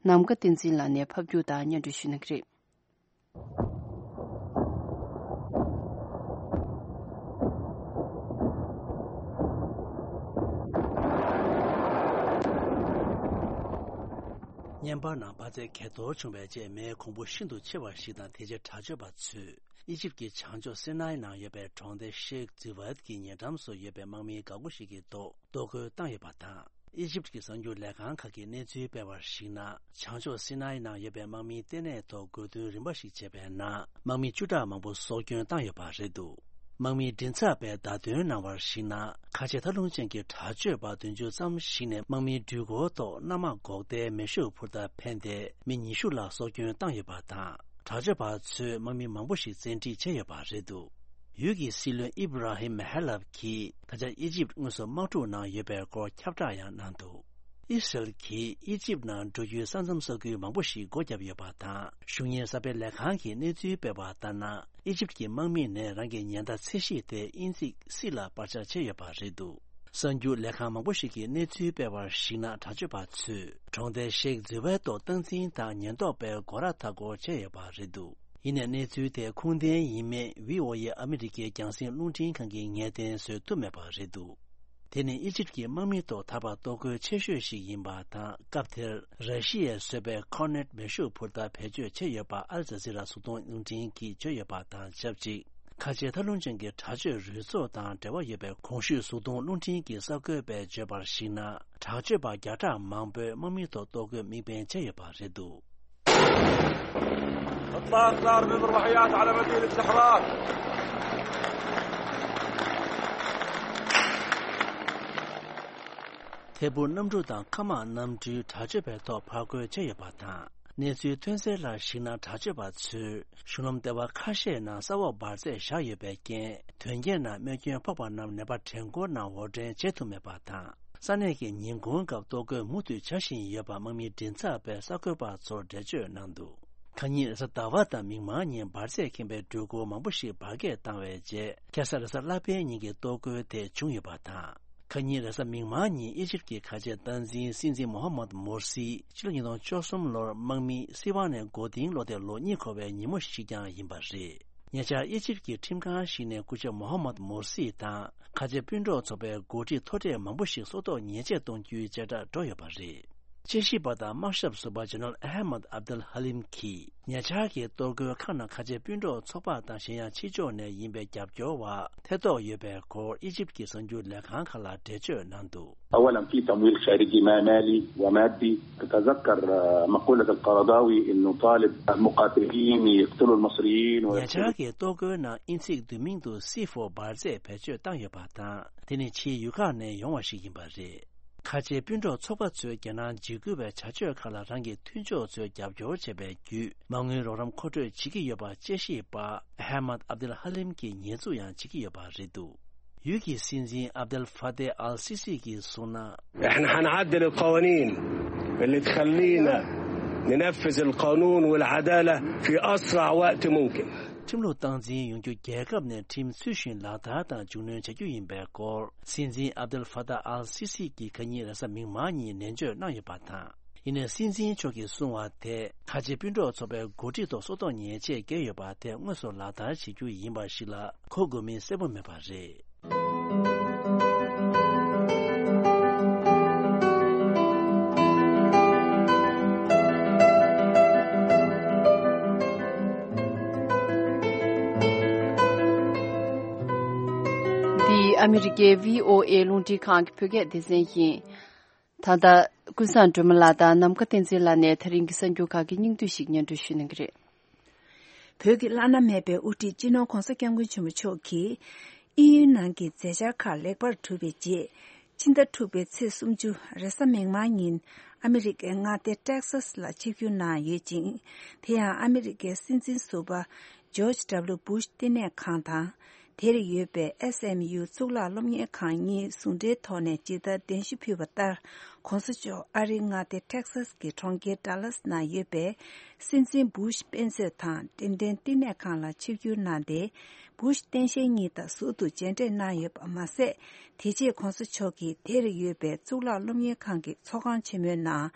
ནམ་མཁའ་བསྟན་འཛིན་ལགས་ནས་ཕབ་སྒྱུར་དང་སྙན་སྒྲོན་ཞུ་གནང་གི་རེད། བརྙན་པར་ནང་འབར་རྫས་གས་གཏོར་བྱུང་བའི་རྗེས། མེའི་གོང་བུ་ཤིན་ཏུ་ཆེ་བ་ཞིག་དང་། དེ་རྗེས་དྲག་སྤྱོད་པ་ཚོས་ཨི་ཇིབ་ཀྱི་བྱང་ཕྱོགས་སི་ནའི་ནང་ཡོད་པའི་གྲོང་སྡེ་ཤེག་ཛི་ཝད་ཀྱི་ཉེ་འགྲམ་སུ་ཡོད་པའི་དམག་མི་འགག་སྒོ་ཞིག་གི་ཐོག་གཏོར་རྒོལ་བཏང་ཡོད་པ་དང་། ཨི་ཇིབ་ཀྱི་གསར་འགྱུར་ལས་ཁང་ཁག་གིས་གནས་ཚུལ་སྤེལ་བར་གཞིགས་ན། བྱང་ཕྱོགས་སི་ནའི་ནང་ཡོད་པའི་དམག་མིའི་ལྟེ་གནས་ཐོག་རྒོལ་རྡུང་རིམ་པ་ཞིག་བྱས་པའི་ནང་། དམག་མི་བཅུ་ཕྲག་མང་པོ་སྲོག་སྐྱོན་བཏང་ཡོད་པ་རེད་འདུག་དམག་མིའི་མགྲིན་ཚབ་པས་བརྡ་སྟོན་གནང་བར་གཞིགས་ན། ཁ་ཆེ་མཐའ་ལྷུང་ཅན་གྱི་དྲག་སྤྱོད་པ་བདུན་ཅུ་ཙམ་ཞིག་ནས་དམག་མིའི་འགྲུལ་འཁོར་ཐོག་གནམ་དམག་འགོག་ཟླའི་མེ་ཤུགས་འཕུར་མདའ་འཕེན་ཏེ། མི་ཉི་ཤུ་ལ་སྲོག་སྐྱོན་བཏང་ཡོད་པ་དང་། དྲག་སྤྱོད་པ་ཚོས་དམག་མི་མང་པོ་ཞིག་བཙན་ཁྲིད་བྱས་ཡོད་པ་རེད་འདུག་ཡུལ་གྱི་སྲིད་བློན་ཨིབ་ར་ཧིམ་ཧེ་ལབ་ཀྱིས། ད་ཆ་ཨི་ཇིབ་དངོས་སུ་དམག་འཁྲུག་ནང་ཡོད་པའི་སྐོར་ཁྱབ་བསྒྲགས་ཡང་གནང་འདུག་ཨི་སི་རལ་གྱིས་ཨི་ཇིབ་ནང་འགྲོ་རྒྱུའི་ས་མཚམས་ས་ཁུལ་མང་པོ་ཞིག་སྒོ་བརྒྱབ་ཡོད་པ་དང་། གཞུང་གཉེར་གསར་སྤེལ་ལས་ཁང་གིས་གནས་ཚུལ་སྤེལ་བ་ལྟར་ན། ཨི་ཇིབ་ཀྱི་དམག་མི་ནས་རང་གི་ཉེན་བརྡ་ཚད་གཞི་དེ་དབྱིན་ཚིག་སི་ལ་པར་ཆས་བྱས་ཡོད་པ་རེད་འདུག་གསར་འགྱུར་ལས་ཁང་མང་པོ་ཞིག་གིས་གནས་ཚུལ་སྤེལ་བར་གཞིགས་ན། དྲག་སྤྱོད་པ་ཚོས་གྲོང་སྡེ་ཤེག་ཛི་ཝའི་ཐོག་སྟངས་འཛིན་དང་ཉེན་རྟོག་པའི་སྒོ་ར་མཐའ་སྐོར་བྱས་ཡོད་པ་རེད་འདུག་ཡིན་ནའི་གནས་ཚུལ་དེ་ཁུངས་ལྡན་ཡིན་མིན་བྷི་ཨོ་ཨེ་ཨ་མི་རི་ཀའི་རྒྱང་སྲིང་རླུང་འཕྲིན་ཁང་གིས་ངེས་གཏན་བཟོ་ཐུབ་མེད་པ་རེད་འདུག་དེ་ནི་ཨི་ཇིབ་ཀྱི་དམག་མི་ཐོག་ད་བར་གཏོར་རྒོལ་ཆེ་ཤོས་ཤིག་ཡིན་པ་དང་། སྐབས་དེར་ར་ཤི་ཡས་བཟོས་པའི་ཁོར་ནེཊ་མེ་ཤུགས་འཕུར་མདའ་བེད་སྤྱོད་བྱས་ཡོད་པ་ཨལ་ཇ་ཟི་ར་གཟུགས་མཐོང་རླུང་འཕྲིན་གྱིས་བརྗོད་ཡོད་པ་དང་ཆབས་ཅིག་ཁ་ཆེ་ཐབས་ལམ་ཅན་གྱི་དྲག་སྤྱོད་རུལ་ཚོགས་དང་འབྲེལ་བ་ཡོད་པའི་གོང་ཞུས་གཟུགས་མཐོང་རླུང་འཕྲིན་གྱི་གསར་འགོད་པས་བརྗོད་པར་གཞིགས་ན། དྲག་སྤྱོད་པ་བརྒྱ་ཕྲག་མང་པོས་དམག་མི་ཐོག་གཏོར་རྒོལ་དམིགས་འབེན་བྱས་ཡོད་པ་རེད་འདུག. إطلاق ضرب مروحيات على مدينة الحرار. ཐད་འཕུར་གནམ་གྲུ་དང་མཁའ་དམག་གནམ་གྲུའི་དྲག་སྤྱོད་པའི་ཐོག་ཕར་རྒོལ་བྱས་ཡོད་པ་དང་། གནས་ཚུལ་ཐོན་གསལ་ལ་གཞིགས་ན། དྲག་སྤྱོད་པ་ཚོས་གཞུང་ལམ་ལྟེ་བ་ཁ་ཤས་ནང་ས་འོག་འབར་རྫས་བཞག་ཡོད་པའི་རྐྱེན། དོན་རྐྱེན་ནང་རྨས་སྐྱོན་ཕོག་པ་རྣམས་ནད་པ་བྲན་འཁོར་ནང་འོར་འདྲེན་བྱེད་ཐུབ་མེད་པ་དང་། ས་གནས་ཀྱི་ཉིན་གུང་སྐབས་གཏོར་རྒོལ་མུ་མཐུད་བྱ་བཞིན་ཡོད་པ་དམག་མིའི་མགྲིན་ཚབ་པས་གསར་འགོད་པ་ཚོར་འགྲེལ་བརྗོད་གནང་འདུག. ཁ་ཉིན་རེས་གཟའ་ཟླ་བ་དང་མིག་དམར་ཉིན་འབར་རྫས་ཁེངས་པའི་འགྲུལ་འཁོར་མང་པོ་ཞིག་འབར་གས་བཏང་བའི་རྗེས། ཁ་སང་རེས་གཟའ་ལྷག་པའི་ཉིན་གྱི་གཏོར་རྒོལ་དེ་བྱུང་ཡོད་པ་དང་། ཁ་ཉིན་རེས་གཟའ་མིག་དམར་ཉིན་ཨི་ཇིབ་ཀྱི་ཁ་ཆེ་སྟངས་འཛིན་སྲིད་འཛིན་མོ་ཧ་མད་མོར་སི་ཕྱི་ལོ་ཉིས་སྟོང་བཅུ་གསུམ་ལོར་དམག་མི་སྲིད་དབང་ནས་མགོ་རྟིང་སློག་སྟེ་ལོ་གཉིས་འཁོར་བའི་ཉིན་མོ་ཞིག་ཀྱང་ཡིན་པ་རེད། ཉེ་ཆར་ཨི་ཇིབ་ཀྱི་ཁྲིམས་ཁང་ཞིག་ནས་སྐུ་ཞབས་མོ་ཧ་མད་མོར་སི་དང་ཁ་ཆེ་སྤུན་གྲོགས་ཚོགས་པའི་འགོ་ཁྲིད་མཐོ་གྲས་མང་པོ་ཞིག་སྲོག་ཐོག་ཉེས་ཆད་གཏོང་རྒྱུའི་བཅད་ཁྲ་འགྲོ་ཡོད་པ་རེད། དཔྱད་ཞིབ་པ་དང་དམག་ཞབས་ཟུར་པ་ཇེ་ནེ་རལ་ཨ་ཧ་མད་ཨབ་དུལ་ཧ་ལིམ་གྱིས། ཉེ་ཆར་གྱི་གཏོར་རྒོལ་ཁག་ནང་ཁ་ཆེ་སྤུན་གྲོགས་ཚོགས་པ་དང་གཞན་ཡང་ཕྱི་ཕྱོགས་ནས་ཡིན་པའི་རྒྱབ་སྐྱོར་བ་ཐེ་གཏོགས་ཡོད་པའི་སྐོར་ཨི་ཇིབ་ཀྱི་གསར་འགྱུར་ལས་ཁང་ཁག་ལ་འགྲེལ་བརྗོད་གནང་འདུག. أولاً في تمويل خارجي ما مالي ومادي. تتذكر، آه، مقولة القرضاوي إنه طالب المقاتلين يقتلوا المصريين ཉེ་ཆར་གྱི་གཏོར་རྒོལ་ནང་དབྱིན་ཚིག་བསྡུས་མིང་དུ་སི་ཕོར་འབར་རྫས་བེད་སྤྱོད་བཏང་ཡོད་པ་དང་། དེ་ནི་ཕྱིའི་ཡུལ་ཁག་ནས་ཡོང་བ་ཞིག་ཡིན་པ་རེད། ཁ་ཆེ་སྤུན་གྲོགས་ཚོགས་པ་ཚོས་རྒྱལ་ནང་འཇིགས་སྐུལ་བའི་བྱ་སྤྱོད་ཁག་ལ་རང་གི་མཐུན་ཕྱོགས་ཚོས་རྒྱབ་སྐྱོར་བྱས་པའི་བརྒྱུད། མ་དངུལ་རོགས་རམ་མཁོ་སྤྲོད་བྱེད་ཀྱི་ཡོད་པ་དཔྱད་ཞིབ་པ་ཨ་ཧ་མད་ཨབ་དུལ་ཧ་ལིམ་གྱིས་ཉེས་འཛུགས་ཡང་བྱེད་ཀྱི་ཡོད་པ་རེད་འདུག. ཡུལ་གྱི་སྲིད་འཛིན་ཨབ་དུལ་ཧྥ་ཏེ་ཨལ་སི་སི་གིས་གསུངས་ན། احنا حنعدل القوانين اللي تخلينا ننفذ القانون والعدالة في أسرع وقت ممكن. ཁྲིམས་ལུགས་སྟངས་འཛིན་ཡོང་རྒྱུ་རྒྱལ་ཁབ་ནས་ཁྲིམས་ཚུལ་བཞིན་ལག་བསྟར་དང་མཇུག་སྣོན་བྱ་རྒྱུ་ཡིན་པའི་སྐོར། སྲིད་འཛིན་ཨབ་དུལ་ཧྥ་ཏཱ་ཨལ་སི་སི་གིས་ཁ་ཉིན་རེས་གཟའ་མིག་དམར་ཉིན་ནན་བརྗོད་གནང་ཡོད་པ་དང་། ཡིན་ནའི་སྲིད་འཛིན་མཆོག་གིས་གསུངས་པ་དེ། ཁ་ཆེ་སྤུན་གྲོགས་ཚོགས་པའི་འགོ་ཁྲིད་ཐོག་སྲོག་ཐོག་ཉེས་ཆད་བཀལ་ཡོད་པ་དེ་དངོས་སུ་ལག་བསྟར་བྱེད་རྒྱུ་ཡིན་པ་ཞིག་ལ་གོ་དགོས་མིན་གསལ་པོ་མེད་པ་རེད། འདི་ཨ་མི་རི་ཀའི་བྷི་ཨོ་ཨེ་རླུང་འཕྲིན་ཁང་གི་བོད་སྐད་སྡེ་ཚན་ཡིན། ད་ལྟ་ཀུན་བཟང་སྒྲོལ་མ་ལགས་དང་ནམ་མཁའ་བསྟན་འཛིན་ལགས་ནས་ད་རིང་གི་གསར་འགྱུར་ཁག་གི་སྙིང་བསྡུས་ཤིག་སྙན་སྒྲོན་ཞུ་གནང་གི་རེད། བོད་ཀྱི་བླ་ན་མེད་པའི་དབུ་ཁྲིད་སྤྱི་ནོར་༧གོང་ས་༧སྐྱབས་མགོན་ཆེན་པོ་མཆོག་གིས་དབྱིན་ཡུལ་ནང་གི་མཛད་འཆར་ཁག་ལེགས་པར་གྲུབ་པའི་རྗེས། ཕྱི་ཟླ་དྲུག་པའི་ཚེས་སུམ་ཅུ་རེས་གཟའ་མིག་དམར་ཉིན་ཨ་མི་རི་ཀའི་མངའ་སྡེ་ཊེག་སཱས་ལ་ཆིབས་བསྒྱུར་གནང་ཡོད་ཅིང་། དེ་ཡང་ཨ་མི་རི་ཀའི་སྲིད་འཛིན་ཟུར་པ་ཇོརྗ་ཌབ་ལུ་བྷུཤ་བསྟི་གནས་ཁང་དང་། དེར་ཡོད་པའི་ཨེས་ཨེམ་ཡུ་གཙུག་ལག་སློབ་གཉེར་ཁང་གཉིས་ཟུང་འབྲེལ་ཐོག་ནས་ཇི་ལྟར་གདན་ཞུ་ཕུལ་བ་ལྟར། ༧གོང་ས་མཆོག་ཨ་རིའི་མངའ་སྡེ་ཊེག་སཱས་ཀྱི་གྲོང་ཁྱེར་ཌ་ལཱས་ནང་ཡོད་པའི་སྲིད་འཛིན་བྷུཤ་དཔེ་མཛོད་དང་འགྲེམས་སྟོན་བསྟི་གནས་ཁང་ལ་ཆིབས་བསྒྱུར་གནང་སྟེ། བྷུཤ་སྟངས་དཔྱལ་གཉིས་དང་ཟུར་དུ་མཇལ་འཕྲད་གནང་ཡོད་པ་མ་ཟད། དེ་རྗེས་༧གོང་ས་མཆོག་གིས་དེར་ཡོད་པའི་གཙུག་ལག་སློབ་གཉེར་ཁང་གི་ཚོགས་ཁང་ཆེན་མོའི་ནང་།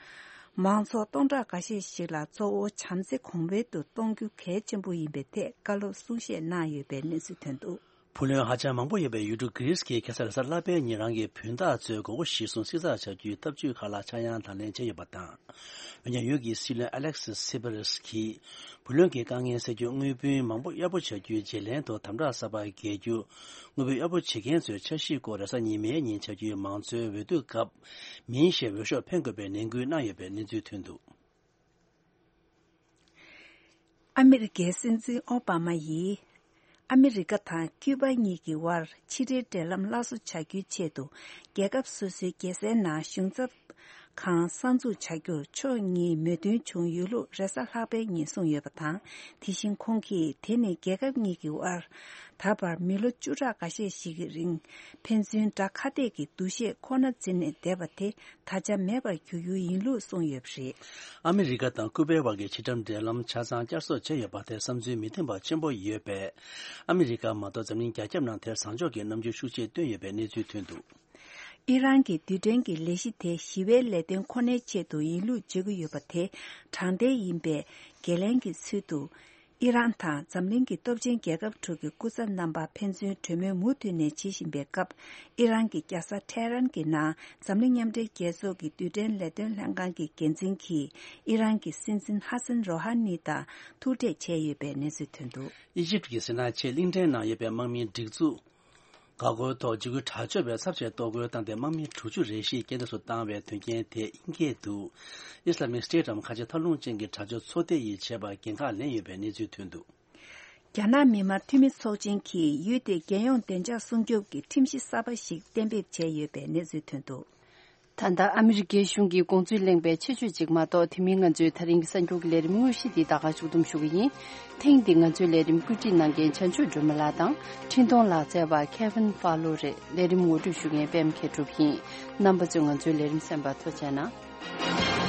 མང་ཚོགས་སྟོང་ཕྲག་འགའ་ཤས་ཤིག་ལ་གཙོ་བོ་བྱམས་བརྩེ་གོང་འཕེལ་དུ་གཏོང་རྒྱུ་གལ་ཆེན་པོ་ཡིན་པའི་ཐད་བཀའ་སློབ་གསུང་བཤད་གནང་ཡོད་པའི་གནས་ཚུལ་ཐོན་འདུག། བུ་ལོན་ཧ་ཅང་མང་པོ་ཡོད་པའི་ཡུལ་གྲུ་གྷི་རིས་ཀྱིས་ཁ་སང་རེས་གཟའ་ལྷག་པའི་ཉིན་རང་གི་བུན་བདག་ཚོའི་དགོས་མཁོ་གཞིར་བཟུང་བསྲི་ཚགས་བྱ་རྒྱུའི་ཐབས་ཇུས་ཁག་ལ་ཆག་ཡང་དང་ལེན་བྱས་ཡོད་པ་དང་། འོན་ཀྱང་ཡུལ་གྱི་སྲིད་བློན་ཨ་ལེག་སི་སི་པེ་རེས་ཀྱིས་བུ་ལོན་གྱི་དཀའ་ངལ་སེལ་རྒྱུ། དངུལ་བུན་མང་པོ་གཡར་པོ་བྱ་རྒྱུའི་བརྗེ་ལེན་དུ་དམ་དྲག་གསར་པ་འགེལ་རྒྱུ། དངུལ་བུན་གཡར་པོ་བྱེད་མཁན་ཚོའི་འཆར་གཞིའི་སྐོར་རེས་གཟའ་ཉི་མའི་ཉིན་བྱ་རྒྱུའི་མང་གཙོའི་འོས་བསྡུ་སྐབས་མིན་ཞེས་འོས་ཤོག་འཕེན་དགོས་པའི་ནན་སྐུལ་གནང་ཡོད་པའི་གནས་ཚུལ་ཐོན་འདུག། ཨ་མི་རི་ཀའི་སྲིད་འཛིན་ཨོ་བྷ་མ་ཡིས། ཨ་མི་རི་ཀ་དང་ཀིའུ་པ་གཉིས་ཀྱི་དབར་ཕྱི་འབྲེལ་འབྲེལ་ལམ་སླར་གསོ་བྱ་རྒྱུའི་ཆེད་དུ། རྒྱལ་ཁབ་སོ་སོའི་རྒྱལ་སའི་ནང་གཞུང་ཚབ་ཁང་གསར་འཛུགས་བྱ་རྒྱུར་ཕྱོགས་གཉིས་མོས་མཐུན་བྱུང་ཡོད་ལུགས་རེས་གཟའ་ལྷག་པའི་ཉིན་གསུངས་ཡོད་པ་དང་། དེ་བཞིན་ཁོང་གིས་དེ་ནི་རྒྱལ་ཁབ་གཉིས་ཀྱི་དབར་ད་བར་མི་ལོ་བཅུ་ཕྲག་འགའ་ཤས་ཤིག་གི་རིང་ཕན་ཚུན་དགྲ་ཁ་གཏད་ཀྱི་འདུ་ཤེས་ཁོ་ན་འཛིན་ནས་བསྡད་པ་དེ། ད་ཆ་མེད་པར་གྱུར་རྒྱུ་ཡིན་ལུགས་གསུངས་ཡོད་པ་རེད། ཨ་མི་རི་ཀ་དང་ཀུ་པའི་དབར་གྱི་ཕྱི་འགྲམ་འབྲེལ་ལམ་ཆ་ཚང་བསྐྱར་གསོ་བྱས་ཡོད་པ་དེ་བསམ་ཚུལ་མི་མཐུན་པ་ཆེན་པོ་ཡོད་པས། ཨ་མི་རི་ཀ་མ་གཏོགས་འཛམ་གླིང་རྒྱ་ཁྱབ་ནང་དེར་བཟང་ཕྱོགས་ཀྱི་རྣམ་འགྱུར་ཤུགས་ཆེ་བསྟན་ཡོད་པའི་གནས་ཚུལ་ཐོན་འདུག། ཨི་རན་གྱི་རྡུལ་ཕྲན་གྱི་ལས་གཞི་དེ་ཞི་བའི་ལས་དོན་ཁོ་ནའི་ཆེད་དུ་ཡིན་ལུགས་བརྗོད་ཀྱི་ཡོད་པ་དེ་དྲང་བདེན་ཡིན་པའི་འགན་ལེན་གྱི་ཚུལ་དུ། ཨི་རན་དང་འཛམ་གླིང་གི་སྟོབས་ཆེན་རྒྱལ་ཁབ་དྲུག་གི་སྐུ་ཚབ་རྣམ་པ་ཕན་ཚུན་གྲོས་མོལ་མུ་མཐུད་ནས་བྱེད་བཞིན་པའི་སྐབས། ཨི་རན་གྱི་རྒྱལ་ས་ཐེ་རན་གྱི་ནང་འཛམ་གླིང་མཉམ་འབྲེལ་རྒྱལ་ཚོགས་ཀྱི་རྡུལ་ཕྲན་ལས་དོན་ལྷན་ཁང་གི་འགན་འཛིན་གྱིས་ཨི་རན་གྱི་སྲིད་འཛིན་ཧ་སན་རོ་ཧ་ནི་དང་ཐུག་འཕྲད་བྱས་ཡོད་པའི་གནས་ཚུལ་ཐོན་འདུག། ཨི་ཇིབ་ཀྱི་སི་ནའི་ཆེས་གླིང་ཕྲན་ནང་ཡོད་པའི་དམག་མིའི་སྒྲིག་འཛུགས། འགག་སྒོའི་ཐོག་འཇིགས་སྐུལ་དྲག་སྤྱོད་པས་ཚབས་ཆེའི་གཏོར་རྒོལ་བཏང་སྟེ། དམག་མི་དྲུག་ཅུ་རེ་བཞི་རྐྱེན་འདས་སུ་བཏང་བའི་དོན་རྐྱེན་དེ་དབྱིན་སྐད་དུ། Islamic State འམ་ཁ་ཆེ་མཐོ་རླུང་ཅན་གྱི་དྲག་སྤྱོད་ཚོགས་སྡེ་ཡིས་བྱས་པར་འགན་ཁག་ལེན་ཡོད་པའི་གནས་ཚུལ་ཐོན་འདུག། རྒྱ་ནག་མི་དམངས་འཐུས་མི་ཚོགས་ཆེན་གྱིས་ཡུལ་དེའི་རྒྱལ་ཡོངས་བདེ་འཇགས་སྲུང་སྐྱོབ་ཀྱི་ཁྲིམས་གཞི་གསར་པ་ཞིག་གཏན་འབེབས་བྱས་ཡོད་པའི་གནས་ཚུལ་ཐོན་འདུག། ད་ལྟ་ཨ་མི་རི་ཀའི་གཞུང་གི་དགོངས་ཚུལ་གླེང་བའི་ཆེད་བརྗོད་ཅིག་མ་གཏོགས། དེ་མིན་ང་ཚོའི་ད་རིང་གི་གསར་འགྱུར་གྱི་ལས་རིམ་དངོས་གཞི་འདི་ད་ག་ཞུགས་སྡོམ་ཞུ་གི་ཡིན། ཐེངས་འདི་ང་ཚོའི་ལས་རིམ་བཀོད་སྒྲིག་གནང་མཁན་བྱང་ཆུབ་སྒྲོལ་མ་ལགས་དང་། འཕྲིན་གཏོང་ལག་རྩལ་བ་Kevin Fowler རེད། ལས་རིམ་ངོ་སྤྲོད་ཞུ་མཁན་པད་མ་མཁས་གྲུབ་ཡིན། རྣམ་པ་ཚོས་ང་ཚོའི་ལས་རིམ་གསན་པར་ཐུགས་རྗེ་གནང་།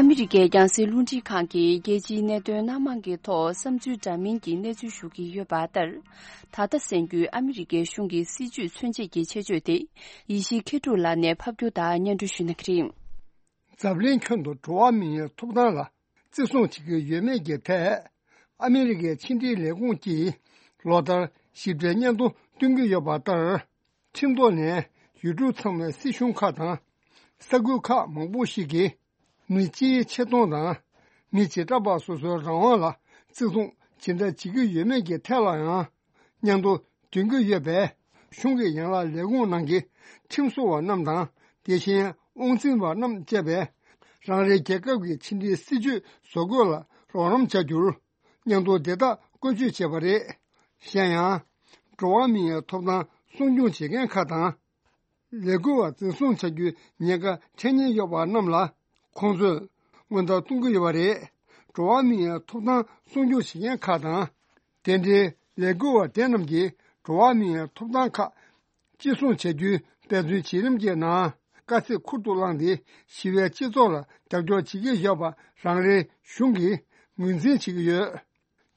ཨ་མི་རི་ཀའི་རྒྱང་སྲིང་རླུང་འཕྲིན་ཁང་གིས་རྒྱལ་སྤྱིའི་གནད་དོན་སྣ་མང་གི་ཐོག་བསམ་ཚུལ་འདྲ་མིན་གྱི་གནས་ཚུལ་ཞུ་གི་ཡོད་པ་ལྟར། ད་ལྟ་གསན་རྒྱུའི་ཨ་མི་རི་ཀའི་གཞུང་གི་སྲིད་བྱུས་མཚོན་བྱེད་ཀྱི་ཆེད་བརྗོད་དེ། ཡེ་ཤེས་མཁས་གྲུབ་ལགས་ནས་ཕབ་སྒྱུར་དང་སྙན་སྒྲོན་ཞུ་གནང་གི་རེད། འཛམ་གླིང་ཁྱོན་དུ་འགྲོ་བ་མིའི་ཐོབ་ཐང་ལ་བརྩི་སྲུང་བྱེད་ཀྱི་ཡོད་མེད་ཀྱི་ཐད། ཨ་མི་རི་ཀའི་ཕྱི་འབྲེལ་ལས་ཁུངས་ཀྱིས་ལོ་ལྟར་ཞིབ་ཕྲའི་སྙན་ཐོ་སྟོན་གྱི་ཡོད་པ་ལྟར། ཁྲིམས་ཐོག་ནས་ཡུལ་གྲུ་ཚང་མའི་སྲིད་གཞུང་ཁག་དང་ས་ཁུལ་ཁག་མང་པོ་ཞིག་གིས། མི་སྤྱིའི་ཆེ་མཐོང་དང་། མི་བྱེ་བྲག་པ་སོ་སོའི་རང་དབང་ལ་བརྩི་སྲུང་ཇི་འདྲ་བྱེད་ཀྱི་ཡོད་མེད་ཀྱི་ཐད་ལ་ཡང་། སྙན་ཐོ་འདོན་གྱི་ཡོད་པས། གཞུང་གི་ཡན་ལག་ལས་ཁུངས་ནང་གི་ཁྲིམས་བཟོ་བ་རྣམས་དང་། དེ་བཞིན་དབང་འཛིན་པ་རྣམས་བཅས་པས། རང་རེའི་རྒྱལ་ཁབ་ཀྱི་ཕྱི་འབྲེལ་སྲིད་བྱུས་བཟོ་འགོད་ལ་རོགས་རམ་བྱ་རྒྱུར། སྙན་ཐོ་དེ་དག་བཀོལ་སྤྱོད་བྱས་པ་རེད། གཞན་ཡང་། འགྲོ་བ་མིའི་ཐོབ་ཐང་སྲུང་སྐྱོང་བྱེད་མཁན་ཁག་དང་། ལས་འགུལ་བ་འཛིན་བཟུང་བྱ་རྒྱུའི་ཉེན་ཁ་འཕྲད་ཉེན་ཡོད་པ་རྣམས་ལ། ཁོང་ཚོས་སྔོན་བརྡ་གཏོང་གི་ཡོད་པ་རེད། འགྲོ་བ་མིའི་ཐོབ་ཐང་སྲུང་སྐྱོང་བྱེད་མཁན་ཁག་དང་། དེ་འབྲེལ་ལས་འགུལ་བ་དེ་རྣམས་ཀྱིས་འགྲོ་བ་མིའི་ཐོབ་ཐང་ཁག་གཅེས་སྲུང་བྱ་རྒྱུའི་འབད་བརྩོན་བྱེད་རིམ་གྱི་ནང་། དཀའ་ཚེགས་ཁུར་དུ་བླངས་ཏེ། ཞི་བའི་སྤྱི་ཚོགས་ལ་རྒྱབ་སྐྱོར་བྱེད་ཀྱི་ཡོད་པ་རང་རེའི་གཞུང་གིས་ངོས་འཛིན་བྱེད་ཀྱི་ཡོད།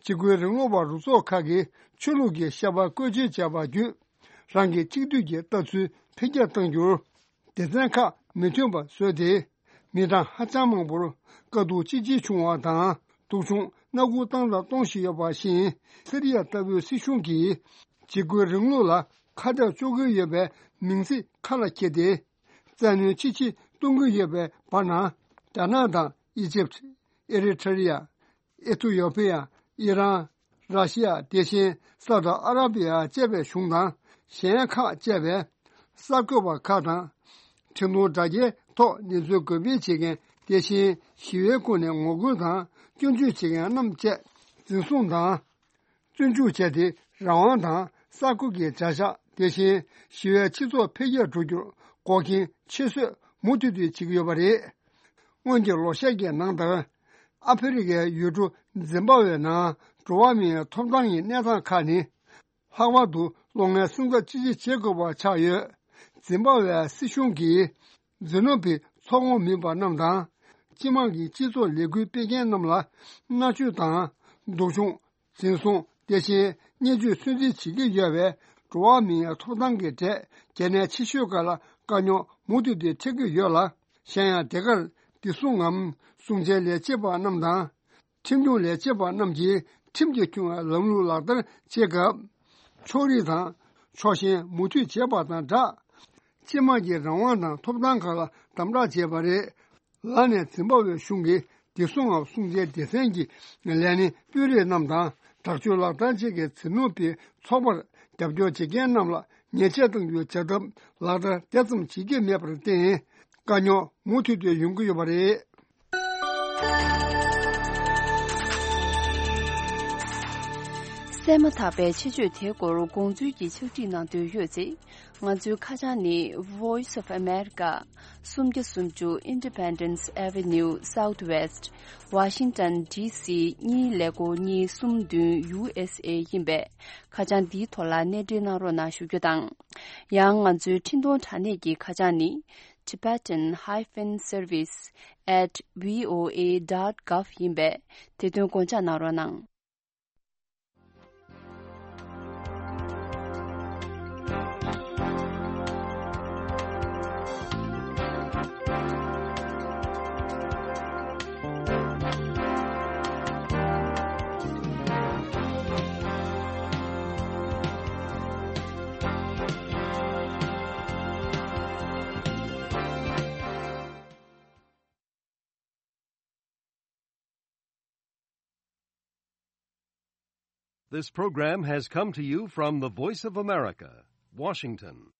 འཇིགས་སྐུལ་རིང་ལུགས་པ་རུ་ཚོགས་ཁག་གིས་ཆོས་ལུགས་ཀྱི་བཤད་པ་བཀོལ་སྤྱོད་བྱས་པ་བརྒྱུད། རང་གི་གཅིག་སྡུད་ཀྱི་ལྟ་ཚུལ་འཕེལ་རྒྱས་གཏང་རྒྱུར། སྡེ་ཚན་ཁག་མི་མཐུན་པ་བཟོས་ཏེ། མི་གྲངས་ཧ་ཅང་མང་པོར་དཀའ་སྡུག་ཅི་ཆེ་བྱུང་བ་དང་། སྡུག་སྦྱོང་མནར་གཅོད་བཏང་དང་གཏོང་བཞིན་ཡོད་པ་བཞིན། སི་རི་ཡ་ལྟ་བུའི་སྲིད་གཞུང་གིས་འཇིགས་སྐུལ་རིང་ལུགས་ལ་ཁ་གཏད་གཅོག་གི་ཡོད་པའི་མིང་ཚིག་ཁ་ལ་འཁྱེར་ཏེ། བཙན་གནོན་ཅི་ཆེ་གཏོང་གི་ཡོད་པའི་བར་ན། རྒྱ་ནག་དང་། ཨི་ཇིབ། ཨེ་རི་ཐ་རི་ཡ། ཨི་ཐི་ཡོ་ཕི་ཡ། ཨི་རན། ར་ཤི་ཡ། དེ་བཞིན་སའུ་ཏི་ཨ་ར་པི་ཡ་བཅས་པའི་གཞུང་དང་། གཞན་ཁག་བཅས་པས་གསར་འགོད་པ་ཁག་དང་། འཕྲིན་གཏོང་དྲ་རྒྱའི་ཐོག་གནས་ཚུལ་འགོད་སྤེལ་བྱེད་མཁན། དེ་བཞིན་ཞི་བའི་སྒོ་ནས་ངོ་རྒོལ་དང་སྐྱོན་བརྗོད་བྱེད་མཁན་རྣམས་བཅས་འཛིན་བཟུང་དང་། བཙོན་འཇུག་བྱས་ཏེ། རང་དབང་དང་གསར་འགོད་ཀྱི་བྱ་གཞག། དེ་བཞིན་ཞི་བའི་སྤྱི་ཚོགས་འཕེལ་རྒྱས་འགྲོ་རྒྱུར་འགོག་རྐྱེན་ཆེ་བཟོས་མུ་མཐུད་དུ་བྱེད་ཀྱི་ཡོད་པ་རེད། སྔོན་གྱི་ལོ་ཤས་ཀྱི་ནང་ལྟར། ཨ་ཧྥེ་རི་ཁའི་ཡུལ་གྲུ་ཛིམ་བྷ་ཝེ་ནང་འགྲོ་བ་མིའི་ཐོབ་ཐང་གི་གནས་སྟངས་ཁག་ནི། ལྷག་པར་དུ་ལོ་ལྔའི་སྲུང་སྐར་དཔྱད་ཞིབ་བྱེད་དགོས་པ་ཆགས་ཡོད། ཛིམ་བྷ་ཝེ་སྲིད་གཞུང་གིས། ཛི་ནོ་བི་ཚོགས་ཁོངས་མིན་པ་རྣམས་དང་། སྤྱི་དམངས་ཀྱི་སྤྱི་ཚོགས་ལས་འགུལ་སྤེལ་མཁན་རྣམས་ལ་མནར་གཅོད་དང་། སྡུག་སྦྱོང་། འཛིན་བཟུང་། དེ་བཞིན་བརྙས་བཅོས་སུན་གཙེར་བྱེད་ཀྱི་ཡོད་པའི་འགྲོ་བ་མིའི་ཐོབ་ཐང་གི་གྲས་གལ་གནད་ཆེ་ཤོས་ཁག་ལ་དཀའ་རྙོག་མུ་མཐུད་དེ་འཕྲད་ཀྱི་ཡོད་ལ། གཞན་ཡང་དེ་གར་བདེ་སྲུང་ངམ་སྲུང་བྱའི་ལས་བྱེད་པ་རྣམས་དང་། ཁྲིམས་སྐྱོང་ལས་བྱེད་པ་རྣམས་ཀྱིས་ཁྲིམས་ཀྱིས་ཁྱོན་ལམ་ལུགས་ལག་བསྟར་བྱེད་སྐབས། ཕྱོགས་རིས་དང་ཕྱོགས་ཞེན་མུ་མཐུད་བྱས་པ་དང་སྦྲགས། སྤྱི་དམངས་ཀྱི་རང་དབང་དང་ཐོབ་ཐང་ཁག་ལ་དམ་དྲག་བྱས་པ་རེད། ལར་ནས་ཛིམ་བྷ་ཝེ་གཞུང་གིས་བདེ་སྲུང་ངམ་སྲུང་བྱའི་སྡེ་ཚན་གྱི་ལས་སྣེ་དཔོན་རིགས་རྣམས་དང་། དྲག་སྤྱོད་ལག་བསྟར་བྱེད་མཁན་ཛི་ནོ་བིའི་ཚོགས་པར་རྒྱབ་སྐྱོར་བྱེད་མཁན་རྣམས་ལ་ཉེས་ཆད་གཏང་རྒྱུའི་བྱ་ཐབས་ལག་བསྟར་དེ་ཙམ་བྱེད་ཀྱི་མེད་པར་བརྟེན། དཀའ་རྙོག་མུ་མཐུད་དུ་ཡོང་གི་ཡོད་པ་རེད། གསན་མ་ཐག་པའི་ཆེད་བརྗོད་དེའི་སྐོར་དགོངས་ཚུལ་གྱི་ཕྱག་བྲིས་གནང་འདོད་ཡོད་ཚེ། ང་ཚོའི་ཁ་བྱང་ནི། Voice of America། སུམ་བརྒྱ་སུམ་ཅུ་Independence Avenue Southwest། Washington D C གཉིས་ཀླད་ཀོར་གཉིས་གསུམ་བདུན་U S A ཡིན་པས། ཁ་བྱང་འདིའི་ཐོག་ལ་གནས་འབྲེལ་གནང་རོགས་གནང་ཞུ་རྒྱུ་དང་། ཡང་ང་ཚོའི་འཕྲིན་གཏོང་དྲ་གནས་ཀྱི་ཁ་བྱང་ནི། Tibetan hyphen service at V O A dot gov ཡིན་པས། དེ་དོན་དགོངས་འཇགས་གནང་རོགས་གནང་། This program has come to you from the Voice of America, Washington.